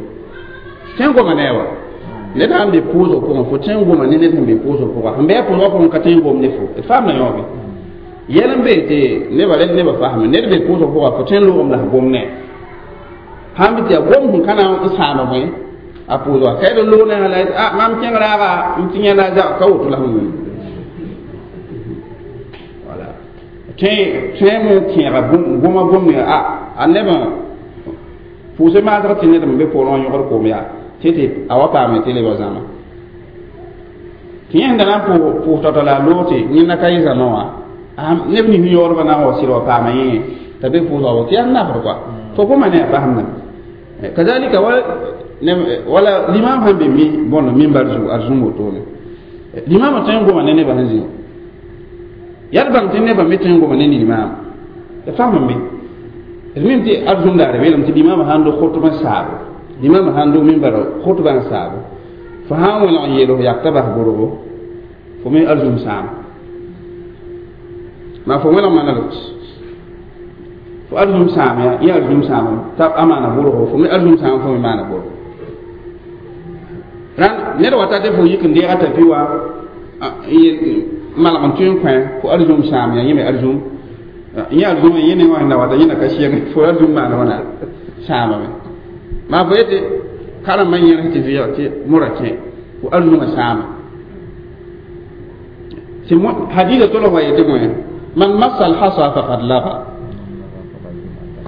tõe n goma ne a wa ned sãn be pʋʋsg pʋgẽ fo tõe n goma ne ned sẽn be pʋʋsg pʋga sẽn bɩ a pʋʋsgã pʋgẽ ka tõe n gom ne fo d faamda yõobe yɛl n be tɩ nebã rẽd nebã fasme ned be pʋʋsg pʋga fo tõe n loogem la f gom ne sãn bɩ tɩ yaa gom sẽn ka na n sãama bõe a pʋʋsga ka d loog ne la a mam kẽng raaga n tɩ yẽnda zag ka woto la sẽn wʋm wala tõe me kẽega goma gom ne a nebã pʋʋsẽ maasg tɩ ned n be poorẽ wã yõgd koom yaa tɩ tɩ a wa paame tɩ lebg zãma tɩ yẽ sẽn da na n pʋʋs tao-tao la a loog tɩ yẽnda ka yɩ zãma wã neb nins yõodbã na n wa sɩd wa paama yẽ t'a be pʋʋsga wa tɩ yaa nafr kɔa fo goma ne a fasemda kazalika wala limam sãn be mi bõnd mimbar zugu ad zũm wotone limamã tõe n goma ne nebã sẽn zĩ yaa d bãng tɩ nebã me tõe n goma ne limaam d fasem be d mim tɩ ad zũm daare beelame tɩ limamã sãn do khʋtb n saabo limamã sãn do mimbar khʋtbã n saabo fo sã n wẽlg n yeel f yak t'a bas borgo fo me ad zũm sãama maa fo wẽlg maneg fo ad zũm sãam ya yẽ ad zũm sãam t'a a maana borgo fo me ad zũm sãam fo me maana borgo rãnd ned wa ta tɩ fo yik n deega tapi wã malg n tõe n kõ fo ad zũm sãam ya yẽ me ad zũm yẽ ad zũm yẽ ne wã sẽn wata yẽna ka sɩng fo ad zũm maana wãna sãamame maa fo yetɩ karembã yẽrs tɩ vɩɩg tɩ mora kẽ fo ad zũmã sãama tɩ hadisa tolg wa yetɩ bõe man massa alhasa faqad laga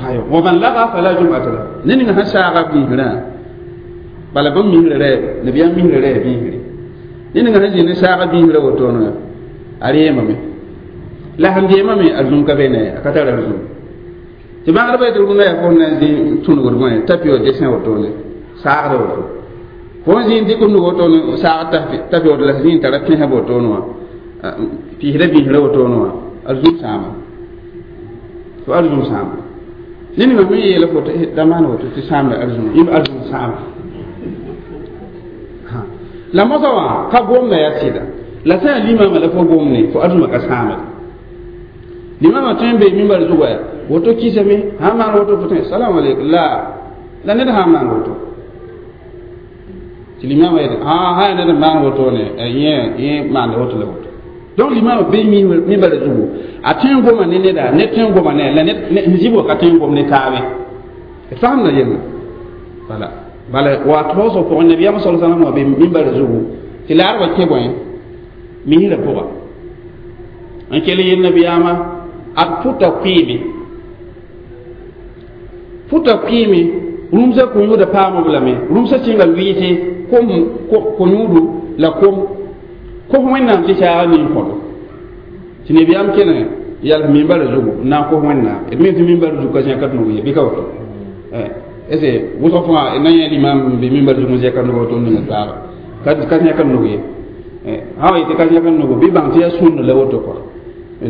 ayo wa man laga fala jum'ata lahu ne ninga sẽn saaga biisrã bala bãmb misrã rɛ nabiyaam misrã rɛ biisre ne ninga sẽn zĩnd saaga biisrã wotone a reemame la sẽn deemame a zũm ka be ne a ka tar a zũm tɩ bãgdbã yetɩ rũndã yaa fo na n zĩ tũnugd bõe tapi wa desẽ wotone saagd woto Fo zĩig dɩk f nug woto saag t'a feood la zĩig tara pẽsã wotone wã pɩsda biisra wotone wã arzũm sãama fo arzũm sãama ned ninga me yeela fo da maan woto tɩ sãamda arzũm yẽ arzũm sãama la mosã wã ka gomda yaa sɩda la sã yaa limama la fo gomne fo arzũmã ka sãamd limama tõe n bee mimbar zugã woto kisame sã n maan woto fo tõe salam aleykum la la ned sã n maan woto tɩ limama yet sã yaa ned n maan wotone yẽ yẽ maanda woto la woto donc limama bee mimbar zugu a tõe n goma ne neda ned tõe n goma ne la ned n zib wa ka tõe n gom ne taabe d faamda yella bala bala wa taoosg pʋgẽ nabiyaam sal sallam wã be mimbar zugu tɩ laarba kẽ bõe misrã pʋga n kell yel nabiyaamã ad pʋta kʋɩɩme pʋta kʋɩɩme rũmsã ko-yũudã paam-b lame rũmsã sɩnga lʋɩɩse kom ko-yũudu la kom kos wẽnnaam tɩ saaga nin kõdo tɩ nabiyaam kelẽ yals mimbar zugu n na n kos wẽnnaam d me tɩ mimbar zug ka zẽka d nug ye bɩ ka woto est ce wʋsg fãa na yẽ limam n be mimbar zug n zẽka nug woto n ninga soaaga ka zẽka nug ye sã wa yetɩ ka zẽka nugu bɩ bãng tɩ yaa sũnd la woto kɔa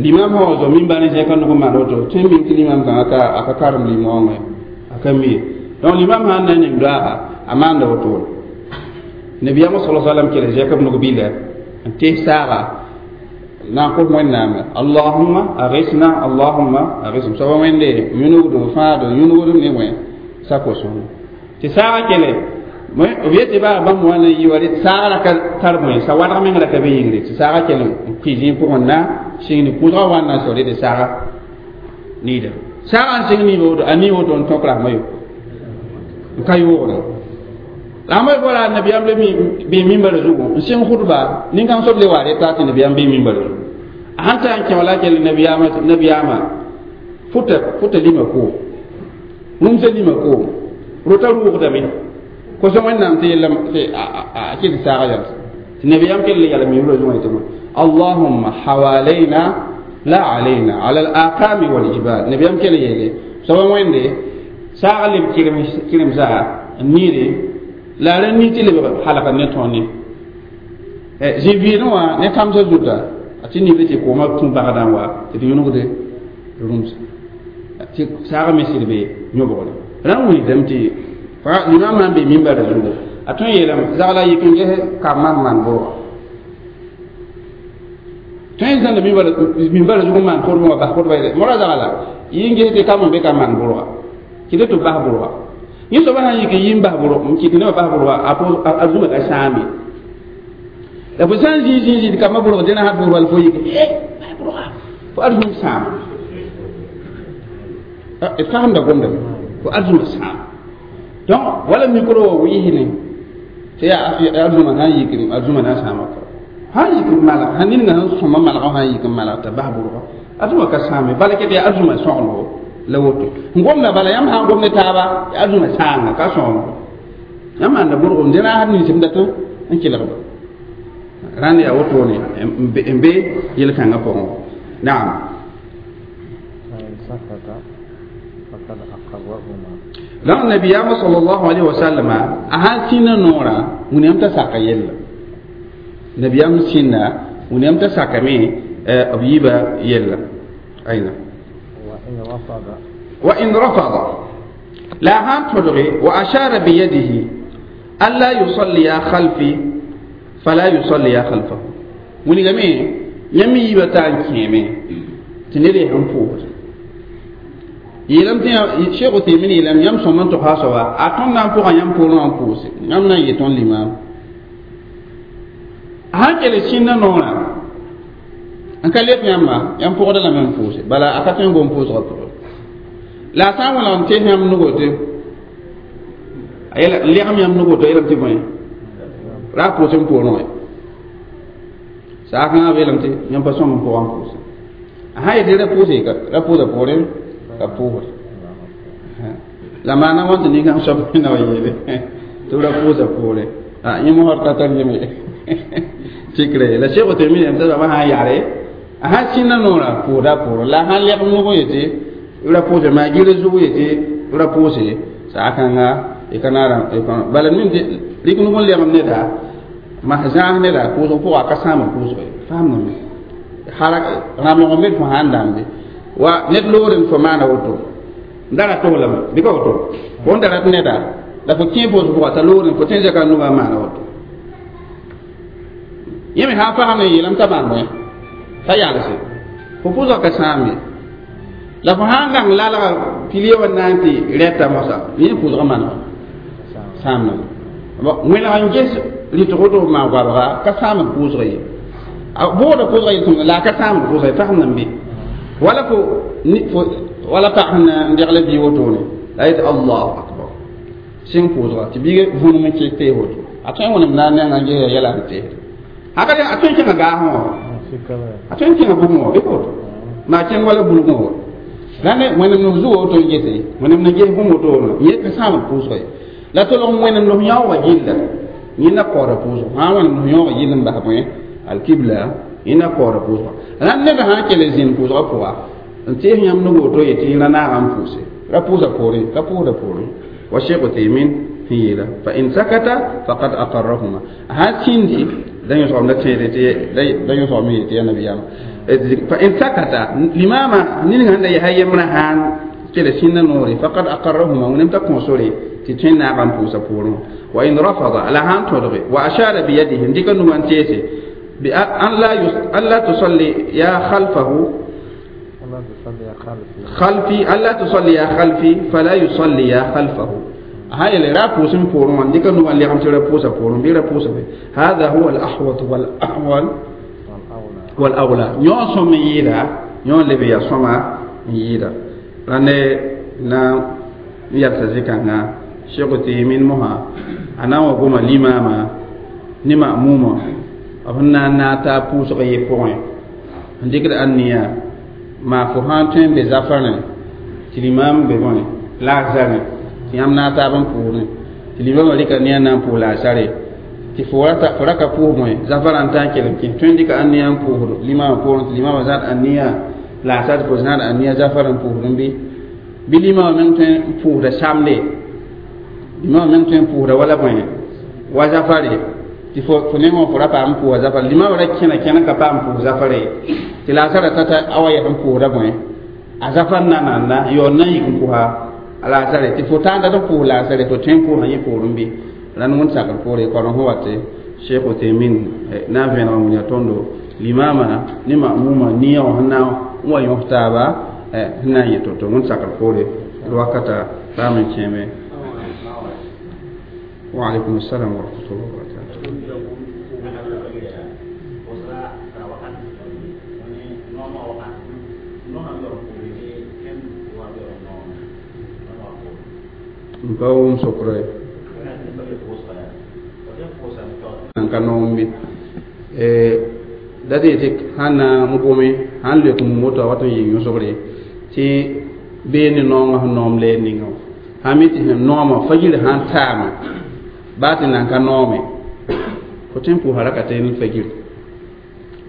limam sã wa zo mimbar n zẽka nug n maan woto tõe n mim tɩ limam kãngã ka a ka karem lim-wãngẽ a ka mi ye donc limam sã n na n ning doaaga a maanda wotone nabiyaamã sala salam kell zẽka b nug bɩla n tees saaga na n kos wẽnnaame allahumma agisna allahumma agisna soaba wẽnde yũnugdo fãado yũnugdem ne wẽ sa kosõngo tɩ saaga kele b yetɩ baa bãmb wa na yɩ wa saaga ra ka tar bõe sa wadg meng ra ka be yĩngre tɩ saaga kell n kʋɩ zĩig pʋgẽ na sɩng ne kʋʋsgã wa n na n sao tɩ saaga niida saaga n sɩng niiba woto a nii woto n tõk rasmã yo n ka yoogre la ma bora nabiyaam le bɩ mimbar zugu n sɩng khutba nin-kãng soab le wa reta tɩ nabiyaam bɩ mimbar zugu a sãn ta n kẽ wala kell nabiyaamã nabiyaamã fʋta lima koom rũmsã lima koom rota rʋʋgdame kosã wẽnnaam tɩ yella tɩ a kell saaga yals tɩ nabiyaam kell yala mimbrã zugã yetɩ allahumma hawalaina la alayna ala al-aqami wal jibal nabiyaam kell yeele soaba wẽnde saaga leb kɩremsa n niire la ra ni tɩ lebg halga ne tõr ne zĩ-vɩɩdẽ wã ne kãmsã zuta a tɩ nibr tɩ koomã tũ bagdã n wa tɩ d yũnugde rũmsa tɩ saagã me sɩd be yõbgre rã n wilgdame tɩ limam sã n be mimbarã zugu a tõe n yeelame zagla yik n ges kambã n maan bʋrga tõe n zãnda mimbarã zug n maan kʋdbẽ wã bas kʋdba yeele mora zagla yɩ n ges tɩ kam n be ka maan bʋrga kɩ tɩ bas bʋrga yẽ soaba sã n yik n yi n bas bʋrg n kɩt nebã bas bʋrga a zũma ka sãame la fo sã n zĩig zĩig zĩig kambã bʋrg dẽna sã bʋrg wall fo yik bas bʋrga fo arzũm sãama d fagemda gomdame fo arzũma sãama donc wala micro wã wɩɩsne tɩ yaa arzũma sã n yik arzũma na n sãama kɔ sã n yik n malg sã ninga sẽn sõma malgã sã n yik n malg t'a bas bʋrga arzũma ka sãame bala ket yaa arzũma sõgelgo la woto n gomda bala yãmb sã n gom ne taaba arzũma sãanga ka sõgelgo yãmb maanda bʋrg n dẽna had ninsem dat n kelgba rãnd yaa wotone n be yel-kãngã pʋgẽ naam donc nabiyaamã sallallahu alaihi wasallam a sãn sĩnda noorã wĩnnaam t'a saka yella nabiyaam sĩnda wĩnnaam t'a sakame b yiibã yella ayna wa in rafada la a sãn tõdge wa ashara biyadihi alla yusalliya khalfi fala yusalliya khalfahu wilgame yãmb yiibã taa n kẽeme tɩ ned yaa sẽn pʋʋsd yeelame tɩ Cheikh Uthaymin yeelame yãmb sõm n togsa a soaba a tõnd na n pʋgã yãmb poorẽ wã n pʋʋse yãmb na n yɩ tõnd limaam a sãn kell sĩnda noorã n ka leb yãmba yãmb pʋgda lame n pʋʋse bala a ka tõe n gom pʋʋsgã pʋgẽ la a sã n wilg n tees yãmb nugo tɩ a legem yãmb nugo tɩ a yeelame tɩ bõe ra a pʋʋs n poorẽ wã saakãngã beelame tɩ yãmb pa sõng n pʋgã n pʋʋse a sã yetɩ ra pʋʋse ra pʋʋsa poorẽ ka pʋʋsd la maana wã tɩ nin-kãng soab na wa yeele tɩ b ra pʋʋsa poorẽ yẽ mosd ka tar yeme fikre la Cheikh Uthaymin yam t'a soaba sã n yare a sãn sĩnda noorã pʋʋsda poorẽ la a sãn lɛg nug yetɩ ra pʋʋse maa gɩr zug yetɩ ra pʋʋse saakãnga y ka naara bala nin rɩk nug n legem neda mas zãas neda pʋʋsg pʋga ka sãamd pʋʋsg ye faamdame rãmlg n be fo sãn dãmbe wa ned loore n fo maana woto n da ra toglame bɩ ka woto fo n da rat neda la fo kẽ pʋʋsg pʋga t'a loore fo tõe n zɛka nugã n maana woto yẽ me sã n fasem n yeelame t'a maan bõe t'a yalse fo pʋʋsga ka sãam ye la fo sãn gãng lalga pilie wa na n tɩ rɛta moasã yẽ pʋʋsga manega sãamdame wẽneg n ges rɩtg woto f maan goabga ka sãamd pʋʋsga ye a bʋʋda pʋʋsga yel la a ka sãamd pʋʋsga ye fasem be wala fo wala pag sẽn n degl bɩ wotone la yetɩ allahu akbar sɩng pʋʋsga tɩ biiga vũnem n kek tee woto a tõe n wẽnem na n nengã n ges yɛla n teesd a tõe n kẽnga gaasẽ wã a tõe n kẽnga bugẽ wã bɩ ka woto maa kẽng wala bulgẽ wã rãnd wẽnem nos zugo woto n gese wẽnem na ges bũmb wotone yẽ ka sãamd pʋʋsga ye la tolg wẽnem nos yãoogã gilla yẽ na kaooda pʋʋsg sã n wẽnem nos yãoogã gill n bas bõe alkibla yẽ na kaooda pʋʋsga rãnd ned sã n kell zĩnd pʋʋsgã pʋga n tees yãmb nug woto yetɩ ra naagã n pʋʋse ra pʋʋsa poorẽ ra pʋʋsda poorẽ wa Cheikh Uthaymin sẽn yeela fa in sakata faqad aqarrahuma sã sĩndi da yõsgame la tẽede tɩ da yõsgame yetɩ yaa nabiyaamã fa in sakata limama ninga sẽn da yaa yembrã sãn kell sĩnda noore faqad aqarrahuma wẽnem t'a kõ sore tɩ tõe n naag n pʋʋsa poorẽ wa in rafada la sãn tõdge wa ashara biyadihi n dɩka nugã n teese an la tusalli ya khalfahu خلفي ألا تصلي يا خلفي فلا يصلي يا خلفه هاي اللي رابوس من بورون ديك نو اللي عم ترى بوسا بورون بيرا بوسا هذا هو الأحوط والأحول والأولى يون سميرا يون اللي بيا سما ييرا راني نا يرتزكنا شيخ تيمين مها أنا وقوم الإمامة نما موما أبنا ناتا بوسا يبوين عندك الأنية ma fo sãn tõe n be zafarẽ tɩ limam be bõe laasarẽ tɩ yãmb na n taab n pʋʋsẽ tɩ limamã rɩka ne a na n pʋʋs laasare tɩ fo ra ka pʋʋs bõe zafarã n ta n kelem kẽ tõe n dɩka ãnniya n pʋʋsd limamã poorẽ tɩ limamã zãad ãnniya laasar tɩ fo zãad ãnniya zafarã n pʋʋsdẽ bɩ limamã meng tõe n pʋʋsda samde limamã meng tõe n pʋʋsda wala bõe wa zafare tɩ fo nengẽ fo ra paam n pʋʋsa zafare limamã ra kẽna kẽna ka paam n pʋʋs zafare tɩ laasarã tata a wa yɛs n pʋʋsda bõe a zafar na nanda yaool na n yik n pʋsa a laasare tɩ fo tãanda tɩ pʋʋs laasare fo tõe n pʋʋsã yẽ poorẽ bɩ rãnd wẽnd sakr poore korẽ sẽn wa tɩ Cheikh Uthaymin na n vẽneg n wilga tõndo limama ne mamuma nia wã sẽn na n wa yõs taaba sẽn na n yẽ to-to wẽnd sakr poore d wakata paam n kẽeme wa alaikum assalam wa rahmatullahi wa barakatuh n pa wʋm sokra ye n ka noom bɩ da tɩ yetɩ sãn na n gome sãn leok mum woto a wat n yɩ yõsgre tɩ bee ne noongã sẽn noom leer ninga wã sã mi tɩ sẽn noomã fajir sãn taama baa tɩ nan ka noome fo tõe n pʋʋsa rakaten fajir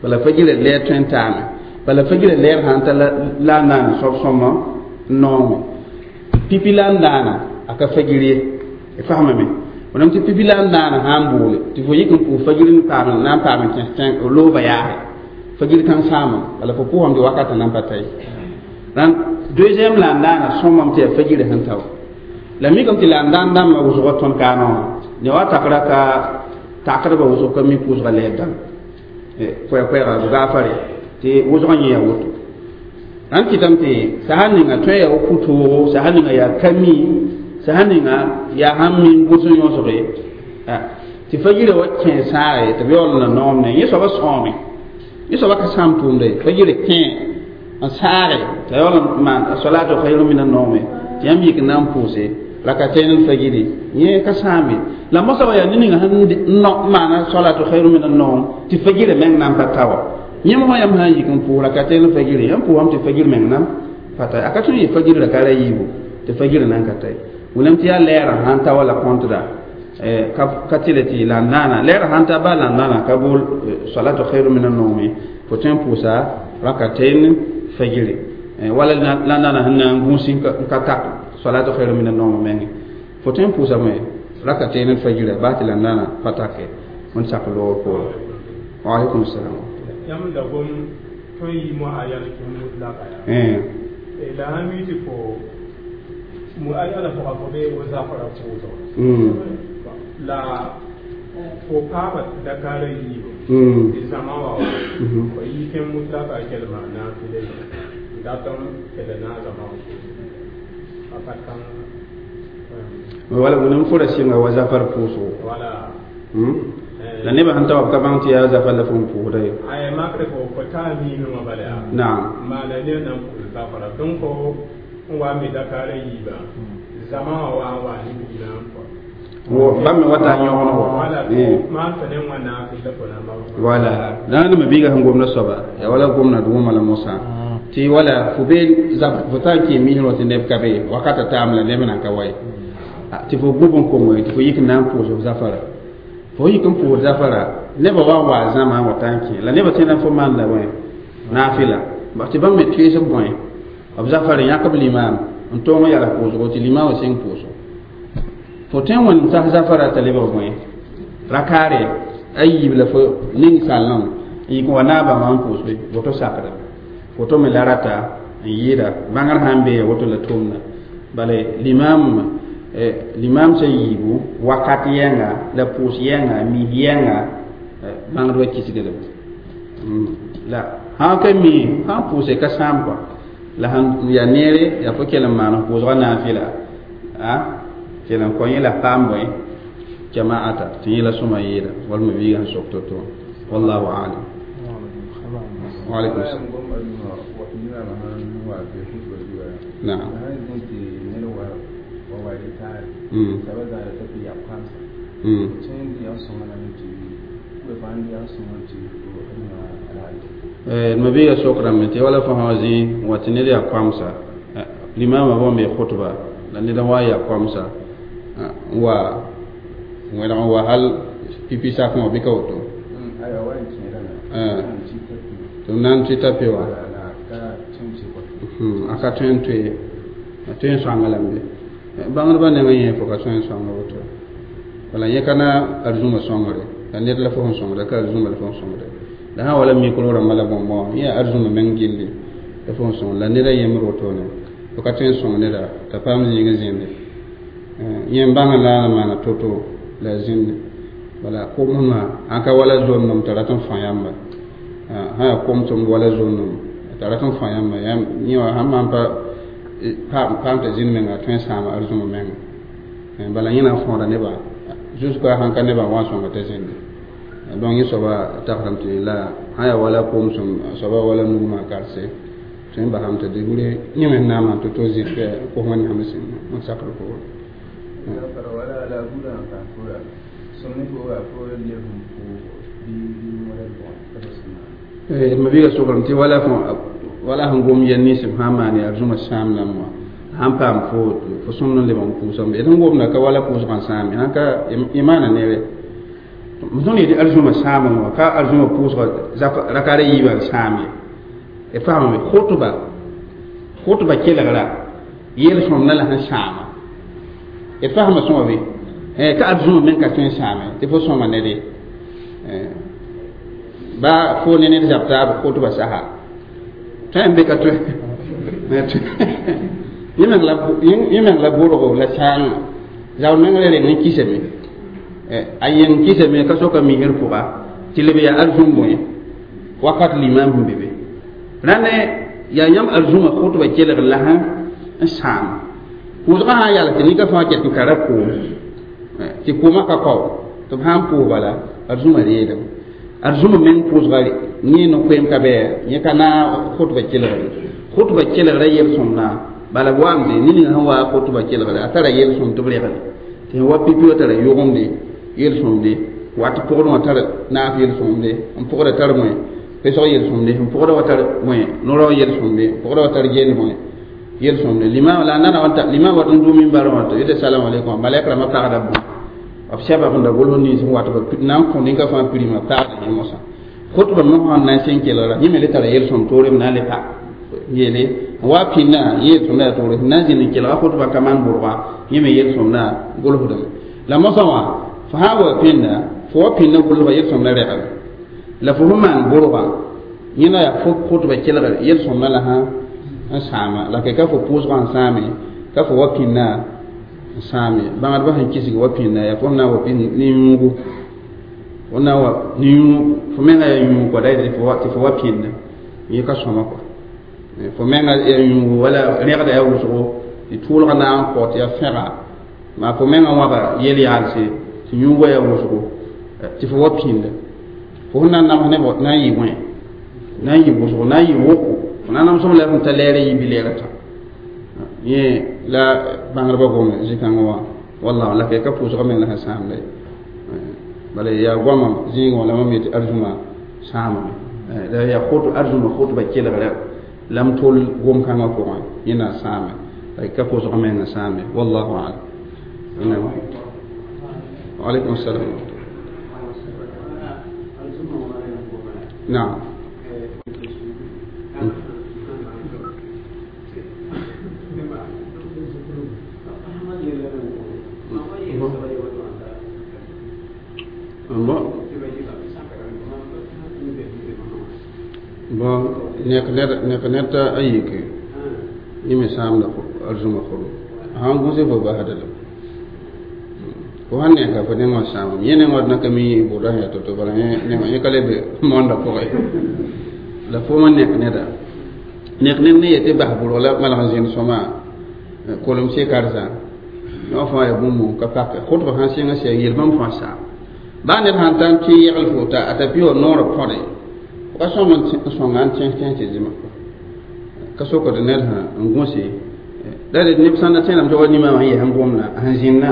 bala fajirã leer tõe n taame bala fajirã leer sãn ta la n naan soab sõma n noome pipi la n daana a ka fajir ye y fasamame wẽnnaam tɩ pipi la n daana sã n boole tɩ fo yik n pʋʋs fajir n paam na n paam n kẽs tẽng looba yaase fajir kãng sãama bala fo pʋʋsame tɩ wakatã nan pa ta ye rãnd deuxième la n daana sõmame tɩ yaa fajirã sẽn ta wa la mikame tɩ la n daan dãmbã wʋsgã tõnd kaamã wã ne wa takra ka takdbã wʋsg ka mi pʋʋsga leer dãmb koɛɛ-koɛɛga gaafare tɩ wʋsgã yẽ yaa woto rãnd kɩtame tɩ sã ninga tõe yaa pʋ-toogo sã ninga yaa ka mi sã ninga yaa sãn mi n gʋs n yõsge tɩ fajirã wa kẽ sãage tɩ b yaool na noom ne yẽ soaba sõome yẽ soaba ka sãam tʋʋmda ye fajirã kẽ n saage t'a yaool n maan asalaatu khayru min annoome tɩ yãmb yik n na n pʋʋse rakatain al-fajiri yẽ ka sãame la mosã wa yaa ne ninga sẽn n maana salatu khayru min annoom tɩ fajirã meng na n pa ta wa yẽmb wã yãmb sã n yik n pʋʋs rakatain al-fajiri yãmb pʋʋsame tɩ fajir meng na pa ta a ka tõe n yɩ fajir raka ra yiibu tɩ fajirã nan ka ta ye wẽnnaam tɩ yaa lɛɛrã sãn ta wala kõntda ka tɩle tɩ la n naana lɛɛrã sãn ta baa la n naana ka bool salatu khayru min annoome fo tõe n pʋʋsa rakatain fajiri wala la n naana sẽn na n gũus n ka tak salatu khayru min an-nawm menge Fo tõe n pʋʋsame rakateene d fajira baa tɩ la nana pa take n sak loogr poorẽ. Wa alaikum salam. Yãmb da gom tõe n yɩ moayana kẽ mutlaka yaa la sã mi tɩ fo moayana pʋga fo bee wo zafra pʋʋsg la fo paama dakaarã yiibu tɩ zãma wa wa fo yɩ kẽ mutlaka kelma naafɩla ye n dat n kell na zãma wã a pa tãng. Wala wẽnem fo ra sɩnga wa zafar pʋʋsgo. Wala. La nebã sẽn ta wa b ka bãng tɩ yaa zafar la fo n pʋʋsda ye. Ay makre fo taa miinẽ bala yaa. Naam. Maana ne nan pʋʋs zafara donc n wa me dakaarã yiibã zãma wã wa n wa ne miinã n kɔ. Bãmb me wata n yõgengo. Wala maan tɩ ne wẽnnaam la fo na n wala dãag nema biiga sẽn gomda soaba yaa wala gomna d wʋma la mosã tɩ wala fo be fo taa n kẽ misrẽ wã tɩ neb ka be wakata taam la neb nan ka wa ye tɩ fo gub n kongo tɩ fo yik n na n pʋʋs f zafara fo yik n pʋʋs zafara nebã wa n wa zãma n wa taa n kẽ la nebã tẽeda fo maan la bõe naafɩla tɩ bãmb me toees b bõe b zafara yãk b limaam n tõog n yala pʋʋsgo tɩ limaam wã sẽng pʋʋsgo fo tõe n wẽnem tas zafara t'a lebg bõe rakaare a yiib la fo ning sallẽ n yik n wa naabã wã n pʋʋsbe woto sakda woto me la rata n yɩɩda bãngr sã n bee woto la tʋʋmda bala limaam limaam sã yiibu wakat yɛnga la pʋʋs yɛnga mis yɛnga bãngdbã kisgdame la sã ka mi sã n pʋʋse ka sãam kɔa la sãn yaa neere yaa fo kell n maan f pʋʋsgã naafɩla a kell n kõ yẽ la paam bõe jamaata tɩ yẽ la sõma yɩɩda walma biiga sẽn sok to-to. Wallahu alam. Wa alaikum salam. Naam. Ma biiga sokrame tɩ wala fo sã wa zĩ wa tɩ ned yaa koamsa limaamã bõn be khutba la ned n wa yaa koamsa n wa wẽneg n wa hal pipi sakẽ wã bɩ ka woto tɩ b na n tɩ ta pe wã a ka tõe n toe a tõe n sõanga lame bãngdbã nengã yẽ fo ka tõe n sõanga woto wala yẽ ka na arzũmã sõngre la ned la fo sẽn sõngda ka arzũmã la fo sẽn sõngda la sã wala mikro rãmbã la bõn-bõn yẽ yaa arzũmã meng gilli la fo sẽn sõng la neda yembr wotone fo ka tõe n sõng neda t'a paam zĩig n zĩnde yẽ n bãng la n maana to-to la zĩnde wala komsmã ãn ka wala zom-nom t'a rat n fã yãmba sã yaa kom-tʋmd wala zom-nom t'a rat n fã yãmba yẽ wã sãn maan pa paam t'a zĩnd menga a tõe n sãama arzũmã menga bala yẽ na n fõoda nebã jusqu'à sãn ka nebã n wa n sõnga t'a zĩnde. Donc yẽ soaba tagsame tɩ la sã yaa wala komsem soaba wala nugmã karse tõe n basame tɩ degre yẽ me na n maan to-to zĩs kos wẽnnaam n sakr pʋgẽ. Ma biiga sokrame tɩ wala fõ wala sẽn gom yɛl nins b sã n maan yaa arzũmã sãam lame wã sãn paam fo fo sõmd n leb n pʋʋsame d sẽn gomda ka wala pʋʋsgã n sãame sãn ka y maana neere tõnd yetɩ arzũmã sãamẽ wã ka arzũmã pʋʋsga rakaara yiibã n sãam ye d faamame khutba khutba kelgra yel-sõmdã la sẽn sãama d faasma sõma be ka arzũmã meng ka tõe n sãame tɩ fo sõma ned ye ba fo ne ned zab taab khutba saha tõe n be ka tõe yẽ meng la bʋrgo la sãanga zaoor meng la reng n kisame a yeng kisame ka soka misr pʋga tɩ leb yaa arzũm bõe wakat limam sẽn be be rãnd yaa yãmb arzũmã khutba kelg la sã n sãam pʋʋsgã sã n yals tɩ nika fãa ket n kara koom tɩ koomã ka kao tɩ b sã n pʋʋs bala arzũmã reedame arzũmã meng pʋʋsga yẽ no-koeem ka bɩ yẽ ka na khutba kelgre khutba kelgra yel-sõmdã bala b waamde ne ning sẽn wa khutba kelgre a tara yel-sõm tɩ b regle tɩ sẽn wa pipi wã tara yʋgemde yel-sõmde wat pʋgdẽ wã tar naaf yel-sõmde n pʋgda tar bõe pesg yel-sõmde n pʋgda wa tar bõe no-rao yel-sõmde n pʋgda wa tar gend bõe yel-sõmde limaam la a nana wã limaam wat n dʋ minbarã wã tɩ yetɩ salam alaikum malɛk rãmbã pagda bõe b sɛba n da gʋls nins n wat b na n kõ ninka fãa pirima pagda yẽ mosã khutba mosã n na n sẽn kelgra yẽ me le tara yel-sõm toore b na n le pa. Yele wa pĩnda yel-sõmda yaa toore sẽn na n zĩnd n kelga khutba ka maan bʋrga yẽ me yel-sõmda gʋlsdame la mosã wã fo sã n wa pĩnda fo wa pĩnda gʋlsga yel-sõmda rɛgame la fo sẽn maan bʋrga yẽna yaa fo khutba kelgre yel-sõmda la sã n sãama la ka fo pʋʋsgã n sãame ka fo wa pĩnda n sãame bãngdbã sẽn kisg wa pĩnda yaa fo sẽn na n wa pĩnd ne yũugu fo na wa ne yũug fo menga yaa yũug kɔa da tɩ fo wa pĩnda yẽ ka sõma kɔa fo menga yaa yũugu wala rẽgda yaa wʋsgo tɩ tʋʋlga na n kɔ tɩ yaa fẽga maa fo menga wãba yel-yaalse tɩ yũugã yaa wʋsgo tɩ fo wa pĩnda fo sẽn na n nams ne na n yɩ bõe na n yɩ wʋsgo na n yɩ woko fo na n namsem la sẽn ta lɛɛrɛ yɩ bɩ-lɛɛrã tã yẽ la bãngdbã gome zĩ-kãngã wã walla la ka pʋʋsgã meng la sẽn sãamda ye bala yaa goamã zĩigẽ wã la mam yetɩ arzũma sãamame la yaa arzũma khutba kelgrã la m tol gom-kãngã pʋgẽ yẽ na n sãame la ka pʋʋsgã meng n sãame wallahu alam. Waalaikum assalam. Naam. Bon nek ned a yike yẽ me sãamda arzũma kʋrem sãn gũse fo basda la fo sãn neka fo nengã sãamame yẽ nengã d na ka mi bʋda sẽn yaa to-to bala yẽ ka le be moonda pʋgẽ la fo ma nek neda nek ned ne yetɩ bas bʋrg la malg n zĩnd sõma kolem se karsa yõ fãa yaa bũmb ka pake khutba sãn sɩnga sɛ yel bãmb fãa saam baa ned sãn ta n tɩ yegl fo t'a t'a pɩ wa noorã põde ka sõm n sõnga n tẽs tẽs tɩ zĩma ka sokd ned sã n gũse la d neb sãn da tẽedame tɩ wa nimã sẽn yɛs n gomdã sẽn zĩnna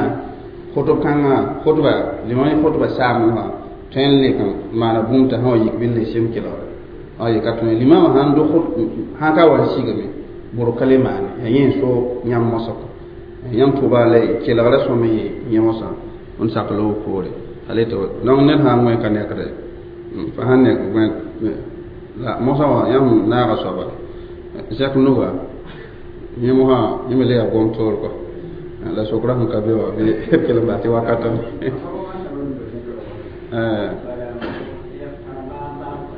khutb kãngã khutba limam khutba saam wã tõe n lek n maana bũmb t'a sã wa yik bɩ n le sem kelgre a ye ka tõe limamã sãn do sãn ka wa n sigame bʋrg ka le maane yaa yẽ n so yãmb mosã yãmb tʋba la kelgrã sõm n yɩ yẽ mosã n sak loog poore ale tɩ donc ned sã n wẽ ka nekde fa sãn nek gõe la mosã wã yãmb naaga soaba zɛk nuga yẽ mosã yẽ me le yaa gom toor kɔa la sokra sẽn ka be wã bɩ kell n bas tɩ wakatame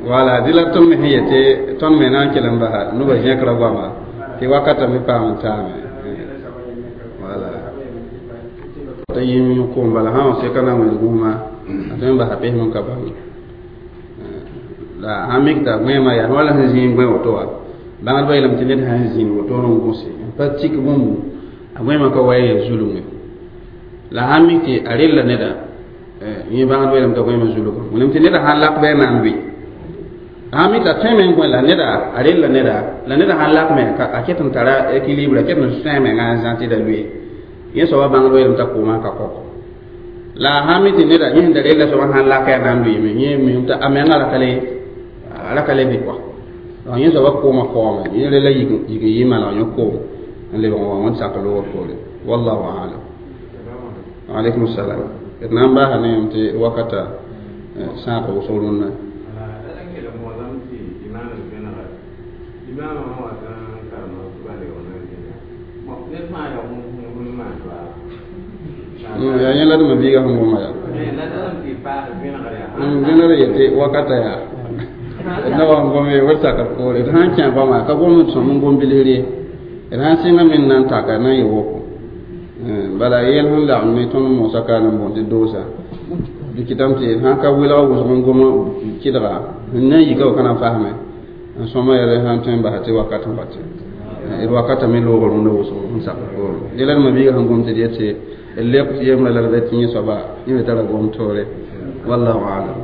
wala dɩ la tõnd me sẽn yetɩ tõnd me na n kell n basa noba zẽkra goama tɩ wakata me paam n taame wala t'a yĩm koom bala sã n seka na n wẽs gũusmã a tõe n basa pesem n ka bãng la sãn mik t'a gõeemã yaa wala sẽn zĩig gõe woto wã bãngdbã yeelame tɩ ned sãn zĩnd woto n gũse n pa tik bũmbu a gõeemã ka wa yaa zulunge la sãn mik tɩ a rella neda yẽ bãngdbã yeelame t'a gõeemã zulugã wilame tɩ neda sãn lak bɩ a na n lʋɩ sãn mik t'a tõe me n gõe la neda a rella neda la neda sãn lak me a ket n tara équilibre a ket n sẽe menga n zã tɩ da lʋɩ yẽ soaba bãngdbã yeelame t'a kʋʋmã ka kɔkɔ la sãn mik tɩ neda yẽ sẽn da rella soaba sãn laka yaa na n lʋɩme yẽ misem t'a a menga a ra ka le bɩ kɔa donc yẽ soaba kʋʋmã kaoome yẽ rella yik n yɩ malg yẽ koom n lebg n wa wẽnd sak loogr poore wallahu alam. Alaikum salam. D na n baasa ne yãmb tɩ wakata sãag wʋsg rũnnã. Yaa yẽ la d ma-biigã sẽn goma yaa vẽnegr yetɩ wakata yaa d na wa n gome wd sakr poore d sãn kẽ goama ka gom n sõm n gom bilsr ye d sãn sɩnga me n na n taka na n yɩ woko bala yɛl sẽn lagem ne tõnd moosã ka n boond tɩ doosa bɩ kɩtame tɩ sãn ka welg wʋsg n gom kɩdga n na n yika wa ka na n fasme n sõma yaa sãn tõe n basa tɩ wakat n wa tɩ d wakata me loogr rũndã wʋsg n sak poore dɩ la d ma-biigã sẽn gom tɩ d yetɩ d leb yembrã la d bɛ tɩ yẽ soaba yẽ me tara gom toore wallahu alam.